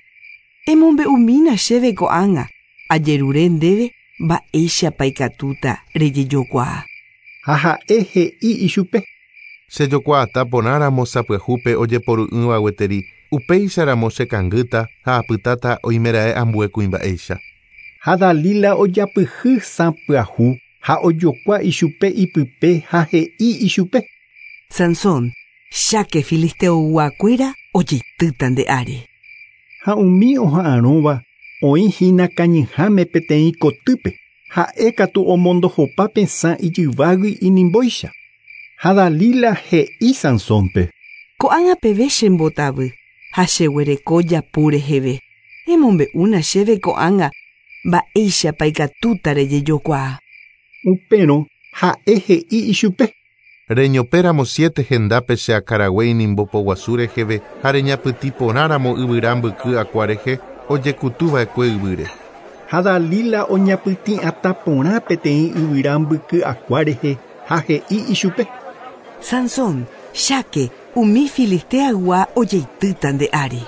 Emombe'umína chéve ko'ág̃a ajerure ndéve mba'éichapa ikatúta rejejokuaa. Ha ha'e he'i ichupe. Chejokuaata porãramo sapyahúpe ojeporu'ỹva gueteri, upéicharamo chekangýta ha apytáta oimeraẽ ambue kuimba'éicha. Ha Dalila ojapyhy sã pyahu ha ojokua ichupe ipype ha he'i ichupe. Sansón, cháke filisteoyguakuéra ojeitýta nde ári. Ha umi oha'arõva oĩhína kañyháme peteĩ kotýpe, ha'e katu omondohopa pe sã ijyvágui inimbóicha. Ha Dalila he'i Sansónpe. Ko'ág̃a peve chembotavy ha cheguereko japu reheve. Emombe'úna chéve ko'ág̃a mba'éichapa ikatúta rejejokuaa. Upérõ ha'e he'i ichupe. Reñopéramo siete hendápe che akãrague inimbo poguasu reheve ha reñapytĩ porãramo yvyra mbyky akua rehe ojekutuva'ekue yvýre. Ha Dalila oñapytĩ'atã porã peteĩ yvyra mbyky akua rehe ha he'i ichupe. Sansón, cháke umi filisteaygua ojeitýta nde ári.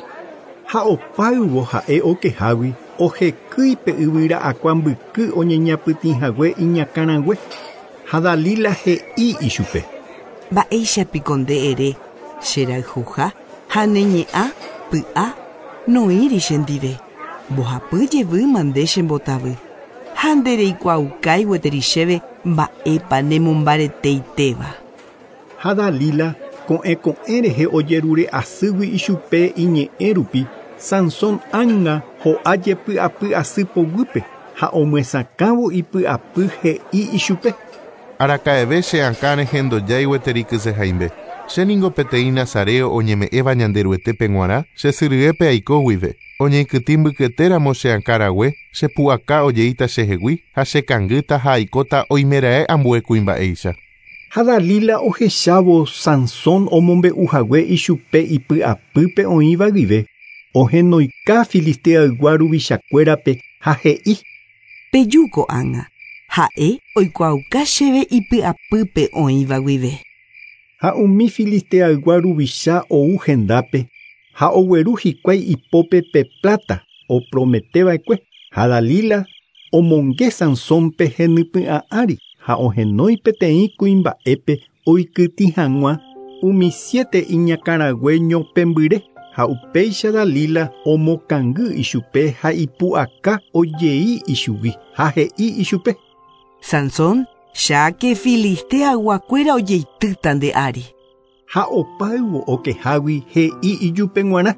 Ha opáyvo ha'e okehágui ohekýi pe yvyra akua mbyky oñeñapytĩhague iñakãrague. Ha Dalila he'i ichupe. Mba'éichapiko nde ere cherayhuha ha neñe'ã py'a noĩri chendive. Mbohapy jevýma nde chembotavy. Ha ndereikuaaukái gueteri chéve mba'épa nemombareteitéva. Ha Dalila ko'ẽ ko'ẽ rehe ojerure asýgui ichupe iñe'ẽ rupi Sansón ág̃a ho'a jepy'apy asy poguýpe ha omyesakãvo ipy'apy he'i ichupe. Araka'eve che akã rehe ndojái gueteri kysehaimbe. Chéniko peteĩ nazareo oñeme'ẽva Ñanderuetépe g̃uarã che syryépe aiko guive. Oñeikytĩ mbykyetéramo che akãrague, chepu'aka ojeíta chehegui ha chekangýta ha aikóta oimeraẽ ambue kuimba'éicha. Ha Dalila ohechávo Sansón omombe'uhague ichupe ipy'apýpe oĩva guive, ohenoika filisteaygua ruvichakuérape ha he'i. Peju ko'ág̃a, ha'e oikuaauka chéve ipy'apýpe oĩva guive. Ha umi filisteaygua ruvicha ou hendápe ha ogueru hikuái ipópe pe plata oprometeva'ekue. Ha Dalila omonge Sansónpe henypy'ã ári ha ohenói peteĩ kuimba'épe oikytĩ hag̃ua umi siete iñakãrague ñopẽmbyre ha upéicha Dalila omokangy ichupe ha ipu'aka ojei ichugui ha he'i ichupe. Sansón, cháke filisteayguakuéra ojeitýta nde ári. Ha opáyvo okehágui he'i ijupe g̃uarã.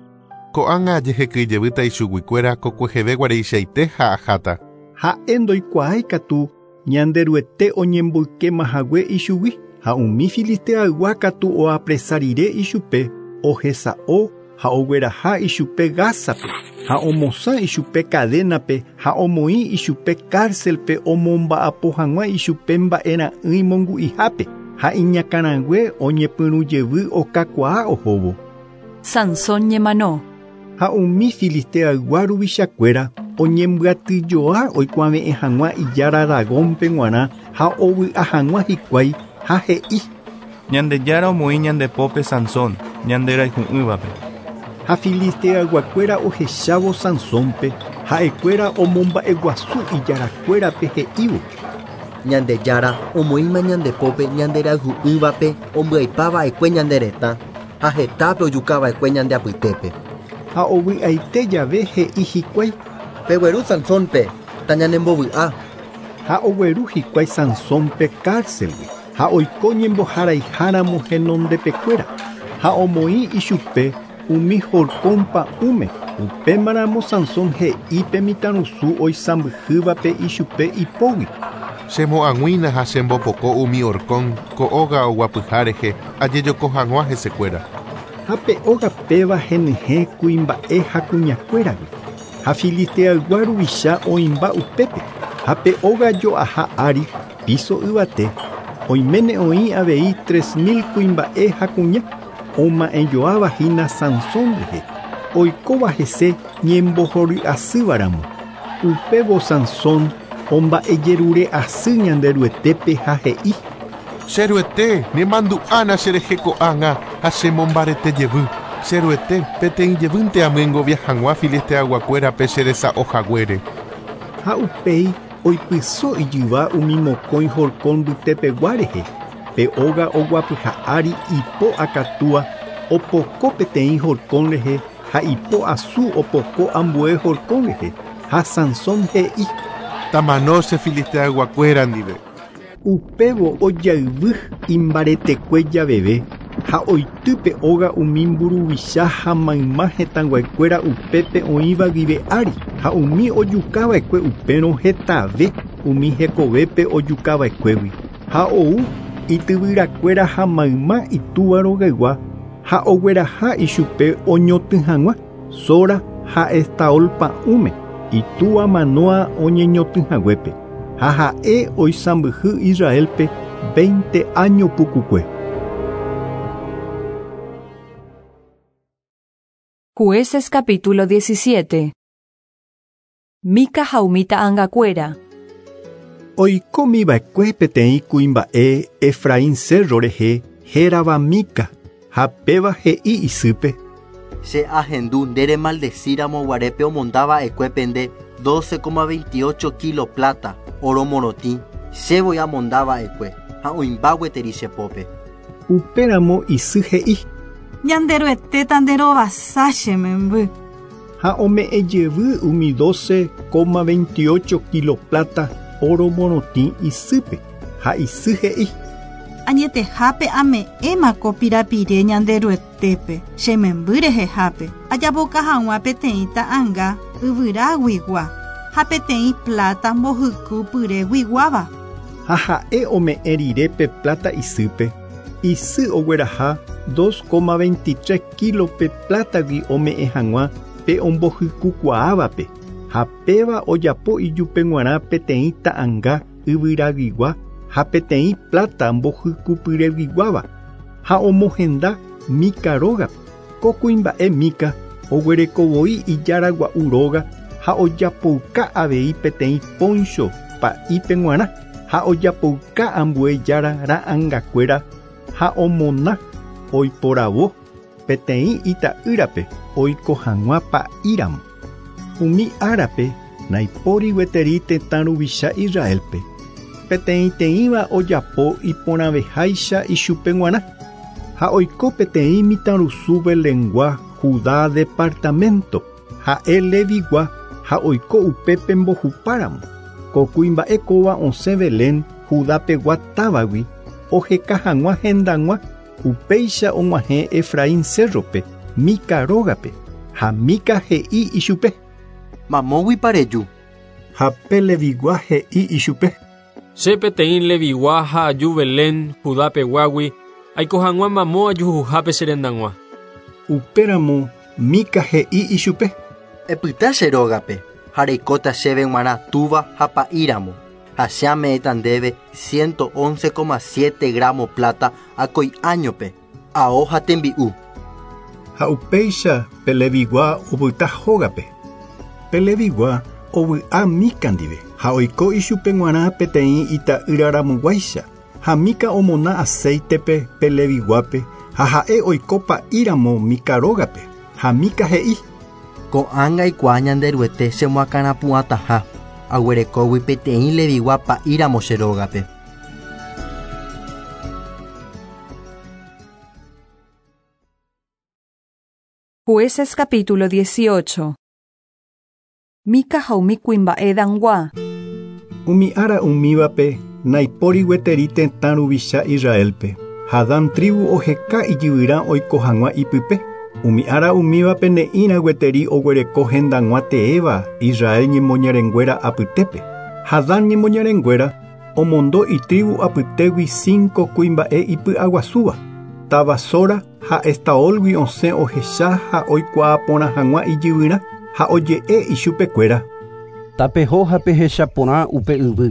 Ko'ág̃a ajehekýijevýta ichuguikuéra kokueheve guareichaite ha aháta. Ha'e ndoikuaái katu Ñanderuete oñemboykémahague ichugui ha umi filisteaygua katu oapresa rire ichupe ohesa'o ha ogueraha ichupe Gázape ha omosã ichupe cadénape ha omoĩ ichupe cárcelpe omomba'apo hag̃ua ichupe mba'era'ỹi mongu'ihápe ha iñakãrague oñepyrũjevy okakuaa ohóvo. Sansón ñemano. Ha umi filisteaygua ruvichakuéra oñembyatyjoa oikuave'ẽ hag̃ua ijára Dagónpe g̃uarã ha ovy'a hag̃ua hikuái ha he'i. Ñandejára omoĩ ñandepópe Sansón, ñanderayhu'ỹvape. Ha filisteayguakuéra ohechávo Sansónpe ha'ekuéra omomba'eguasu ijarakuérape he'ívo. Ñandejára omoĩma ñandepópe ñanderayhu'ỹvape ombyaipava'ekue ñande retã. Ha hetápe ojukava'ekue ñande apytépe. Ha ovy'aite jave he'i hikuái. Pegueru Sansónpe, tañanembovy'a. Ha ogueru hikuái Sansónpe cárcelgui ha oiko ñemboharaiháramo henondepekuéra ha omoĩ ichupe umi horkon pa'ũme. Upémaramo Sansón he'i pe mitãrusu oisãmbyhývape ichupe ipógui. Chemo'ag̃uína ha chembopoko umi horkon ko óga oguapyha rehe ajejoko hag̃ua hesekuéra. Ha pe óga péva henyhẽ kuimba'e ha kuñakuéragui. Ha filisteaygua ruvicha oĩmba upépe. Ha pe óga jo'aha ári piso yvate oiméne oĩ avei 3000 kuimba'e ha kuña oma'ẽjoavahína Sansón rehe oikóva hese ñembohory'asývaramo. Upévo Sansón omba'ejerure'asy Ñanderuetépe ha he'i. Che Ruete, nemandu'ána cherehe ko'ág̃a ha chemombarete jevy. Che Ruete, peteĩ jevýnte amyengovia hag̃ua filisteayguakuérape cheresa'ohaguére. Ha upéi oipyso ijyva umi mokõi horkon mbytepegua rehe. Pe óga oguapyha ári ipo akatúa opoko peteĩ horkon rehe ha ipo asu opoko ambue horkon rehe. Ha Sansón he'i. Tamano che filisteayguakuéra ndive. Upévo ojayvy imbaretekue javeve ha oity pe óga umi mburuvicha ha mayma hetãyguakuéra upépe oĩva guive ári ha umi ojukava'ekue upérõ hetave umi hekovépe ojukava'ekuégui ha ou ityvyrakuéra ha mayma itúva rogaygua ha ogueraha ichupe oñotỹ hag̃ua Sora ha Estaol pa'ũme itúva Manoa oñeñotỹhaguépe ha ha'e oisãmbyhy Israelpe 20 año pukukue. Jueces capítulo 17. Mica ha umi ta'angakuéra. Oikómiva'ekue peteĩ kuimba'e Efraín cerro rehe hérava Mica ha péva he'i isýpe. Che ahendu nde remaldecíramo guarépe omondava'ekuépe nde 12,28 kilo plata oro morotĩ chévoi amondava'ekue ha oĩmba gueteri che pópe. Upéramo isy he'i. Ñanderuetéta nderovasa che memby. Ha ome'ẽjevy umi 12,28 kilo plata oro morotĩ isýpe ha isy he'i. Añetehápe ame'ẽma ko pirapire Ñanderuetépe che memby rehehápe ajapoka hag̃ua peteĩ ta'anga yvyraguigua ha peteĩ plata mbohykupyreguiguáva. Ha ha'e ome'ẽ rire pe plata isýpe isy ogueraha 2,23 kilo pe plátagui ome'ẽ hag̃ua pe ombohykukuaávape ha péva ojapo ijupe g̃uarã peteĩ ta'anga yvyraguigua ha peteĩ plata mbohykupyreguiguáva ha omohenda Mica rógape. Ko kuimba'e Mica oguerekovoi ijaragua'u róga ha ojapouka avei peteĩ poncho pa'ípe g̃uarã ha ojapouka ambue jára ra'angakuéra ha omona oiporavo peteĩ ita'ýrape oiko hag̃ua pa'íramo. Umi árape naipóri gueteri tetã ruvicha Israelpe. Peteĩteĩva ojapo iporãveháicha ichupe g̃uarã ha oiko peteĩ mitãrusu Belengua Judá departamento ha'e Levigua ha oiko upépe mbohupáramo. Ko kuimba'e kóva osẽ Belén Judapegua távagui oheka hag̃ua hendag̃ua upéicha og̃uahẽ Efraín cerrope Mica rógape ha Mica he'i ichupe. Mamóguipa reju. Ha pe Levigua he'i ichupe. Che peteĩ Levigua ha aju Belén Judapeguágui aiko hag̃ua mamo ajuhuhápe che rendag̃ua. Upéramo Mica he'i ichupe. Epyta che rógape ha reikóta chéve g̃uarã túva ha pa'íramo ha che ame'ẽta ndéve 111,7 gramo plata akói áñope ao ha tembi'u. Ha upéicha pe Levigua opyta hógape. Pe Levigua ovy'a Mica ndive ha oiko ichupe g̃uarã peteĩ ita'ýraramoguáicha ha Mica omona aceitepe pe Leviguápe ha ha'e oiko pa'íramo Mica rógape ha Mica he'i. Ko'ág̃a aikuaa Ñanderuete chemoakãrapu'ãtaha aguerekógui peteĩ Levigua pa'íramo che rógape. Jueces capítulo 18. Mica ha umi kuimba'e Dangua. Umi ára umívape naipóri gueteri tetã ruvicha Israelpe. Ha Dan tribu oheka ijyvyrã oiko hag̃ua ipype. Umi ára umívape ne'ĩra gueteri oguereko hendag̃ua teéva Israel ñemoñarenguéra apytépe. Ha Dan ñemoñarenguéra omondo itribu apytégui 5 kuimba'e ipy'aguasúva. Táva Sora ha Estaolgui osẽ ohecha ha oikuaa porã hag̃ua ijyvyrã ha oje'e ichupekuéra. Tapeho ha pehecha porã upe yvy.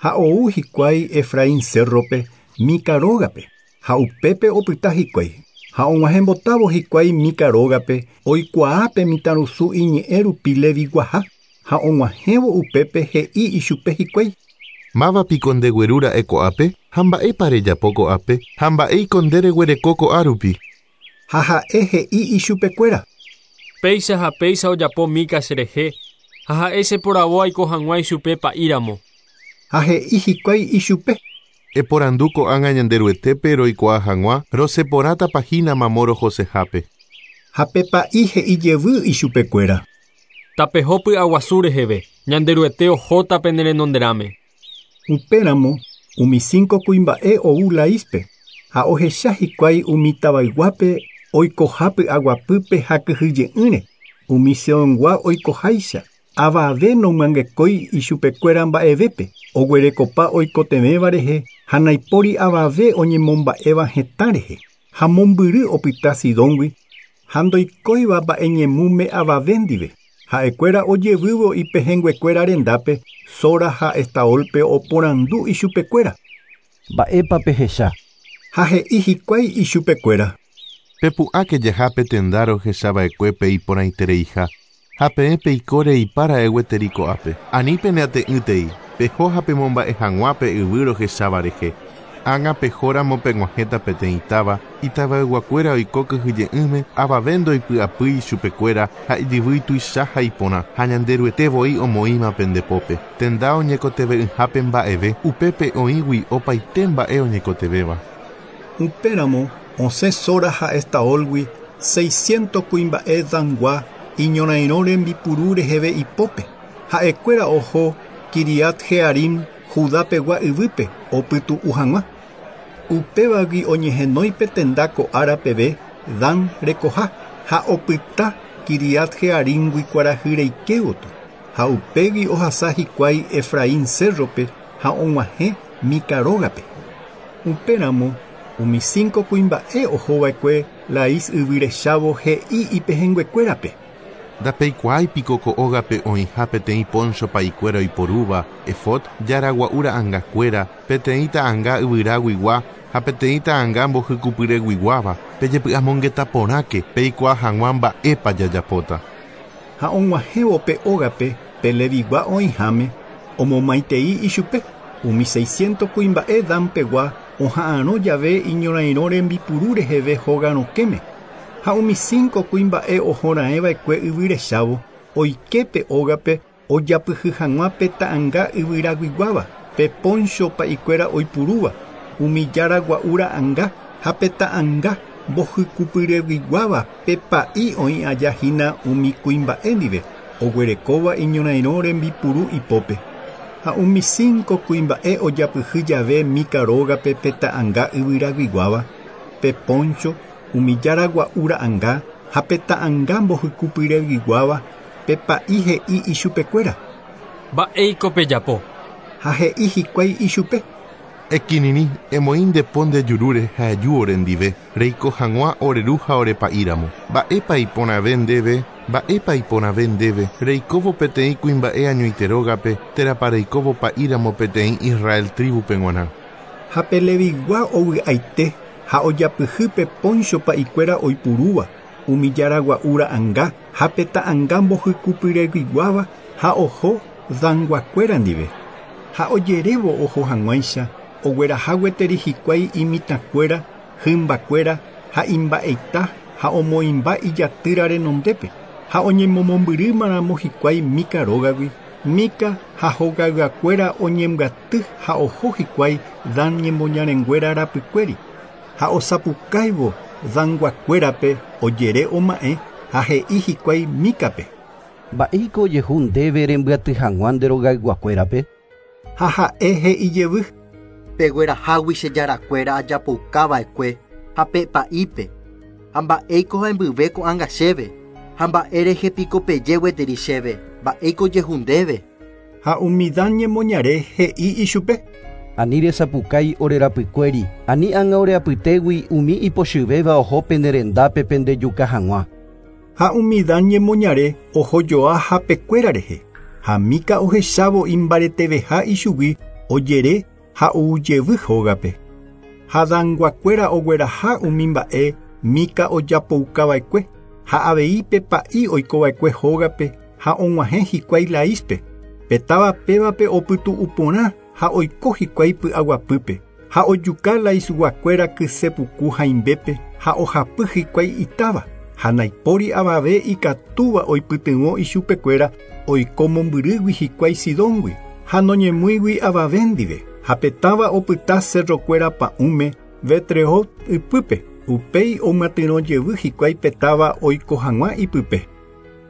Ha ou hikuái Efraín cerrope Mica rógape ha upépe opyta hikuái. Ha og̃uahẽmbotávo hikuái Mica rógape oikuaa pe mitãrusu iñe'ẽ rupi Leviguaha ha og̃uahẽvo upépe he'i ichupe hikuái. Mávapiko ndeguerúra'e ko'ápe ha mba'épa rejapo ko'ápe ha mba'éiko ndereguereko ko'árupi. Ha ha'e he'i ichupekuéra. Péicha ha péicha ojapo Mica cherehe ha ha'e cheporavo aiko hag̃ua ichupe pa'íramo. Ha he'i hikuái ichupe. Eporandu ko'ág̃a Ñanderuetépe roikuaa hag̃ua roseporãtapa hína mamo rohosehápe. Ha pe pa'i he'i jevy ichupekuéra. Tapeho py'aguasu reheve, Ñanderuete ohóta pene renonderãme. Upéramo umi 5 kuimba'e ou Laíspe ha ohecha hikuái umi tavayguápe oikoha py'aguapýpe ha kyhyje'ỹre umi Seongua oikoháicha avave nomyangekói ichupekuéra mba'evépe oguerekopa oikotevẽva rehe ha naipóri avave oñemomba'éva hetã rehe ha mombyry opyta Sidóngui ha ndoikóiva mba'eñemúme avave ndive. Ha'ekuéra ojevývo ipehẽnguekuéra rendápe Sora ha Estaolpe oporandu ichupekuéra. Mba'épa pehecha. Ha he'i hikuái ichupekuéra. Pepu'ãke jahápe tenda rohechava'ekuépe iporãitereiha ha peẽ peikóre ipára'e gueteri ko'ápe. Ani peneate'ỹtei, peho ha pemomba'e hag̃ua pe yvy rohecháva rehe. Ág̃a pehóramo peg̃uahẽta peteĩ táva, itavayguakuéra oiko kyhyje'ỹme avave ndoipy'apýi ichupekuéra ha ijyvy tuicha ha iporã ha Ñanderuete voi omoĩma pendepópe. Tenda oñekoteve'ỹhápe mba'eve, upépe oĩgui opaite mba'e oñekotevéva. Upéramo osẽ Sora ha Estaolgui 600 kuimba'e Dangua iñorairõ rembipuru reheve ipópe. Ha'ekuéra oho Kiriat Jearim Judapegua yvýpe opytu'u hag̃ua. Upévagui oñehenói tenda ko ára peve Dan rekoha ha opyta Kiriat Jearimgui kuarahy reikévoto. Ha upégui ohasa hikuái Efraín cerrope ha og̃uahẽ Mica rógape. Upéramo umi 5 kuimba'e ohova'ekue Laís yvyrechávo he'i ipehẽnguekuérape. Ndapeikuaáipiko ko ógape oĩha peteĩ poncho pa'ikuéra oiporúva, efod, jaragua'u ra'ãngakuéra, peteĩ ta'ãnga yvyraguigua ha peteĩ ta'ãnga mbohykupyreguiguáva, pejepy'amongeta porãke peikuaa hag̃ua mba'épa jajapóta. Ha og̃uahẽvo pe ógape pe Levigua oĩháme omomaitei ichupe. Umi 600 kuimba'e Danpegua oha'arõ jave iñorairõ rembipuru reheve hóga rokẽme. Ha umi 5 kuimba'e ohoraẽva'ekue yvyrechávo oike pe ógape ojapyhy hag̃ua pe ta'ãnga yvyraguiguáva, pe poncho pa'ikuéra oipurúva, umi jaragua'u ra'ãnga ha pe ta'ãnga mbohykupyreguiguáva pe pa'i oĩ aja hína umi kuimba'e ndive oguerekóva iñorairõ rembipuru ipópe. Ha umi 5 kuimba'e ojapyhy jave Mica rógape pe ta'ãnga yvyraguiguáva, pe poncho, umi jaragua'u ra'ãnga ha pe ta'ãnga mbohykupyreguiguáva pe pa'i he'i ichupekuéra. Mba'éiko pejapo. Ha he'i hikuái ichupe. Ekirirĩ emoĩ ndepo nde jurúre ha eju orendive, reiko hag̃ua oreru ha orepa'íramo. Mba'épa iporãve ndéve, mba'épa iporãve ndéve, reikóvo peteĩ kuimba'e añoite rógape térãpa reikóvo pa'íramo peteĩ Israel tribupe g̃uarã. Ha pe Levigua ovy'aite ha ojapyhy pe poncho pa'ikuéra oipurúva, umi jaragua'u ra'ãnga ha pe ta'ãnga mbohykupyreguiguáva ha oho Danguakuéra ndive. Ha ojerévo oho hag̃uáicha ogueraha gueteri hikuái imitãkuéra, hymbakuéra ha imba'eita ha omoĩmba ijatýra renondépe. Ha oñemomombyrýmaramo hikuái Mica rógagui, Mica ha hogayguakuéra oñembyaty ha oho hikuái Dan ñemoñarenguéra rapykuéri. Ha osapukáivo Danguakuérape ojere oma'ẽ Ha he'i hikuái Mícape. Mba'éiko ojehu ndéve rembyaty hag̃ua nde rogayguakuérape? Ha ha'e he'i jevy. Peguerahágui che jarakuéra ajapoukava'ekue ha pe pa'ípe. Ha mba'éiko hembyve ko'ág̃a chéve. Ha mba'e rehe piko peje gueteri chéve. Mba'éiko ojehu ndéve. Ha umi Dan ñemoñare he'i ichupe. Ani resapukái orerapykuéri, ani ág̃a oreapytégui umi ipochyvéva oho pende rendápe pendejuka hag̃ua. Ha umi Dan ñemoñare ohojoa hapekuéra rehe. Ha Mica ohechávo imbareteveha ichugui ojere ha oujevy hógape. Ha Danguakuéra ogueraha umi mba'e Mica ojapoukava'ekue ha avei pe pa'i oikova'ekue hógape ha og̃uahẽ hikuái Laíspe. Pe táva pévape opytu'u porã ha oiko hikuái py'aguapýpe ha ojuka Laisguakuéra kysepuku haimbépe ha ohapy hikuái itáva ha naipóri avave ikatúva oipytyvõ ichupekuéra oiko mombyrýgui hikuái Sidóngui ha noñemýigui avave ndive ha pe táva opyta cerrokuéra pa'ũme Betrehob ypýpe upéi omyatyrõ jevy hikuái pe táva oiko hag̃ua ipype.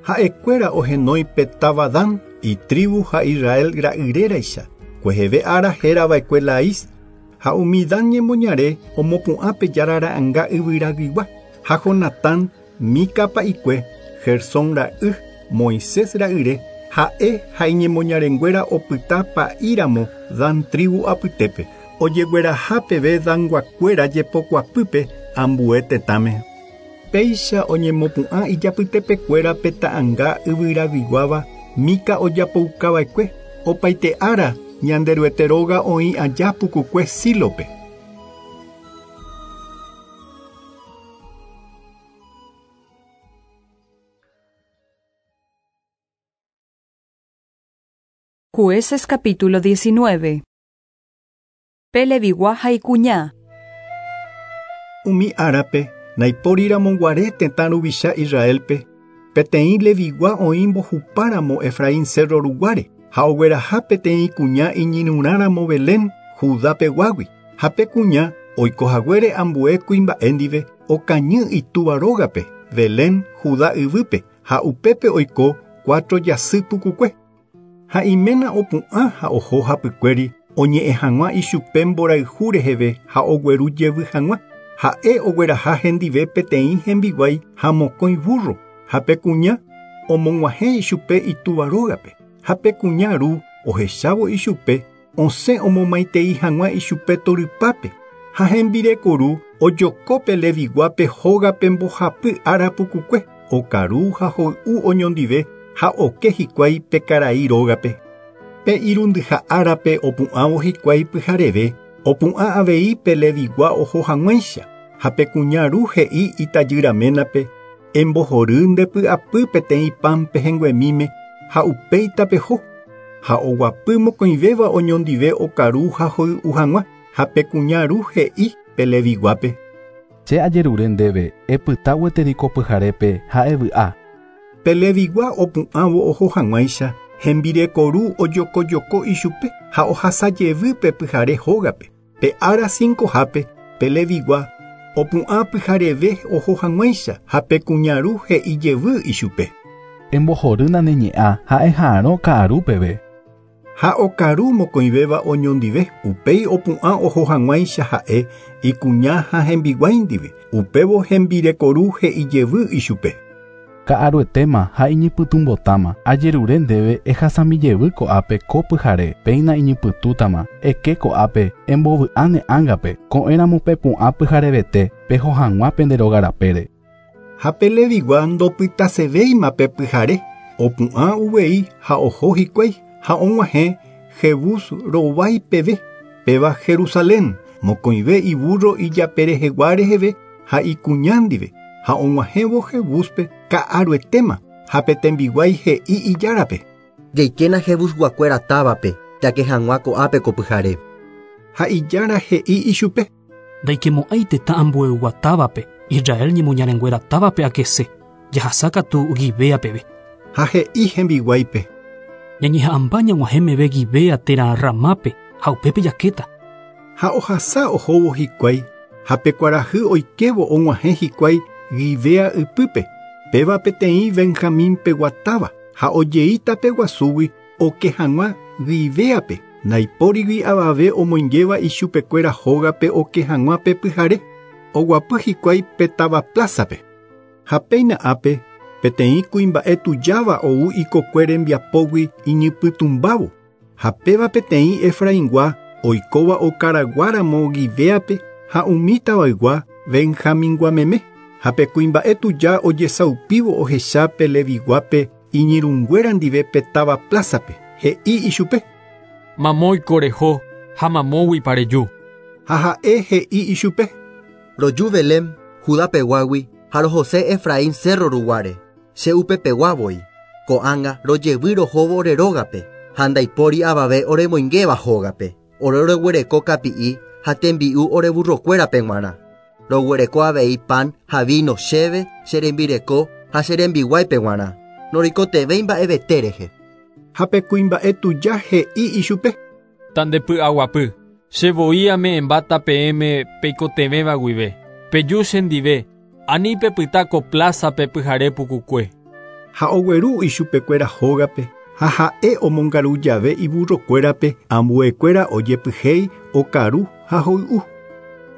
Ha'ekuéra ohenói pe táva Dan, itribu ha Israel ra'yréraicha. Kueheve ára hérava'ekue Lais ha umi Dan ñemoñare omopu'ã pe jára ra'ãnga yvyraguigua ha Jonatán Mica pa'ikue Gersón ra'y Moisés ra'yre ha'e ha iñemoñarenguéra opyta pa'íramo Dan tribu apytépe ojegueraha peve Danguakuéra jepokuapýpe ambue tetãme. Péicha oñemopu'ã ijapytepekuéra pe ta'ãnga yvyraguiguáva Mica ojapoukava'ekue opaite ára Ñanderuete róga oĩ aja pukukue Sílope. Jueces capítulo 19. Pe Levigua ha ikuña. Umi árape naipóriramo guare tetã ruvicha Israelpe peteĩ Levigua oĩ mbohupáramo Efraín cerro ruguáre ha ogueraha peteĩ kuña iñirũrãramo Belén Judapeguágui ha pe kuña oikohaguére ambue kuimba'e ndive okañy itúva rógape Belén Judá yvýpe ha upépe oiko 4 jasy pukukue. Ha iména opu'ã ha oho hapykuéri oñe'ẽ hag̃ua ichupe mborayhu reheve ha ogueru jevy hag̃ua. Ha'e ogueraha hendive peteĩ hembiguái ha mokõi burro ha pe kuña omog̃uahẽ ichupe itúva rógape. Ha pe kuña ru ohechávo ichupe osẽ omomaitei hag̃ua ichupe torypápe. Ha hembireko ru ojoko pe Leviguápe hógape mbohapy ára pukukue okaru ha hoy'u oñondive ha oke hikuái pe karai rógape. Pe irundyha árape opu'ãvo hikuái pyhareve opu'ã avei pe Levigua oho hag̃uáicha ha pe kuña ru he'i itajyraménape embohory nde py'apy peteĩ pan pehẽnguemíme ha upéi tapeho ha oguapy mokõivéva oñondive okaru ha hoy'u hag̃ua ha pe kuña ru he'i pe Leviguápe. Che ajerure ndéve epyta gueteri ko pyharépe ha evy'a. Pe Levigua opu'ãvo oho hag̃uáicha hembireko ru ojokojoko ichupe ha ohasa jevy pe pyhare hógape. Pe ára 5hápe pe Levigua opu'ã pyhareve oho hag̃uáicha ha pe kuña ru he'i jevy ichupe. Embohorýna ne ñe'ã ha eha'arõ ka'aru peve. Ha okaru mokõivéva oñondive upéi opu'ã oho hag̃uáicha ha'e ikuña ha hembiguái ndive upévo hembireko ru he'i jevy ichupe. Ka'aruetéma ha iñypytũmbotáma ajerure ndéve ehasami jevy ko'ápe ko pyhare péina iñypytũtama eke ko'ápe embovy'a ne ángape ko'ẽramo pepu'ã pyharevete peho hag̃ua pende rógarapére. Ha pe Levigua ndopytasevéima pe pyhare opu'ã uvei ha oho hikuái ha og̃uahẽ Jebús rovái peve péva Jerusalén mokõive iburro ijaperehegua reheve ha ikuña ndive ha og̃uahẽvo Jebúspe ka'aruetéma ha pe tembiguái he'i ijárape. Jaikéna Jebusguakuéra távape jake hag̃ua ko'ápe ko pyhare. Ha ijára he'i ichupe. Ndaikemo'ãi tetã ambueygua távape Israel ñemoñarenguéra távape akese jahasakatu Gibea peve. Ha he'i hembiguáipe. Ñañeha'ãmba ñag̃uahẽ meve Gibea térã Ramápe ha upépe jakéta. Ha ohasa ohóvo hikuái ha pe kuarahy oikévo og̃uahẽ hikuái Gibea ypýpe. Péva peteĩ Benjamín peguatáva ha ojei tape guasúgui oke hag̃ua Gibeape. Ndaipórigui avave omoingéva ichupekuéra hógape oke hag̃ua pe pyhare. Oguapy hikuái pe táva plázape. Ha péina ápe peteĩ kuimba'e tujáva ou ikokue rembiapógui iñypytũmbávo. Ha péva peteĩ Efraingua oikóva okaraguáramo Gibeape ha umi tavaygua Benjamingua meme. Ha pe kuimba'e tuja ojesaupívo ohecha pe Leviguápe iñirũnguéra ndive pe táva plázape. He'i ichupe. Mamóiko reho ha mamóguipa reju. Ha ha'e he'i ichupe. Roju Belém, Judá peguágui ha rohose Efraín cerro ruguáre. Che upepegua voi. Ko'ág̃a rojevy rohóvo ore rógape ha ndaipóri avave oremoingéva hógape. Ore roguereko kapi'i ha tembi'u ore burrokuérape g̃uarã. Roguereko avei pan ha vino chéve, che rembireko ha che rembiguáipe g̃uarã. Noroikotevẽi mba'evete rehe. Ha pe kuimba'e tuja he'i ichupe. Tandepy'aguapy. Che voi ame'ẽmbáta peẽme peikotevẽva guive. Peju chendive, ani pepyta ko plázape pyhare pukukue. Ha ogueru ichupekuéra hógape ha ha'e omongaru jave iburrokuérape ambuekuéra ojepyhéi okaru ha hoy'u.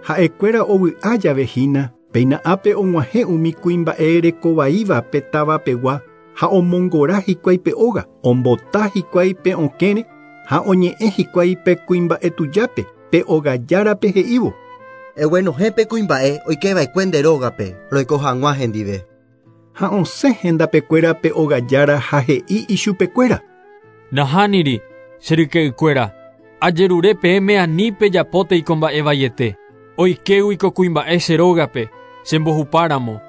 Ha'ekuéra ovy'a jave hína péina ápe og̃uahẽ umi kuimba'e rekovaíva pe tavapegua ha omongora hikuái pe óga, ombota hikuái pe okẽre ha oñe'ẽ hikuái pe kuimba'e tujápe pe ogajárape he'ívo. Eguenohẽ pe kuimba'e oikeva'ekue nde rógape roiko hag̃ua hendive. Ha osẽ hendapekuéra pe ogajára ha he'i ichupekuéra. Nahániri, che ryke'ykuéra, ajerure peẽme ani pejapótei ko mba'e vaiete. Oikégui ko kuimba'e che rógape, chembohupáramo.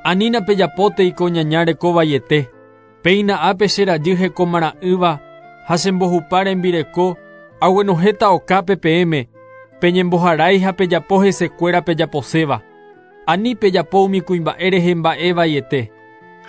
Anína pejapótei ko ñaña reko vaiete. Péina ápe che rajy hekomara'ỹva ha chembohupa rembireko aguenohẽta okápe peẽme, peñemboharái ha pejapo hesekuéra pejaposéva. Ani pejapo umi kuimba'e rehe mba'e vaiete.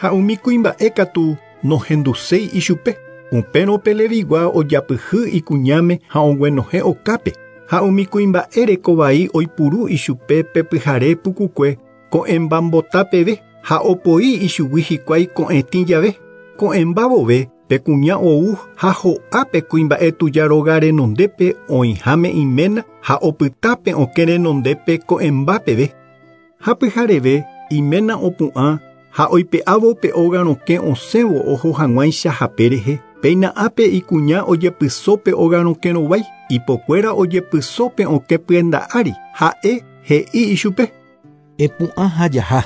Ha umi kuimba'e katu nohenduséi ichupe. Upérõ pe Levigua ojapyhy ikuñáme ha oguenohẽ okápe. Ha umi kuimba'e rekovai oipuru ichupe pe pyhare pukukue ko'ẽmbambota peve ha opoi ichugui hikuái ko'ẽtĩ jave. Ko'ẽmba vove pe kuña ou ha ho'a pe kuimba'e tuja róga renondépe oĩháme iména ha opyta pe okẽ renondépe ko'ẽmba peve. Ha pyhareve iména opu'ã ha oipe'ávo pe óga rokẽ osẽvo oho hag̃uáicha hape rehe. Péina ápe ikuña ojepyso pe óga rokẽ rovái, ipokuéra ojepyso pe okẽ pyenda ári. Ha'e he'i ichupe. Epu'ã ha jaha.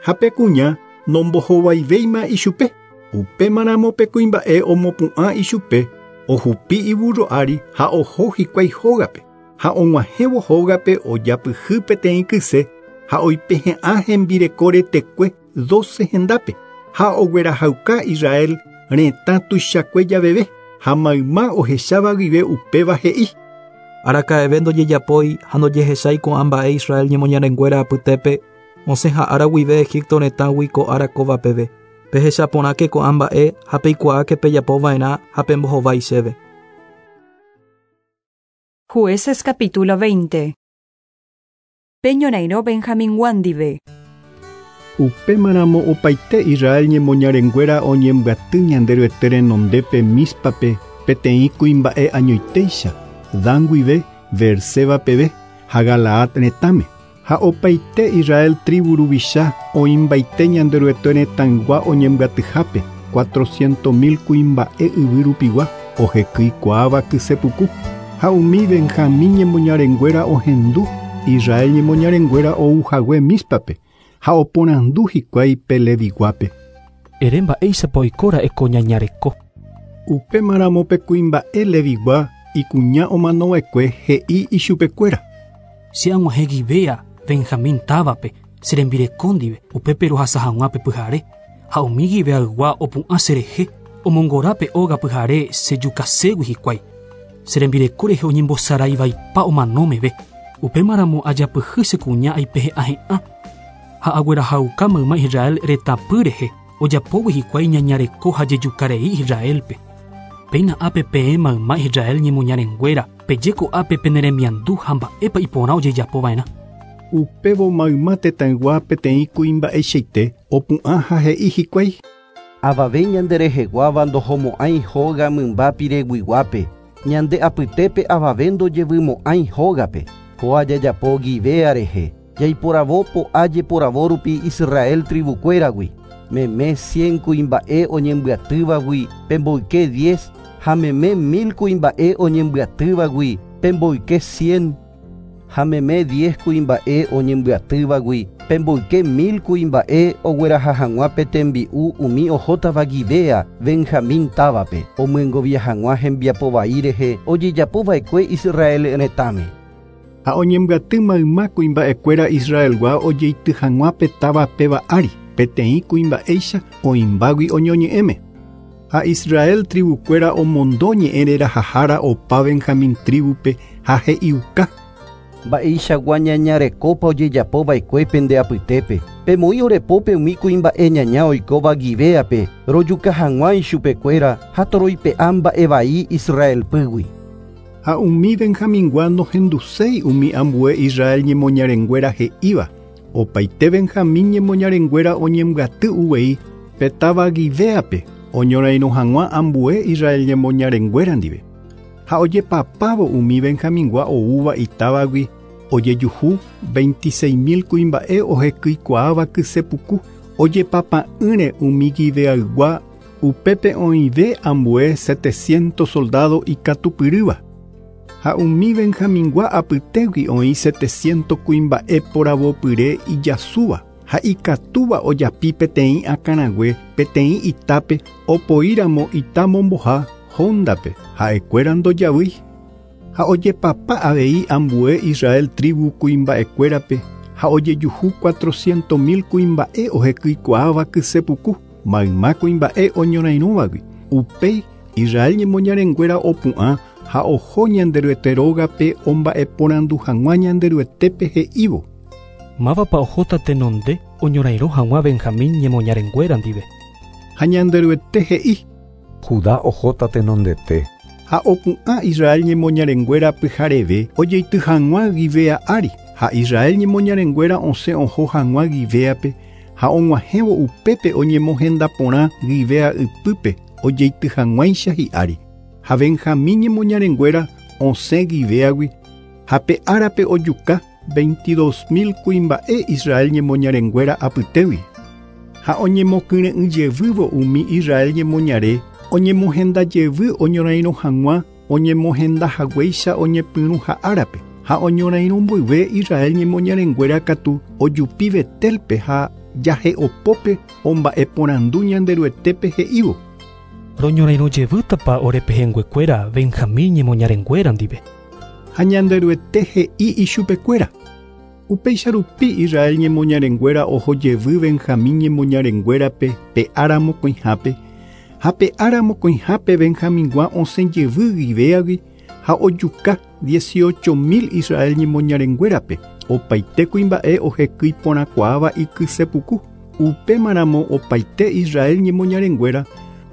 Ha pe kuña nombohovaivéima ichupe. Upémaramo pe kuimba'e omopu'ã ichupe, ohupi iburro ári ha oho hikuái hógape. Ha og̃uahẽvo hógape ojapyhy peteĩ kyse ha oipehe'ã hembireko retekue 12 hendápe. Ha oguerahauka Israel retã tuichakue javeve ha mayma ohecháva guive upéva he'i. Araka'eve ndojejapói ha ndojehechái ko'ã mba'e Israel ñemoñarenguéra apytépe osẽ ha'ára guive Egipto retãgui ko ára kóva peve. Pehechaporãke ko'ã mba'e ha peikuaáke pejapova'erã ha pembohovái chéve. Jueces capítulo 20. Peñorairõ Benjamín ndive. Upémaramo opaite Israel ñemoñarenguéra oñembyaty Ñanderuete renondépe Míspape peteĩ kuimba'e añoitéicha, Dan guive Beerseba peve ha Galaad retãme. Ha opaite Israel tribu ruvicha oĩmbaite Ñanderuete retãygua oñembyatyhápe 400.000 kuimba'e yvy rupigua ohekyikuaáva kysepuku. Ha umi Benjamín ñemoñarenguéra ohendu Israel ñemoñarenguéra ouhague Míspape ha oporandu hikuái pe Leviguápe. Ere mba'éichapa oikóra'e ko ñañareko. Upémaramo pe kuimba'e Levigua ikuña omanova'ekue he'i ichupekuéra. Che ag̃uahẽ Gibea Benjamín távape che rembireko ndive upépe rohasa hag̃ua pe pyhare ha umi Gibeaygua opu'ã cherehe omongora pe óga pyhare chejukaségui hikuái. Che rembireko rehe oñembosaraivaipa omano meve. Upémaramo ajapyhy che kuña aipehe'ãhe'ã ha aguerahauka mayma Israel retãpy rehe ojapógui hikuái ñañareko ha jejukarei Israelpe. Péina ápe peẽ mayma Israel ñemoñarenguéra peje ko'ápe peneremiandu ha mba'épa iporã ojejapova'erã. Upévo mayma tetãygua peteĩ kuimba'eichaite opu'ã ha he'i hikuái. Avave ñandereheguáva ndohomo'ãi hóga mymba pireguiguápe, ñande apytépe avave ndojevymo'ãi hógape. Kóa jajapo Gibea rehe, jaiporavo po'a jeporavo rupi Israel tribukuéragui. Meme 100 kuimba'e oñembyatývagui pemboyke 10 ha meme 1000 kuimba'e oñembyatývagui pemboyke 100 ha meme 10 kuimba'e oñembyatývagui pemboyke 1000 kuimba'e ogueraha hag̃ua pe tembi'u umi ohótava Gibea Benjamín távape omyengovia hag̃ua hembiapo vai rehe ojejapova'ekue Israel retãme. Ha oñembyaty mayma kuimba'ekuéra Israelgua ojeity hag̃ua pe táva péva ári peteĩ kuimba'éicha oĩmbágui oñoñe'ẽme. Ha Israel tribukuéra omondo ñe'ẽ rerahahára opa Benjamín tribupe ha he'iuka. Mba'eichagua ñañarekópa ojejapova'ekue pende apytépe. Pemoĩ orepópe umi kuimba'e ñaña oikóva Gibeape rojuka hag̃ua ichupekuéra ha toroipe'a mba'e vai Israelpýgui. Ha umi Benjamingua nohenduséi umi ambue Israel ñemoñarenguéra he'íva. Opaite Benjamín ñemoñarenguéra oñembyaty uvei pe táva Gibeape oñorairõ hag̃ua ambue Israel ñemoñarenguéra ndive. Ha ojepapávo umi Benjamingua oúva itávagui ojejuhu 26.000 kuimba'e ohekýikuaáva kysepuku ojepapa'ỹre umi Gibeaygua upépe oĩve ambue 700 soldado ikatupyrýva. Ha umi Benjamingua apytégui oĩ 700 kuimba'e poravopyre ijasúva ha ikatúva ojapi peteĩ akãrague peteĩ itápe opoíramo ita momboha hóndape ha'ekuéra ndojavýi. Ha ojepapa avei ambue Israel tribu kuimba'ekuérape ha ojejuhu 400.000 kuimba'e ohekýikuaáva kysepuku mayma kuimba'e oñorairõvagui. Upéi Israel ñemoñarenguéra opu'ã ha oho Ñanderuete rógape omba'eporandu hag̃ua Ñanderuetépe he'ívo. Mávapa ohóta tenonde oñorairõ hag̃ua Benjamín ñemoñarenguéra ndive. Ha Ñanderuete he'i. Judá ohóta tenondete. Ha opu'ã Israel ñemoñarenguéra pyhareve ojeity hag̃ua Gibea ári. Ha Israel ñemoñarenguéra osẽ oho hag̃ua Gibeape ha og̃uahẽvo upépe oñemohenda porã Gibea ypýpe ojeity hag̃uáicha hi'ári. Ha Benjamín ñemoñarenguéra osẽ Gibeagui ha pe árape ojuka 22.000 kuimba'e Israel ñemoñarenguéra apytégui. Ha oñemokyre'ỹ jevývo umi Israel ñemoñare oñemohenda jevy oñorairõ hag̃ua oñemohenda haguéicha oñepyrũ ha árape. Ha oñorairõ mboyve Israel ñemoñarenguéra katu ojupi Betelpe ha jahe'opópe omba'eporandu Ñanderuetépe he'ívo. Roñorairõ jevýtapa orepehẽnguekuéra Benjamín ñemoñarenguéra ndive. Ha Ñanderuete he'i ichupekuéra. Upéicha rupi Israel ñemoñarenguéra oho jevy Benjamín ñemoñarenguérape pe ára mokõihápe ha pe ára mokõihápe Benjamingua osẽ jevy Gibeagui ha ojuka 18.000 Israel ñemoñarenguérape opaite kuimba'e ohekýi porãkuaáva ikysepuku. Upémaramo opaite Israel ñemoñarenguéra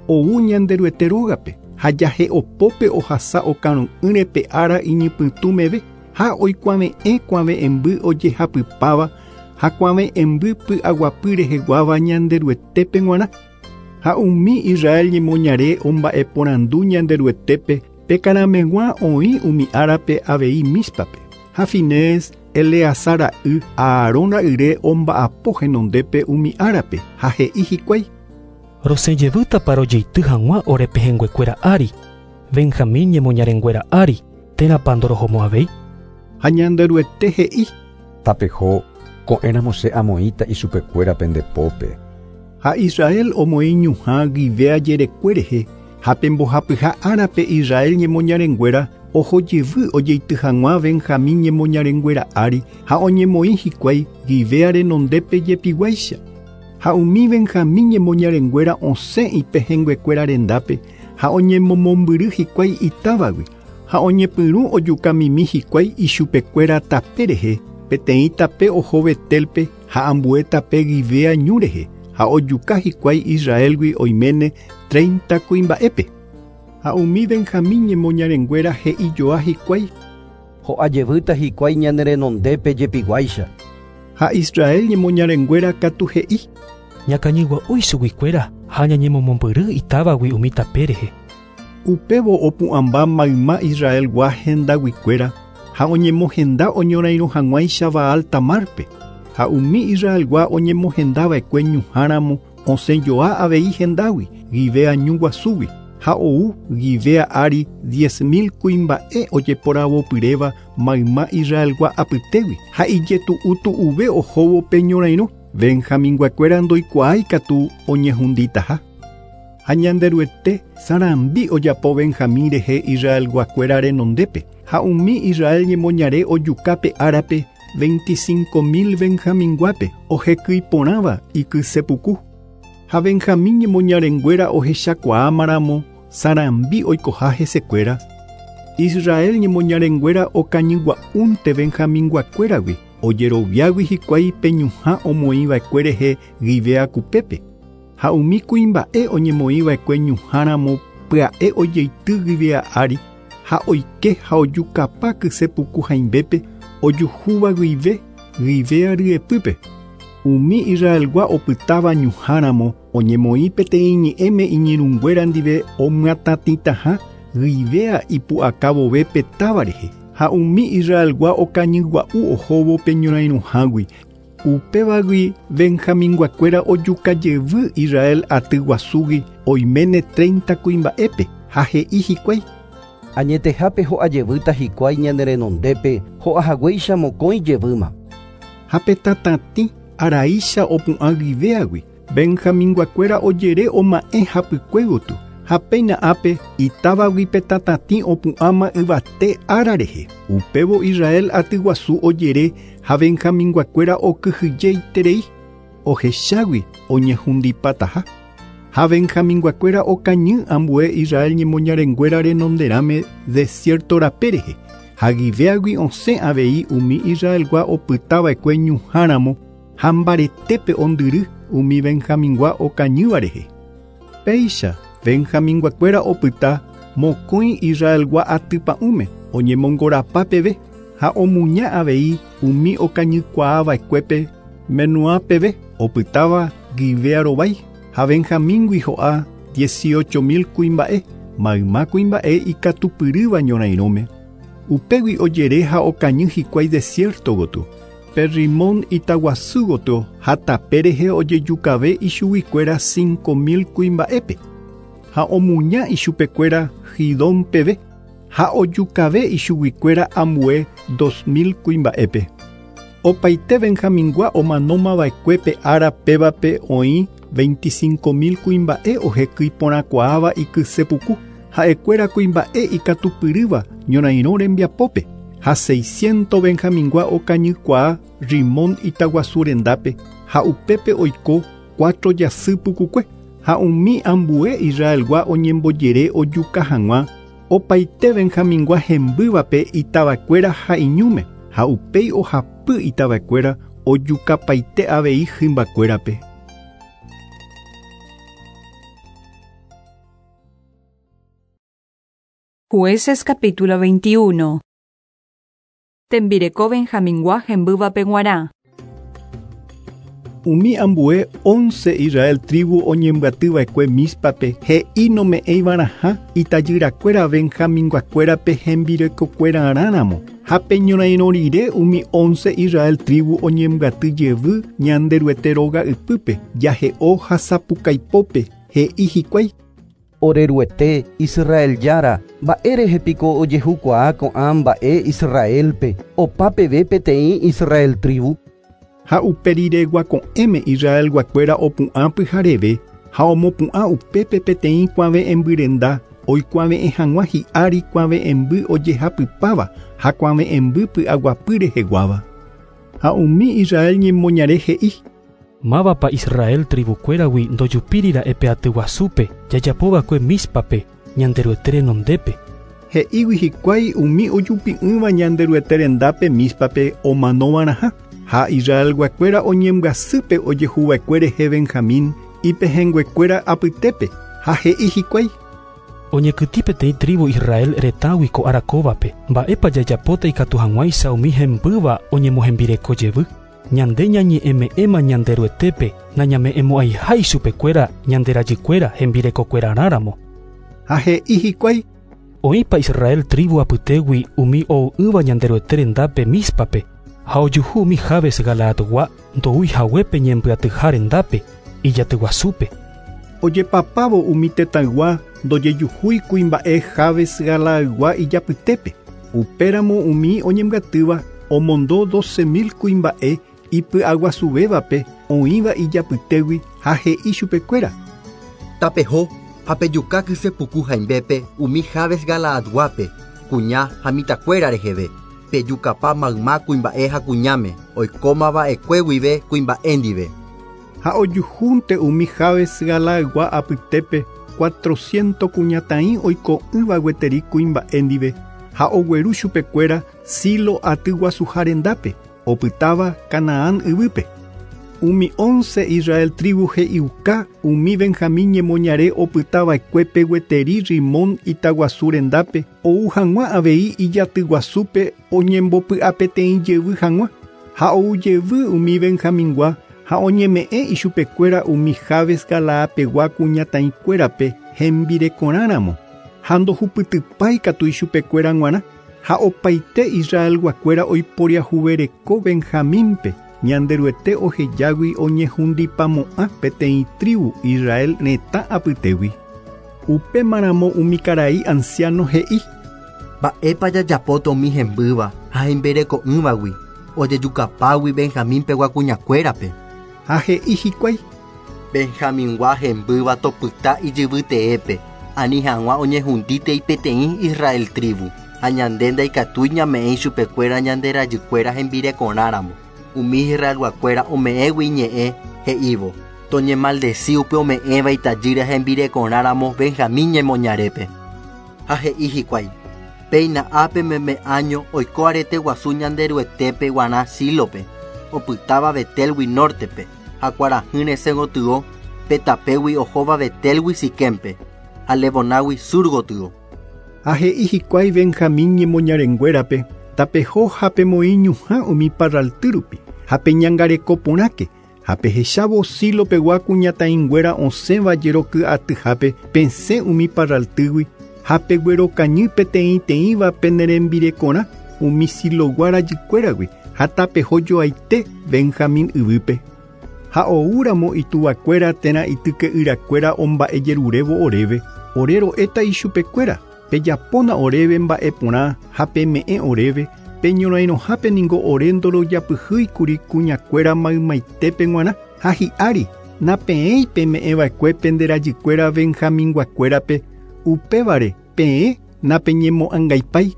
ou Ñanderuete rógape ha jahe'opópe ohasa okaru'ỹre pe ára iñypytũ meve ha oikuave'ẽ kuave'ẽmby ojehapypáva ha kuave'ẽmby py'aguapy reheguáva Ñanderuetépe g̃uarã. Ha umi Israel ñemoñare omba'eporandu Ñanderuetépe pe karameg̃ua oĩ umi árape avei Míspape. Ha Finés Eleazar ra'y Aarón ra'yre omba'apo henondépe umi árape ha he'i hikuái. Rosẽ jevýtapa rojeity hag̃ua orepehẽnguekuéra ári, Benjamín ñemoñarenguéra ári, térãpa ndorohomo'ãvéi. Ha Ñanderuete he'i. Tapeho, ko'ẽramo che amoĩta ichupekuéra pende pópe. Ha Israel omoĩ ñuhã Gibea jerekue rehe ha pembohapyha árape Israel ñemoñarenguéra oho jevy ojeity hag̃ua Benjamín ñemoñarenguéra ári ha oñemoĩ hikuái Gibea renondépe jepiguáicha. Ha umi Benjamín ñemoñarenguéra osẽ ipehẽnguekuéra rendápe ha oñemomombyry hikuái itávagui ha oñepyrũ ojukamimi hikuái ichupekuéra tape rehe peteĩ tape oho Betelpe ha ambue tape Gibea ñu rehe ha ojuka hikuái Israelgui oiméne 30 kuimba'épe. Ha umi Benjamín ñemoñarenguéra he'ijoa hikuái. Ho'a jevýta hikuái ñane renondépe jepiguáicha. Ha Israel ñemoñarenguéra katu he'i. Ñakañygua'úi chuguikuéra ha ñañemomombyry itávagui umi tape rehe. Upévo opu'ãmba mayma Israelgua hendaguikuéra ha oñemohenda oñorairõ hag̃uáicha Baal Tamarpe ha umi Israelgua oñemohendava'ekue ñuhãramo osẽjoa avei hendágui Gibea ñu guasúgui ha ou Gibea ári 10 000 kuimba'e ojeporavopyréva mayma Israelgua apytégui ha ijetu'utu'uve ohóvo pe ñorairõ Benjaminguakuéra ndoikuaái katu oñehunditaha. Ha Ñanderuete sarambi ojapo Benjamín rehe Israelguakuéra renondépe ha umi Israel ñemoñare ojukápe árape 25 000 Benjaminguápe ohekyiporãva ikysepuku. Ha Benjamín ñemoñarenguéra ohechakuaámaramo sarambi oikoha hesekuéra. Israel ñemoñarenguéra okañygua'únte Benjaminguakuéragui ojeroviágui hikuái pe ñuhã omoĩva'ekue rehe Gibea kupépe. Ha umi kuimba'e oñemoĩva'ekue ñuhãramo pya'e ojeity Gibea ári ha oike ha ojukapa kysepuku haimbépe ojuhúva guive Gibea ryepýpe. Umi Israelgua opytáva ñuhãramo oñemoĩ peteĩ ñe'ẽme iñirũnguéra ndive omyatatĩtaha Gibea ipu'aka vove pe táva rehe. Ha umi Israelgua okañygua'u ohóvo pe ñorairõhágui. Upévagui Benjaminguakuéra ojukajevy Israel aty guasúgui oiméne 30 kuimba'épe ha he'i hikuái. Añetehápe ho'ajevýta hikuái ñane renondépe ho'ahaguéicha mokõi jevýma. Ha pe tatatĩ araícha opu'ã Gibeagui Benjaminguakuéra ojere oma'ẽ hapykue gotyo ha péina ápe itávagui pe tatatĩ opu'ãma yvate ára rehe. Upévo Israel aty guasu ojere ha Benjaminguakuéra okyhyjeiterei ohechágui oñehundipataha. Ha Benjaminguakuéra okañy ambue Israel ñemoñarenguéra renonderãme desierto rape rehe. Ha Gibeagui osẽ avei umi Israelgua opytava'ekue ñuhãramo ha mbaretépe ondyry umi Benjamingua okañýva rehe. Péicha Benjaminguakuéra opyta mokõi Israelgua atypa'ũme oñemongorapa peve ha omuña avei umi okañykuaava'ekuépe Menuá peve opytáva Gibea rovái ha Benjamíngui ho'a 18 000 kuimba'e mayma kuimba'e ikatupyrýva ñorairõme. Upégui ojere ha okañy hikuái desierto gotyo. Pe Rimón itaguasu gotyo ha tape rehe ojejukave ichuguikuéra 5 000 kuimba'épe. Ha omuña ichupekuéra Gidón peve ha ojukave ichuguikuéra ambue 2 000 kuimba'épe. Opaite Benjamingua omanómava'ekue ára pévape oĩ 25 000 kuimba'e ohekyiporãkuaáva ikysepuku ha'ekuéra kuimba'e ikatupyrýva ñorairõ rembiapópe ha 600 Benjamingua okañykuaa Rimón itaguasu rendápe ha upépe oiko 4 jasy pukukue ha umi ambue Israelgua oñembojere ojuka hag̃ua opaite Benjamingua hembývape itavakuéra ha iñúme ha upéi ohapy itavakuéra ojukapaite avei hymbakuérape. Jueces capítulo 21. Tembireko Benjamingua hembývape g̃uarã. Umi ambue 11 Israel tribu oñembyatyva'ekue Míspape he'i nome'ẽiva'erãha itajyrakuéra Benjaminguakuérape hembirekokuerarãramo. Ha pe ñorairõ rire umi 11 Israel tribu oñembyaty jevy Ñanderuete róga ypýpe jahe'o ha sapukaipópe he'i hikuái. Oreruete Israel jára mba'érehe piko ojehukuaa ko'ã mba'e Israelpe opa peve peteĩ Israel tribu. Ha uperireguako'ẽme Israelguakuéra opu'ã pyhareve ha omopu'ã upépe peteĩ kuave'ẽmbyrenda oikuave'ẽ hag̃ua hi'ári kuave'ẽmby ojehapypáva ha kuave'ẽmby py'aguapy reheguáva. Ha umi Israel ñemoñare he'i. Mávapa Israel tribukuéragui ndojupírira'e pe aty guasúpe jajapóva'ekue Míspape Ñanderuete renondépe. He'ígui hikuái umi ojupi'ỹva Ñanderuete rendápe Míspape omanova'erãha. Ha Israelguakuéra oñembyasýpe ojehuva'ekue rehe Benjamín ipehẽnguekuéra apytépe ha he'i hikuái. Oñekytĩ peteĩ tribu Israel retãgui ko ára kóvape mba'épa jajapóta ikatu hag̃uáicha umi hembýva oñemohembireko jevy. Ñande ñañe'ẽme'ẽma Ñanderuetépe nañame'ẽmo'ãiha ichupekuéra ñande rajykuéra hembirekokuerarãramo. Ha he'i hikuái. Oĩpa Israel tribu apytégui umi ou'ỹva Ñanderuete rendápe Míspape ha ojuhu umi Jabes Galaadgua ndoúihaguépe ñembyatyha rendápe ijatyguasúpe. Ojepapávo umi tetãygua ndojejuhúi kuimba'e Jabes Galaadgua ijapytépe. Upéramo umi oñembyatýva omondo 12.000 kuimba'e ipy'aguasuvévape oĩva ijapytégui ha he'i chupekuéra. Tapeho ha pejuka kysepuku haimbépe umi Jabes Galaadguápe, kuña ha mitãkuéra reheve. Pejukapa mayma kuimba'e ha kuñáme, oikómava'ekue guive kuimba'e ndive. Ha ojuhúnte umi Jabes Galaadgua apytépe 400 kuñataĩ oiko'ỹva gueteri kuimba'e ndive ha ogueru chupekuéra Silo atyguasuha rendápe, opytáva Canaán yvýpe. Umi 11 Israel tribu he'iuka umi Benjamín ñemoñare opytava'ekuépe gueteri Rimón itaguasu rendápe ou hag̃ua avei ijatyguasúpe oñembopy'apeteĩ jevy hag̃ua ha ou jevy umi Benjamingua ha oñeme'ẽ ichupekuéra umi Jabes Galaapegua kuñataĩkuérape hembirekorãramo ha ndohupytypái katu ichupekuéra g̃uarã ha opaite Israelguakuéra oiporiahuvereko Benjamínpe Ñanderuete ohejágui oñehundipamo'ã peteĩ tribu Israel retã apytégui. Upémaramo umi karai anciano he'i. Mba'épa jajapóta umi hembýva ha hembireko'ỹvagui ojejukapágui Benjamínpegua kuñakuérape. Ha he'i hikuái. Benjamingua hembýva topyta ijyvyteépe ani hag̃ua oñehundítei peteĩ Israel tribu ha ñande ndaikatúi ñame'ẽ ichupekuéra ñande rajykuéra hembirekorãramo. Umi Israelguakuéra ome'ẽgui iñe'ẽ he'ívo toñemaldeci upe ome'ẽva itajýra hembirekorãramo Benjamín ñemoñarépe. Ha he'i hikuái. Péina ápe meme año oiko arete guasu Ñanderuetépe g̃uarã Sílope, opytáva Betelgui nortepe, ha kuarahy resẽ gotyo pe tapégui ohóva Betelgui Siquémpe, ha Lebonágui sur gotyo. Ha he'i hikuái Benjamín ñemoñarenguérape tapeho ha pemoĩñuhã umi parralty rupi ha peñangareko porãke ha pehechávo Silopegua kuñataĩnguéra osẽva jeroky'atyhápe pesẽ umi parraltýgui ha peguerokañy peteĩteĩva penerembirekorã umi Silogua rajykuéragui ha tapeho joaite Benjamín yvýpe. Ha oúramo ituvakuéra térã ityke'yrakuéra omba'ejerurévo oréve, ore ro'éta ichupekuéra, pejapóna oréve mba'eporã ha peme'ẽ oréve, peñorairõhápe ningo ore ndorojapyhýikuri kuñakuéra maymaitépe g̃uarã ha hi'ári napeẽi peme'ẽva'ekue pende rajykuéra Benjaminguakuérape, upévare peẽ napeñemo'ãngaipái.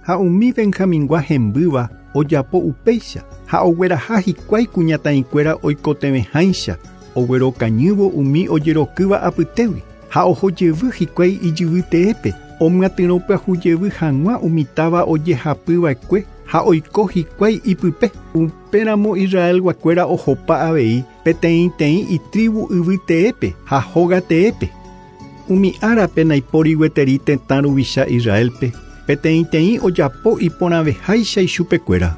Ha umi Benjamingua hembýva ojapo upéicha ha ogueraha hikuái kuñataĩkuéra oikotevẽháicha oguerokañývo umi ojerokýva apytégui ha ohojevy hikuái ijyvyteépe omyatyrõpyahujevy hag̃ua umi táva ojehapyva'ekue ha oiko hikuái ipype. Upéramo Israelguakuéra ohopa avei peteĩteĩ itribu yvyteépe ha hógateépe. Umi árape naipóri gueteri tetã ruvicha Israelpe peteĩteĩ ojapo iporãveháicha ichupekuéra.